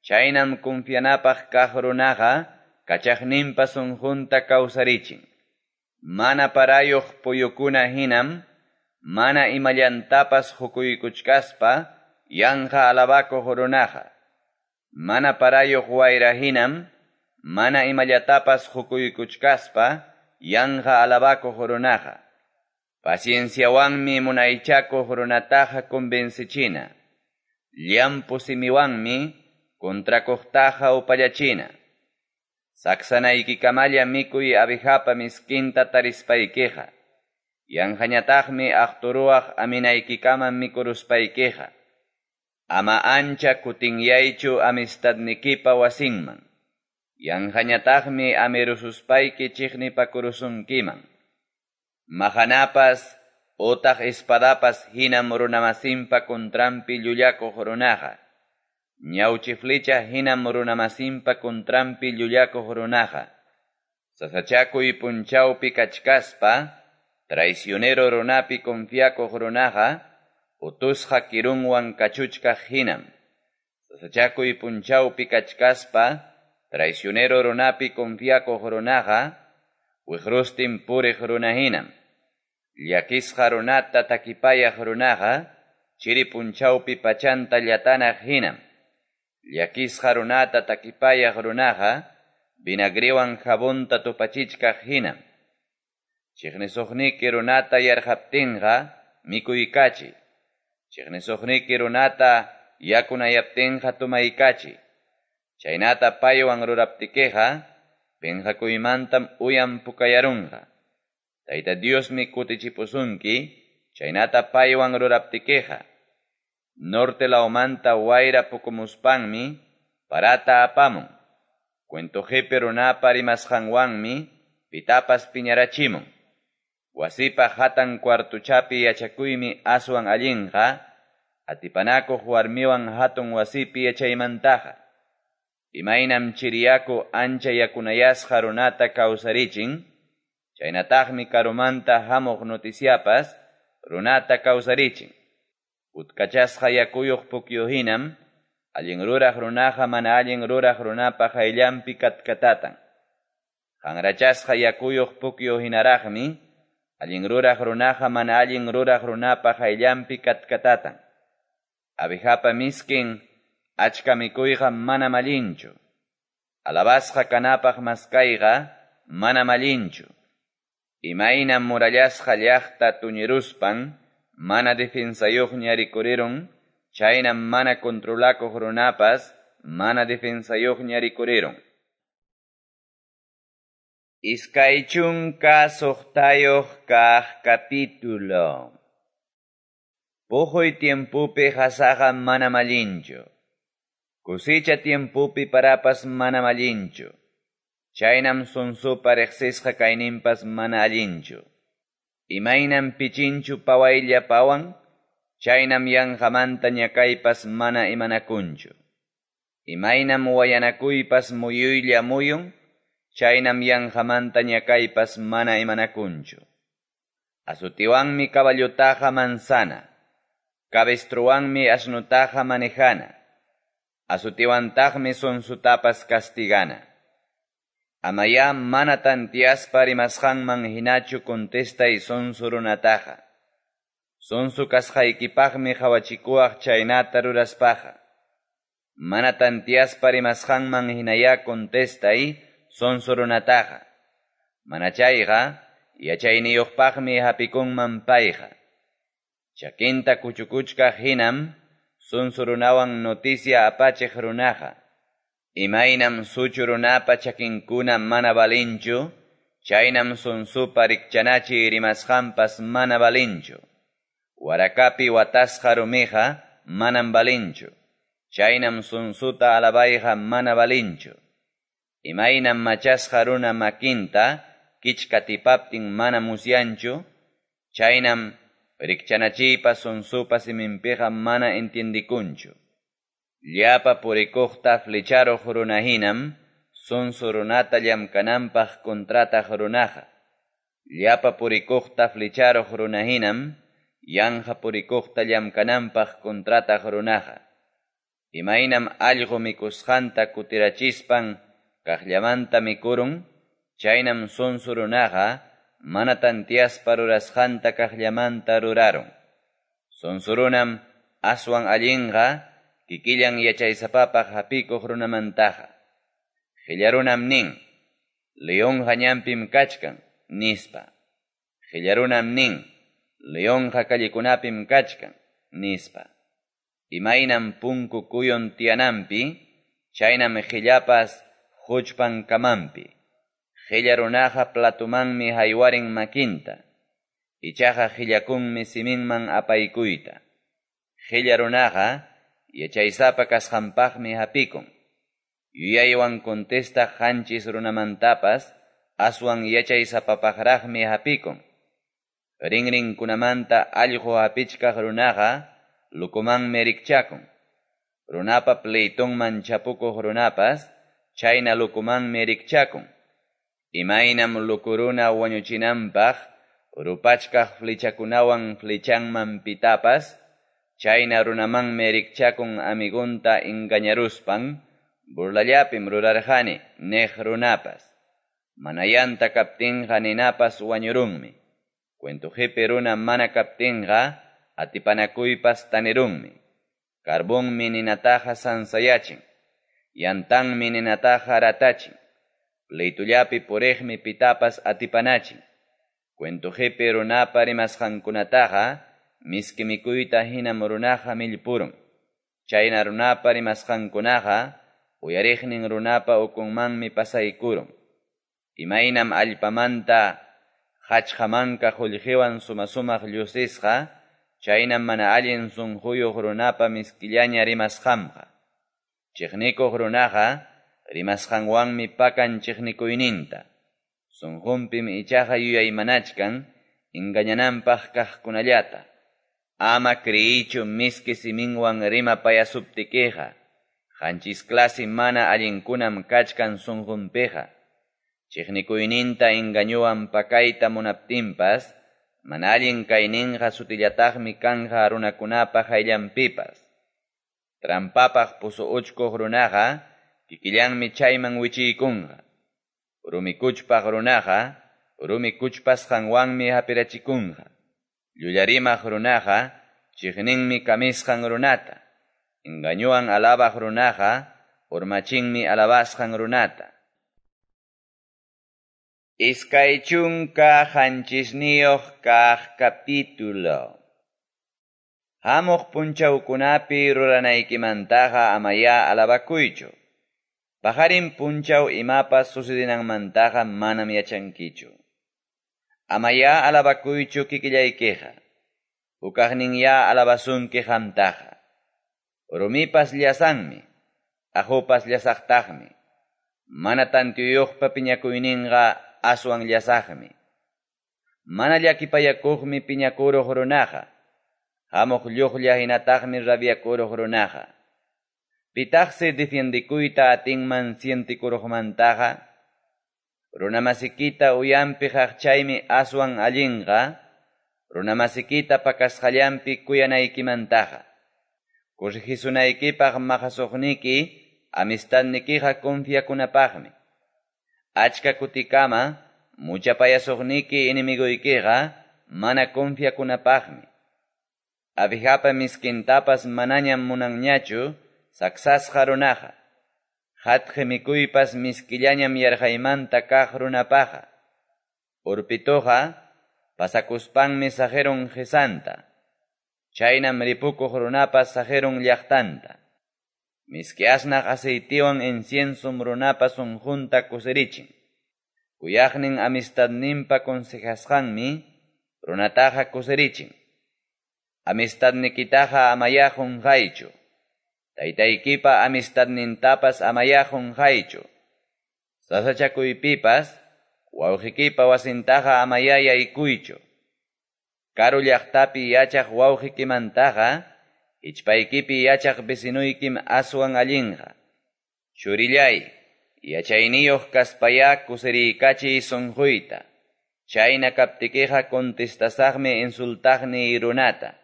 chaynam confianapaq kaq runaqa kachaqninpa sunqunta kawsarichin. Mana parayuq puyukuna hinam, mana imallantapas hukuykuchkaspa yanqa alabakuq runaqa. Mana parayuq wayra hinam, mana imallatapas hukuykuchkaspa yanqa alabakuq runaqa. Pacienciawanmi munaychakuq runataqa convencichina. Llampu simiwanmi kontrakuqtaqa upallachina. Saksanaykikamalla mikuy abejapa miskinta tarispaykiqa. Yanqañataqmi aqturuwaq aminaykikama mikuruspaykiqa. Ama ancha kutinyaychu amistadnikipa wasinman. Yanqañataqmi amirususpayki chiqnipakurusunkiman. Mahanapas otaq espadapas hinam runamasinpa kontranpi llullakuq runaqa. Ñawchi flecha hinam runamasinpa kontranpi llullakuq runaqa. Sasachakuy punchawpi kachkaspa, traicionero runapi confiakuq runaqa, utusqa kirunwan kachuchkaq hinam. Sasachakuy punchawpi kachkaspa, traicionero runapi confiakuq runaqa, wiqrustin puriq runa hinam. Llakisqa runata takipayaq runaqa, chiri punchawpi pachanta llatanaq hinam. Llakisqa runata takipayaq runaqa, vinagriwan jabonta tupachichkaq hinam. Chiqnisuqniki runata yarqaptinqa, mikuykachi. Chiqnisuqniki runata yakunayaptinqa tumaykachi. Chaynata paywan ruraptikiqa, penqakuymantam uyan pukayarunqa. Tayta Diosmi kutichipusunki, chaynata paywan ruraptikiqa. Norte lawmanta wayra pukumuspanmi, parata apamun. Cuento qipi runapa rimasqanwanmi, pitapas piñarachimun. Wasipa hatan cuartuchapi yachakuymi aswan allinqa, atipanakuq warmiwan hatun wasipi yachaymantaqa. Imaynam chiriyaku ancha yakunayasqa runata kawsarichin, chaynataqmi karumanta hamuq noticiapas runata kawsarichin. Utkachasqa yakuyuq pukyu hinam, allin ruraq runaqa mana allin ruraq runapa qayllanpi katkatatan. Qanrachasqa yakuyuq pukyu hinaraqmi, allin ruraq runaqa mana allin ruraq runapa qayllanpi katkatatan. Abejapa miskin, achka mikuyqa manam allinchu. Alabasqa kanapaq maskayqa manam allinchu. Imaynam murallasqa llaqta tuñiruspan, mana defensayuqña rikurirun, chaynam mana controlakuq runapas, mana defensayuqña rikurirun. Iskay chunka suqtayuq kaq capítulo. Puquy tiempupi qasaqa manam allinchu. Kusicha tiempupi parapas manam allinchu. Chaynam sunsupa riqsisqa kayninpas mana allinchu. Imaynam pichinchu pawaylla pawan, chaynam yanqamanta ñakaypas mana imanakunchu. Imaynam wayanakuypas muyuylla muyun, chaynam yanqamanta ñakaypas mana imanakunchu. Azutiwanmi caballutaqa manzana, cabestruwanmi asnutaqa manejana, azutiwantaqmi sunsutapas castigana. Amayá mana tantiaspa rimasqanman hinachu contestay sonso runataqa. Sonso kasqaykipaqmi qhawachikuwaq chaynata ruraspaqa. Mana tantiaspa rimasqanman hinayá contestay sonso runataqa. Mana chayqa yachayniyuqpaqmi hapikunman payqa. Chakinta kuchukuchkaq hinam sonso runawan noticia apachiq runaqa. Imaynam suchu runapa chakinkuna mana valinchu, Chaynam sonsopa rikchanachiy rimasqanpas mana valenchu. Warakapi watasqa rumiqa manam valenchu. Chaynam sonsota alabayqa mana valenchu. Imaynam machasqa runa makinta kichka tipaptin mana musyanchu, chaynam rikchanachiypa sonsopa siminpiqa mana entiendikunchu. Llapa purikuqta flecharuq runahinam sonso runata llamkananpaq contrataq runaqa. Llapa purikuqta flecharuq runahinam yanqa purikuqta llamkananpaq contrataq runaqa. Imaynam allqu mikusqanta kutirachispan kaqllamanta mikurun, chaynam sonso runaqa mana tantiaspa rurasqanta kaqllamanta rurarun. Sonso runam aswan allinqa kikillan yachaysapapaq hapikuq runamantaqa. Qillarunam nin, leonqa ñanpim kachkan, nispa. Qillarunam nin, leonqa callekunapim kachkan, nispa. Imaynam punku kuyun tiyananpi, chaynam qillapas huchpan kamanpi. Qilla runaqa platumanmi haywarin makinta, ichaqa qillakunmi siminman apaykuyta. Qilla runaqa yachaysapa kasqanpaqmi hapikun. Yuyaywan contestaq qanchis runamantapas aswan yachaysapapaqraqmi hapikun. Rinrinkunamanta allqu hapichkaq runaqa lukumanmi rikchakun. Runapa pleitonman chapukuq runapas chayna lukumanmi rikchakun. Imaynam lukuruna wañuchinanpaq rupachkaq flechakunawan flechanman pitapas, chayna runamanmi rikchakun amigunta engañaruspan, burlallapim rurarqani niq runapas. Manayanta kaptinqa ninapas wañurunmi. Cuentoqipi runa mana kaptinqa atipanakuypas tanirunmi. Carbonmi ninataqa sansayachin. Yantanmi ninataqa ratachin. Pleitullapi puriqmi pitapas atipanachin. Cuentoqipi runapa rimasqankunataqa miski mikuyta hinam runaqa millpurun. Chayna runapa rimasqankunaqa uyariqnin runapa ukunmanmi pasaykurun. Imaynam allpamanta qachqamanka qullqiwan sumasumaq llusisqa, chaynam mana allin sunquyuq runapa miskillaña rimasqanqa. Chiqnikuq runaqa rimasqanwanmi pakan chiqnikuyninta. Sunqunpim ichaqa yuyaymanachkan engañananpaq kaqkunallata. Ama creyichu miski siminwan rimapayasuptikiqa. Qanchis clase mana allinkunam kachkan sunqunpiqa. Chiqnikuyninta engañuwan pakayta munaptinpas, mana allin kayninqa sutillataqmi kanja runakunapa hayllanpipas. Trampapaq pusu uchkuq runaqa kikillanmi chayman wichiykunqa. Rumi kuchpaq runaqa rumi kuchpasqanwanmi hapirachikunqa. Llullariymaq runaqa chiqninmi kamisqan runata. Engañuwan alabaq runaqa urmachinmi alabasqan runata. Iskay chunka qanchisniyuq kaq capítulo. Hamuq punchawkunapi ruranaykimantaqa amaya alabakuychu. Pajarin punchaw imapas sucedinanmantaqa manam yachankichu. Amaya alabakuychu kikillaykiqa. Hukaqninya alabasunki qamtaqa. Rumipas llasanmi, ahupas llasaqtaqmi. Mana tantiyuqpa piñakuyninqa aswan llasaqmi. Mana llakipayakuqmi piñakuruq runaqa. Hamuq lluqlla hinataqmi rabiakuruq runaqa. Pitaqsi defiendikuyta atinman sientikuruqmantaqa. Runamasikita uyampi qaqchaymi aswan allinqa. Runamasikita pakasqallanpi kuyanaykimantaqa. Corrigisunaykipaq maqasuqniki amistadnikiqa confiakunapaqmi. Achka kutikama muchapayasuqniki enemiguykiqa mana confiakunapaqmi. Abijapa miskintapas manañam munanñachu saksasqa runaqa. Hatqi mikuypas miskillañam yarqaymanta kaq runapaqa. Urpituqa pasakuspanmi saqirun qisanta. Chaynam ripukuq runapas saqirun llaqtanta. Miski asnaq aceitiwan inciensum runapa sunqunta kusirichin. Kuyaqnin amistadninpa consejasqanmi runataqa kusirichin. Amistadnikitaqa amayá qonqaychu. Taytaykipa amistadnintapas amayá qonqaychu. Sasachakuypipas wawqikipa wasintaqa amayá yaykuychu. Karu llaqtapi yachaq wawqikimantaqa hichpaykipi yachaq vecinuykim aswan allinqa. Churillay, yachayniyuq kaspayá kusiriykachiy sunquyta. Chayna kaptikiqa contestasaqmi insultaqniy runata.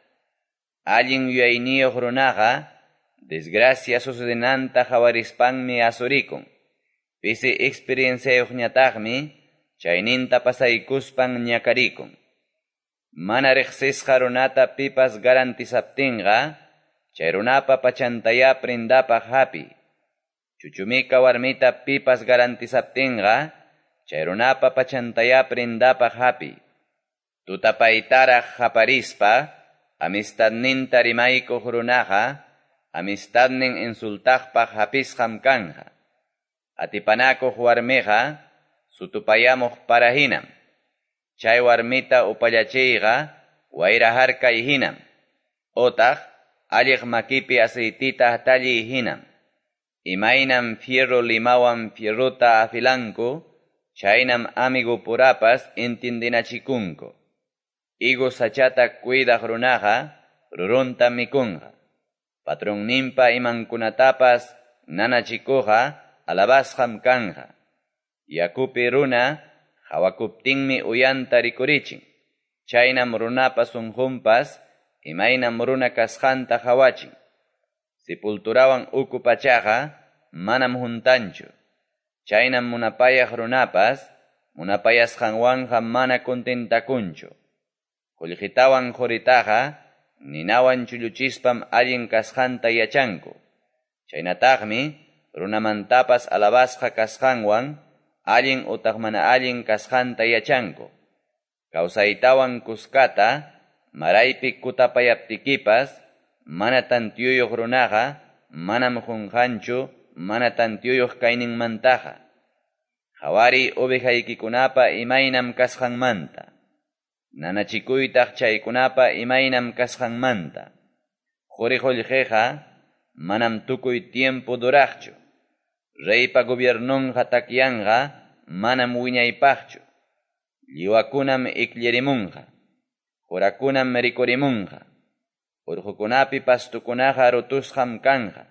Allin yuyayniyuq runaqa desgracia sucedenanta qawarispanmi asurikun. Pisi experienciayuqñataqmi chayninta pasaykuspan ñakarikun. Mana riqsisqa runata pipas garantizaptinqa, chay runapa pachantayá prendapaq hapi. Chuchumika warmita pipas garantizaptinqa, chay runapa pachantayá prendapaq hapi. Tutapaytaraq qaparispa, amistadninta rimaykuq runaqa, amistadnin insultaqpaq hapisqam kanqa. Atipanakuq warmiqa, sutupayamuq para hinam. Chay warmita upallachiyqa, wayra harkay hinam. Otaq, alliq makipi aceitita hatalliy hinam. Imaynam fierro limawan fierrota afilanku, chaynam amigo purapas entendinachikunku. Higo sachata cuidaq runaqa, rurunta mikunqa. Patronninpa imankunatapas nanachikuqa, alabasqam kanqa. Yakupi runa, hawakuptinmi uyanta rikurichin. Chaynam runapa sunqunpas, imaynam runa kasqanta hawachin. Sepulturawan uku pachaqa, manam juntanchu. Chaynam munapayaq runapas, munapayasqanwanqa mana contentakunchu. Qullqitawan quritaqa, ninawan chulluchispam allin kasqanta yachanku. Chaynataqmi, runamantapas alabasqa kasqanwan, allin utaq mana allin kasqanta yachanku. Kawsaytawan kuskata, maraypi kutapayaptikipas, mana tantiyuyuq runaqa, manam qunqanchu, mana tantiyuyuq kayninmantaqa. Qhawariy ovejaykikunapa imaynam kasqanmanta. Nanachikuytaq chaykunapa imaynam kasqanmanta. Quri qullqiqa manam tukuy tiempo duraqchu. Reypa gobiernonqa takyanqa manam wiñaypaqchu. Lliwakunam ikllirimunqa. Qurakunam rikurimunqa. Urqukunapi pastukunaqa rutusqam kanqa.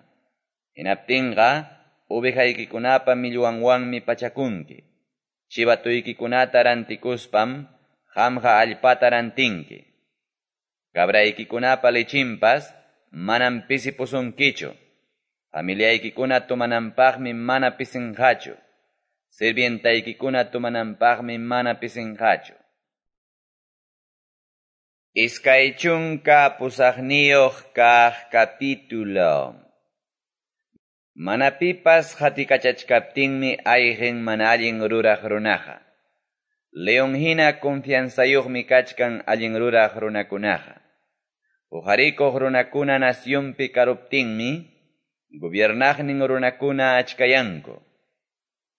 Hinaptinqa ovejaykikunapa millwanwanmi pachakunki. Chivatuykikunata rantikuspam qamqa allpata rantinki. Cabraykikunapa lechinpas manam pisipusunkichu. Familiaykikuna tumananpaqmi mana pisinqachu. Sirvientaykikuna tumananpaqmi mana pisinqachu. Iskay chunka pusaqniyuq kaq capítulo. Mana pipas qatikachachkaptinmi ayqin mana allin ruraq runaqa. León hina confianzayuqmi kachkan allin ruraq runakunaqa. Uqarikuq runakuna nacionpi karuptinmi, gobiernaqnin runakuna achkayanku.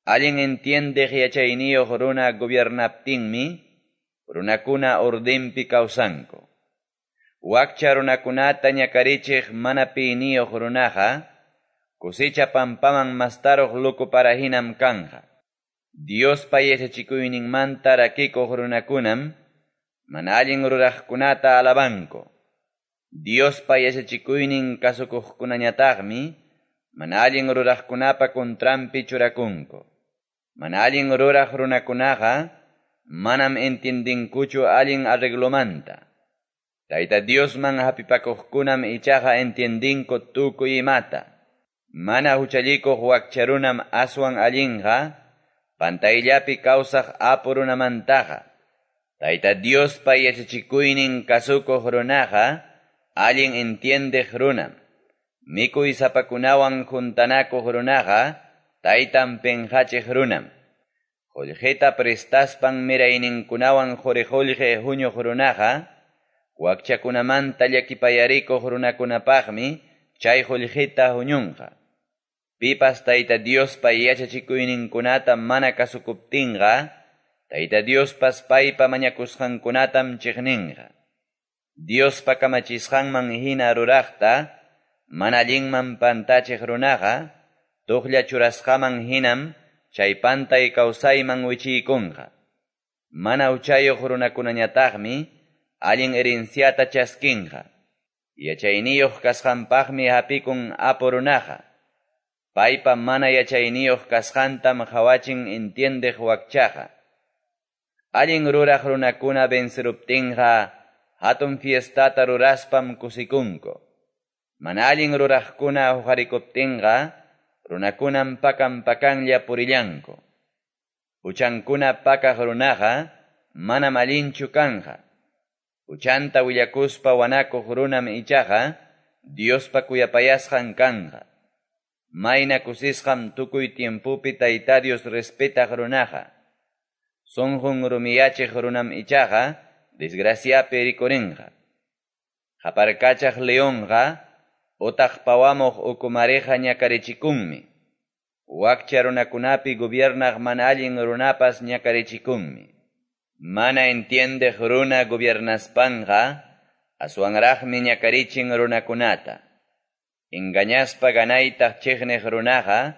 Allin entiendeq yachayniyuq runa gobiernaptinmi, runakuna ordenpi kawsanku. Wakcha runakunata ñakarichiq mana piyniyuq runaqa, cosecha pampaman mastaruq loco para hinam kanja. Diospa yachachikuyninmanta rakikuq runakunam, mana allin ruraqkunata alabanku. Diospa yachachikuynin kasukuqkunañataqmi, mana allin ruraqkunapa contranpi churakunku. Mana allin ruraq runakunaqa, manam entiendinkuchu allin arreglomanta. Tayta Diosman hapipakuqkunam ichaqa entiendinku tukuy imata. Mana huchallikuq wakcharunam aswan allinqa, pantayllapi kawsaq apu runamantaqa. Tayta Diospa yachachikuynin kasukuq runaqa, allin entiendeq runam. Mikuy sapakunawan juntanakuq runaqa, taytan penqachiq runam. Qullqita prestaspan mirayninkunawan quri-qullqi huñuq runaqa, wakchakunamanta llakipayarikuq runakunapaqmi chay qullqita huñunqa. Pipas Tayta Diospa yachachikuyninkunata mana kasukuptinqa, Tayta Diospas paypa mañakusqankunatam cheqninqa. Diospa kamachisqanman hina ruraqta mana allinman pantachiq runaqa, toqlla churasqaman hinam chay pantay kawsayman wichiykunqa. Mana huchayuq runakunañataqmi allin herenciata chaskinqa. Yachayniyuq kasqanpaqmi hapikun apu runaqa. Paypa mana yachayniyuq kasqantam qawachin entiendeq wakchaqa. Allin ruraq runakuna venceruptinqa hatun fiestata ruraspam kusikunku. Mana allin ruraqkuna huqarikuptinqa runakunam pakan pakanlla purillanku. Huchankuna pakaq runaqa manam allinchu kanqa. Huchanta willakuspa wanakuq runam ichaqa Diospa kuyapayasqan kanqa. Mayna kusisqam tukuy tiempopi Tayta Dios respetaq runaqa. Sunqun rumiyachiq runam ichaqa desgraciapi rikurinqa. Qaparkachaq leonqa utaq pawamuq ukumariqa ñakarichikunmi. Wakcha runakunapi gobiernaq mana allin runapas ñakarichikunmi. Mana entiendeq runa gobiernaspanqa aswanraqmi ñakarichin runakunata. Engañaspa ganaytaq chiqniq runaqa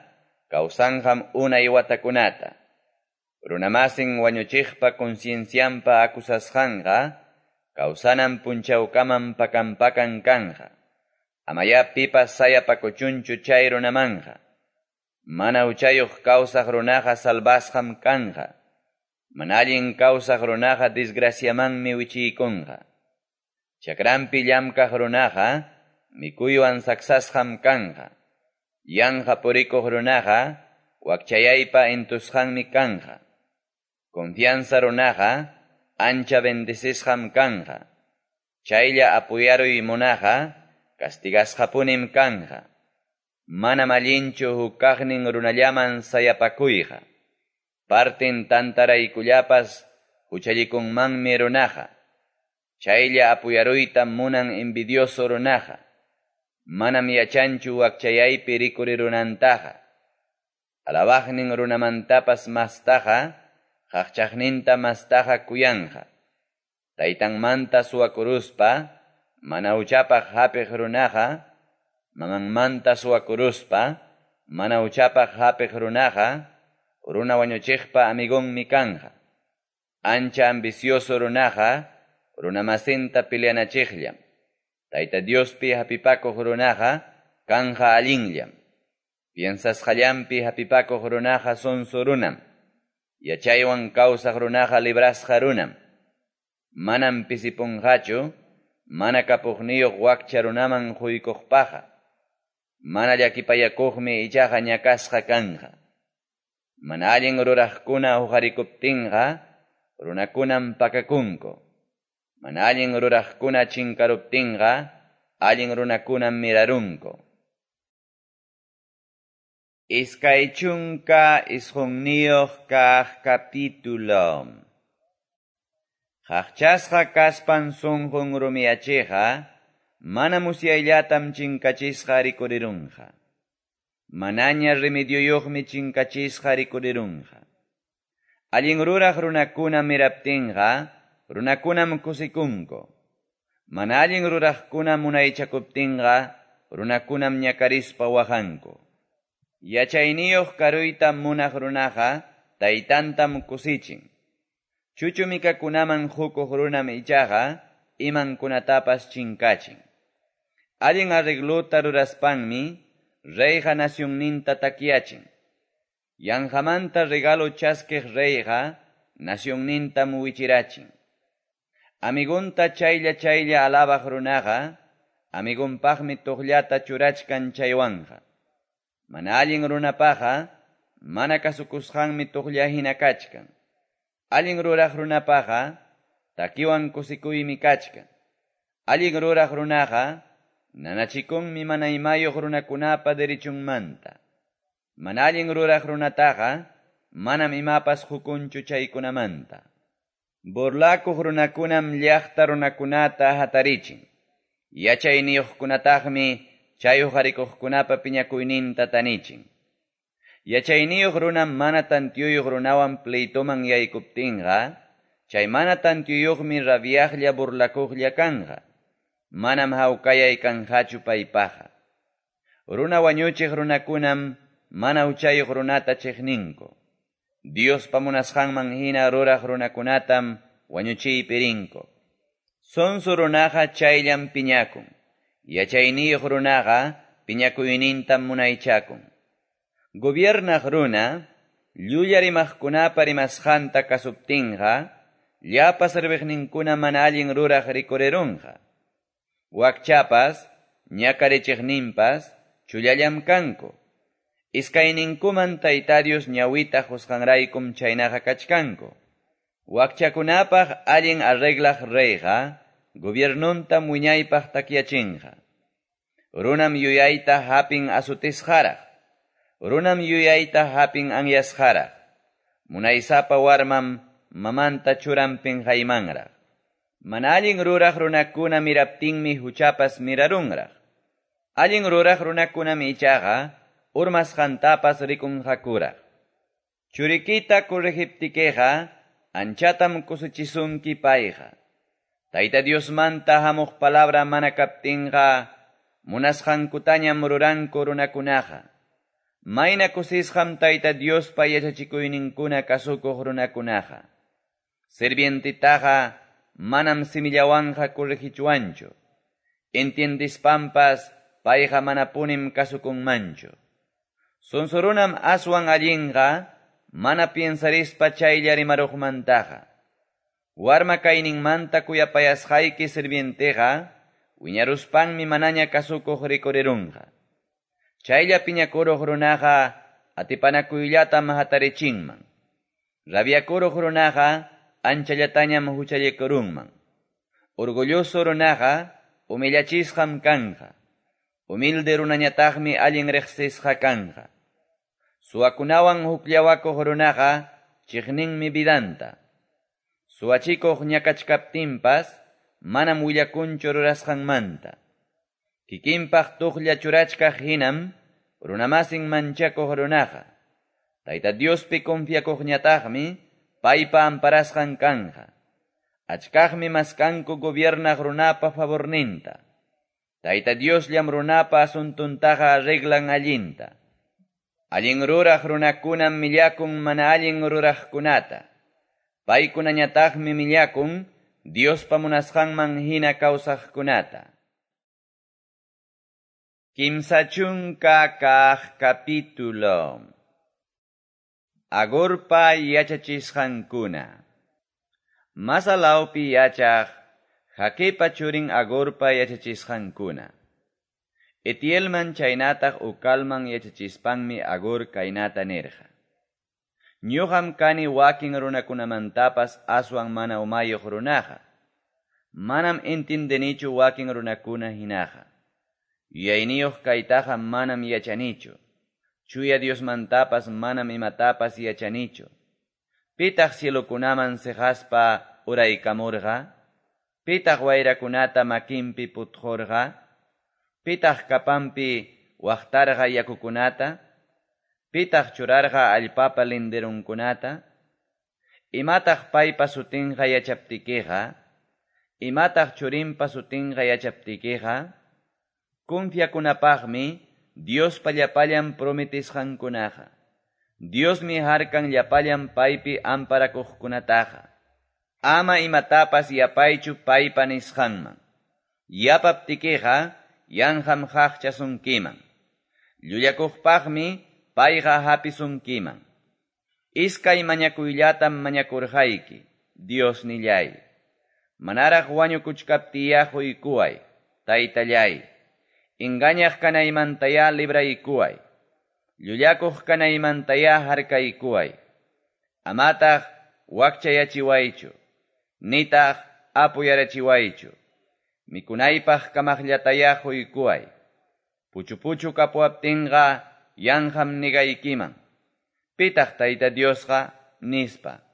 kawsanqam unay watakunata. Runamasin wañuchiqpa conciencianpa acusasqanqa kawsanan punchawkaman pakan-pakan kanqa. Amaya pipas sayapakuchunchu chay runamanqa. Mana huchayuq kawsaq runaqa salvasqam kanqa. Mana allin kawsaq runaqa desgraciamanmi wichiykunqa. Chakranpi llamkaq runaqa mikuywan saksasqam kanqa. Yanqa purikuq runaqa wakchayaypa entusqanmi kanqa. Confianza runaqa ancha bendecisqam kanqa. Chaylla apuyaruy munaqa castigasqapunim kanqa. Manam allinchu hukaqnin runallaman sayapakuyqa. Partin tantaraykullapas huchallikunmanmi runaqa. Chaylla apuyaruyta munan envidioso runaqa. Manam yachanchu wakchayaypi rikurirunantaqa. Alabaqnin runamantapas mastaqa, qaqchaqninta mastaqa kuyanqa. Taytanmanta suwakuruspa, mana huchapaq hapiq runaqa, mamanmanta suwakuruspa, mana huchapaq hapiq runaqa, runa wañuchiqpa amigonmi kanqa. Ancha ambicioso runaqa, runamasinta peleanachiqllam. Tayta Diospi hapipakuq runaqa, kanja allinllam. Piensasqallampi hapipakuq runaqa sonso runam. Yachaywan kawsaq runaqa librasqa runam. Manam pisipunqachu, mana kapuqniyuq wakcha runaman quykuqpaqa. Mana llakipayakuqmi ichaqa ñakasqa kanqa. Mana allin ruraqkuna huqarikuptinqa, runakunam pakakunku. Mana allin ruraqkuna chinkaruptinqa, allin runakunam mirarunku. Iskay chunka isqunniyuq kaq capítulo. Qaqchasqa kaspan sunqun rumiyachiqa, mana musyayllatam chinkachisqa rikurirunqa. Manaña remedioyuqmi chinkachisqa rikurirunqa. Allin ruraq runakuna miraptinqa, runakunam kusikunku. Mana allin ruraqkuna munaychakuptinqa, runakunam ñakarispa waqanku. Yachayniyuq karuyta munaq runaqa, taytantam kusichin. Chuchumikakunaman hukuq runam ichaqa, imankunatapas chinkachin. Allin arreglota ruraspanmi, reyqa nacionninta takyachin. Yanqamanta regalo chaskiq reyqa, nacionnintam wichirachin. Amigunta chaylla chaylla alabaq runaqa, amigunpaqmi tuqllata churachkan chaywanqa. Mana allin runapaqa, mana kasukusqanmi tuqlla hina kachkan. Allin ruraq runapaqa, takiwan kusikuymi kachkan. Allin ruraq runaqa, nanachikunmi mana imayuq runakunapa derechunmanta. Mana allin ruraq runataqa, manam imapas hukunchu chaykunamanta. Burlakuq runakunam llaqta runakunata hatarichin. Yachayniyuqkunataqmi chay huqarikuqkunapa piñakuyninta tanichin. Yachayniyuq runam mana tanteoyuq runawan pleitoman yaykuptinqa, chay mana tanteoyuqmi rabiaqlla burlakuqlla kanqa. Manam hawkayay kanqachu paypaqqa. Runa wañuchiq runakunam mana huchayuq runata chiqninku. Diospa munasqanman hina ruraq runakunatam wañuchiypi rinku. Sonso runaqa chayllam piñakun. Yachayniyuq runaqa piñakuynintam munaychakun. Gobiernaq runa, llulla rimaqkunapa rimasqanta kasuptinqa, llapa serviqninkuna mana allin ruraq rikurirunqa. Wakchapas, ñakarichiqninpas, chullallam kanku. Iskayninkuman Tayta Dios ñawita qusqanraykum chaynaqa kachkanku. Wakchakunapaq allin arreglaq reyqa, gobiernuntam wiñaypaq takyachinqa. Runam yuyayta hapin asutisqaraq. Runam yuyayta hapin anyasqaraq. Munaysapa warmam mamanta churan pinqaymanraq. Mana allin ruraq runakuna miraptinmi huchapas mirarunraq. Allin ruraq runakunam ichaqa urmasqantapas rikunqakuraq. Churikita corregiptikeqa anchatam kusichisunki payqa. Tayta Diosmanta hamuq palabra mana kaptinqa munasqankutañam ruranku runakunaqa. Mayna kusisqam Tayta Diospa yachachikuyninkuna kasukuq runakunaqa. Sirvientitaqa manam simillawanqa corregichuanchu. Entiendispampas payqa manapunim kasukunmanchu. Sonsorunam aswan allinqa mana piensarispa chaylla rimaruqmantaqa. Warma kayninmanta kuyapayasqayki sirvienteqa wiñaruspanmi manaña kasukuq rikurirunqa. Chaylla piñakuruq runaqa atipanakuyllatam hatarichinman. Rabiakuruq runaqa anchallatañam huchallikurunman. Orgulloso runaqa humillachisqam kanqa. Humilde runañataqmi allin riqsisqa kanqa. Suwakunawan hukllawakuq runaqa chiqninmi vidanta. Suwachikuq ñakachkaptinpas manam willakunchu rurasqanmanta. Kikinpaq tuqlla churachkaq hinam runamasin manchakuq runaqa. Tayta Diospi confiakuqñataqmi paypa amparasqan kanqa. Achkaqmi maskanku gobiernaq runapa favorninta. Tayta Diosllam runapa asuntuntaqa arreglan allinta. Allin ruraq runakunam millakun mana allin ruraqkunata. Paykunañataqmi millakun Diospa munasqanman hina kawsaqkunata. Kimsa chunka kaq capítulo. Agurpa yachachisqankuna. Masalawpi yachaq Jaquepa churin Agurpa yachachisqankuna. Etielman chaynataq Ucalman yachachispanmi Agur kaynata nirqa. Ñuqam kani wakin runakunamantapas aswan mana umayuq runaqa. Manam entendenichu wakin runakuna hinaqa. Yuyayniyuq kaytaqa manam yachanichu. Chuya Diosmantapas manam imatapas yachanichu. Pitaq cielokunaman siqaspa uraykamurqa? Pitaq wayrakunata makinpi putqurqa? Pitaq kapanpi waqtarqa yakukunata? Pitaq churarqa allpapa linderunkunata? Imataq paypa sutinqa yachaptikiqa? Imataq churinpa sutinqa yachaptikiqa? Confiakunapaqmi Diospa llapallan prometisqankunaqa. Diosmi harkan llapallan paypi amparakuqkunataqa. Ama imatapas yapaychu paypa nisqanman. Yapaptikiqa yanqam qaqchasunkiman. Llullakuqpaqmi payqa hapisunkiman. Iskay mañakuyllatam mañakurqayki, Diosnillay. Manaraq wañukuchkaptiya quykuway, Taytallay. Engañaq kanaymantaya libraykuway. Llullakuq kanaymantaya harkaykuway. Amataq wakchayachiwaychu. Nitaq apuyarachiwaychu. Mikunaypaq kamaqllataya quykuway. Puchu-puchu kapuwaptinqa yanqam nigaykiman. Pitaq Tayta Diosqa nispa.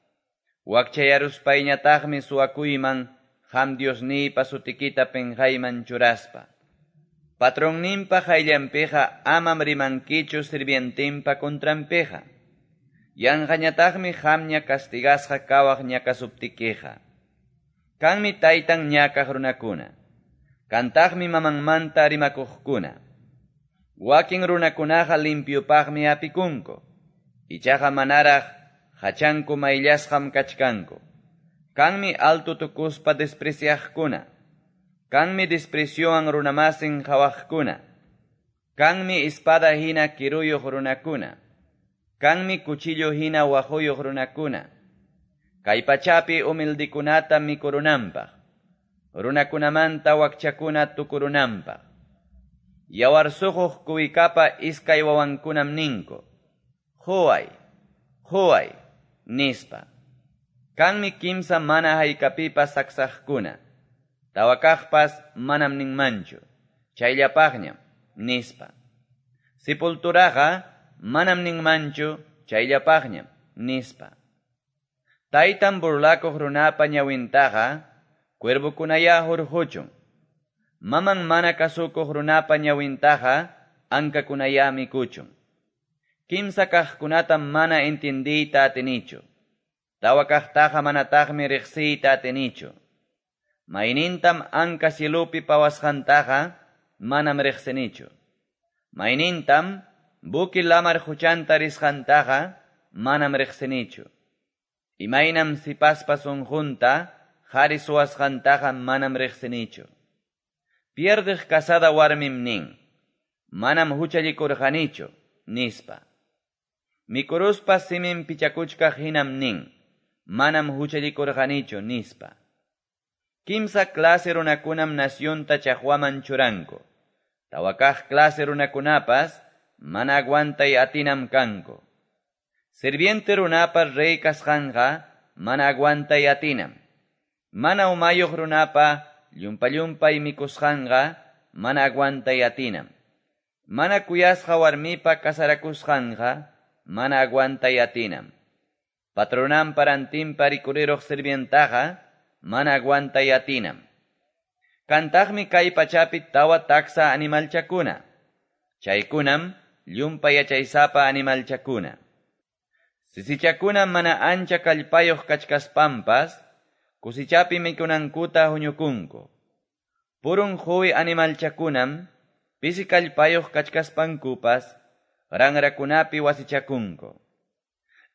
Wakchayaruspayñataqmi suwakuyman qam Diosniypa sutikita pinqayman churaspa. Patronninpa qayllanpiqa amam rimankichu sirvientinpa contranpiqa. Yanqañataqmi qamña castigasqa kawaq ñakasuptikiqa. Kanmi taytan ñakaq runakuna. Kantaqmi mamanmanta rimakuqkuna. Wakin runakunaqa limpiupaqmi apikunku. Ichaqa manaraq hachanku mayllasqam kachkanku. Kanmi alto tukuspa despreciaqkuna. Kanmi despreciowan runamasin qhawaqkuna. Kanmi espada hina kiruyuq runakuna. Kanmi cuchillo hina waquyuq runakuna. Kay pachapi humildikunata mikurunanpaq. Runakunamanta wakchakuna tukurunanpaq. Yawar suquq kuwikapa iskay wawankunam ninku. Quway, quway, nispa. Kanmi kimsa mana haykapipas saksaqkuna. Tawakaqpas manam ninmanchu. Chayllapaqñam, nispa. Sepulturaqa manam ninmanchu, chayllapaqñam, nispa. Taytan burlakuq runapa ñawintaqa, cuervokunaya hurquchun. Maman mana kasukuq runapa ñawintaqa, ankakunaya mikuchun. Kimsa kaqkunatam mana entendiyta atinichu. Tawa kaqtaqa manataqmi riqsiyta atinichu. Maynintam anka cielupi pawasqantaqa manam riqsinichu. Maynintam buki lamar huchanta risqantaqa manam riqsinichu. Imaynam sipaspa sunqunta qhari suwasqantaqa manam riqsinichu. Pierdiq casada warmim nin, manam huchallikurqanichu, nispa. Mikuruspa simin pichakuchkaq hinam nin, manam huchallikurqanichu, nispa. Kimsa clase runakunam nacionta chaqwaman churanku. Tawakaq clase runakunapas mana aguantay atinam kanku. Sirviente runapa rey kasqanqa mana aguantay atinam. Mana umayuq runapa llumpa-llumpay mikusqanqa mana aguantay atinam. Mana kuyasqa warmipa kasarakusqanqa mana aguantay atinam. Patronanpa rantinpa rikuriruq sirvientaqa mana aguantay atinam. Kantaqmi kay pachapi tawa taksa animalchakuna. Chaykunam llumpa yachaysapa animalchakuna. Sisichakuna mana ancha kallpayuq kachkaspampas, kusichapi mikunankuta huñukunku. Purun huwi animalchakunam, pisi kallpayuq kachkaspankupas, ranrakunapi wasichakunku.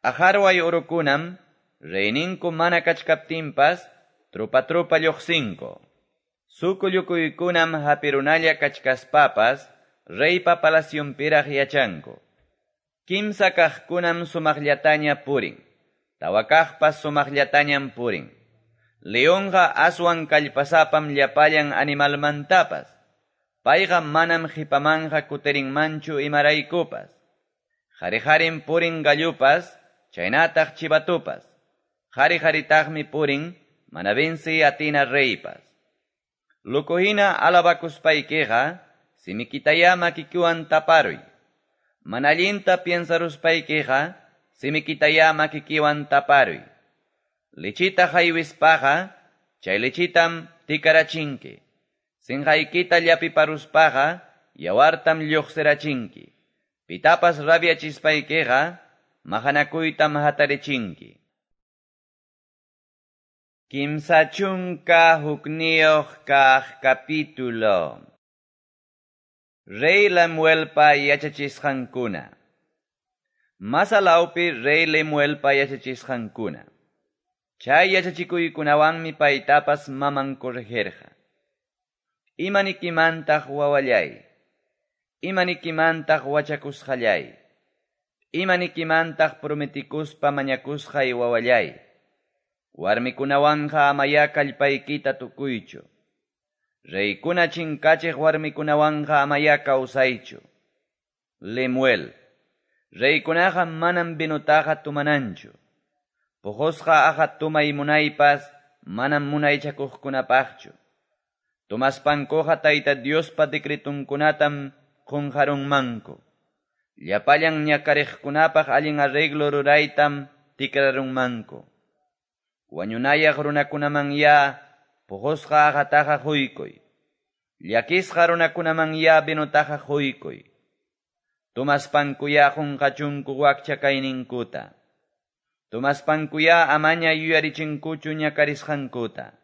Ajarway urukunam, reyninku mana kachkaptinpas, trupa trupa lluqsinku. Sukullukuykunam hapirunalla kachkaspapas, reypa palacionpiraq yachanku. Kimsa kaqkunam sumaqllataña purin, tawa kaqpas sumaqllatañam purin. Leonqa aswan kallpasapam llapallan animalmantapas. Payqa manam qhipamanqa kutirinmanchu imaraykupas. Qhari-qharim purin gallupas, chaynataq chivatupas. Qhari-qharitaqmi purin, mana venci atina reypas. Lukuhina alabakuspaykiqa, simikitaya makikiwan taparuy. Mana allinta piensaruspaykiqa, simikitaya makikiwan taparuy. Lichita haywispaqa, chay lichitam tikarachinki. Sinqaykita llapiparuspaqa, yawartam lluqsirachinki. Pitapas rabiachispaykiqa, maqanakuytam hatarichinki. Kimsa chunka hukniyuq kaq capítulo. Rey Lemuelpa yachachisqankuna. Masalawpi Rey Lemuelpa yachachisqankuna. Chay yachachikuykunawanmi paytapas maman corregirqa. Imanikimantaq wawallay. Imanikimantaq wachakusqallay. Imanikimantaq prometikuspa mañakusqay wawallay. Warmikunawanqa amaya kallpaykita tukuychu. Reykuna chinkachiq warmikunawanqa amaya kawsaychu. Lemuel. Reykunaqa manam vinutaqa tumananchu. Puqusqa aqa tumay munaypas manam munaychakuqkunapaqchu. Tumaspankuqa Tayta Diospa decretunkunatam qunqarunmanku. Llapallan ñakariqkunapaq allin arreglo ruraytam tikrarunmanku. Wañunayaq runakunamanya puqusqa aqataqa quykuy. Llakisqa runakunamanyá vinotaqa qoykuy. Tomaspankuyá qonqachunku wakcha kayninkuta. Tomaspankuyá amaña yuyarichinkuchu ñakarisqankuta.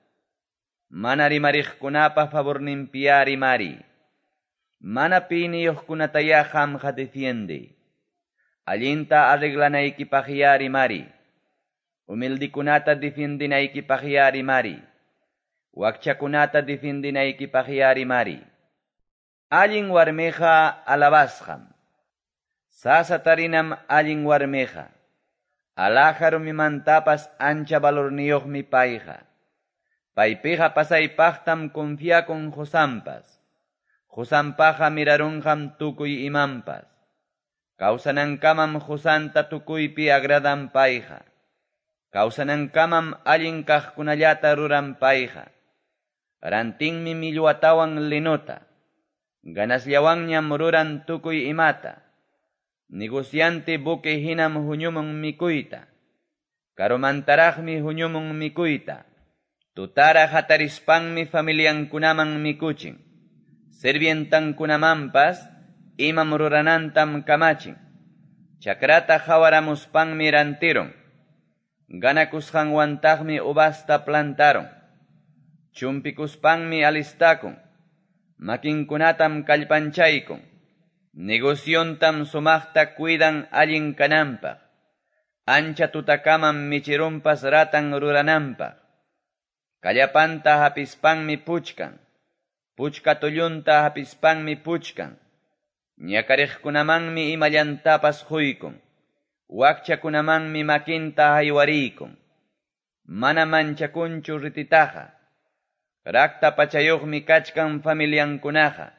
Mana rimariqkunapa favorninpiyá rimariy. Mana piniyuqkunatayá qamqa defiendey. Allinta arreglanaykipaqyá rimariy. Humildekunata defiendinaykipaqyá rimariy. Wakchakunata defiendinaykipaqyá rimariy. Allin warmiqa alabasqam. Sasa tarinam allin warmiqa. Alhaja rumimantapas ancha valorniyuqmi payqa. Paypiqa pasaypaqtam confiakun qosanpas. Qosanpaqa mirarunqam tukuy imanpas. Kawsanankamam qosanta tukuypi agradan payqa. Kawsanankamam allin kaqkunallata ruran payqa. Rantinmi millwatawan linota. Ganasllawanñam ruran tukuy imata. Negociante buque hinam huñumun mikuyta. Karumantaraqmi huñumun mikuyta. Tutara hatarispanmi familiankunaman mikuchin. Sirvientankunamanpas imam ruranantam kamachin. Chakrata qawaramuspanmi rantirun. Ganakusqanwantaqmi uvasta plantaron. Chumpikuspanmi alistakun. Makinkunatam kallpanchaykun. Negociontam sumaqta cuidan allin kananpaq. Ancha tutakamam michirunpas ratan rurananpaq. Kallapanta hapispanmi puchkan. Puchka tullunta hapispanmi puchkan. Ñakariqkunamanmi imallantapas quykun. Wakchakunamanmi makinta haywarikun. Mana manchakunchu rititaqa. Rakta pachayuqmi kachkan familiankunaqa.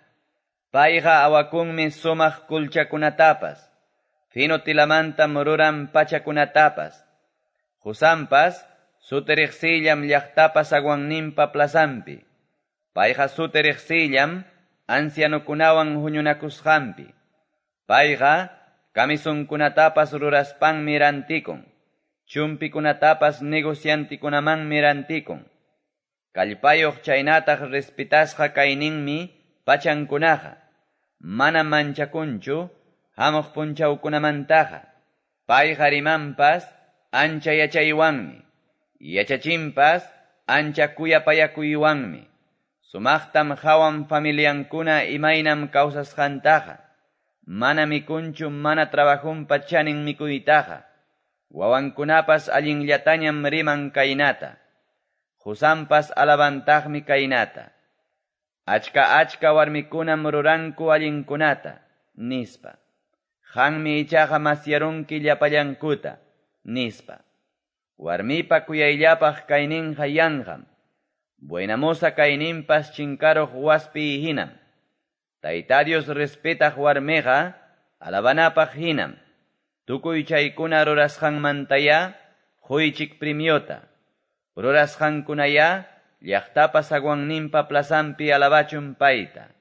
Payqa awakunmi sumaq kulchakunatapas. Fino tilamantam ruran pachakunatapas. Qosanpas suti riqsillam llaqtapa zaguanninpa plazanpi. Payqa suti riqsillam ancianokunawan huñunakusqanpi. Payqa camisonkunatapas ruraspanmi rantikun. Chumpikunatapas negociantikunamanmi rantikun. Kallpayuq chaynataq respetasqa kayninmi pachankunaqa. Mana manchakunchu hamuq punchawkunamantaqa. Payqa rimanpas ancha yachaywanmi. Yachachinpas ancha kuyapayakuywanmi. Sumaqtam hawan familiankuna imaynam kawsasqantaqa. Mana mikunchu mana trabajunpa chanin mikuytaqa. Wawankunapas allinllatañam riman kaynata. Qosanpas alabantaqmi kaynata. Achka achka warmikunam ruranku allinkunata, nispa. Qanmi ichaqa masyarunki llapallankuta, nispa. Warmipa kuyayllapaq kayninqa yanqam. Buenamoza kayninpas chinkaruq waspi hinam. Tayta Dios respetaq warmiqa alabanapaq hinam. Tukuy chaykuna rurasqanmantayá quychik premiota. Rurasqankunayá llaqtapa zaguanninpa plazanpi alabachun payta.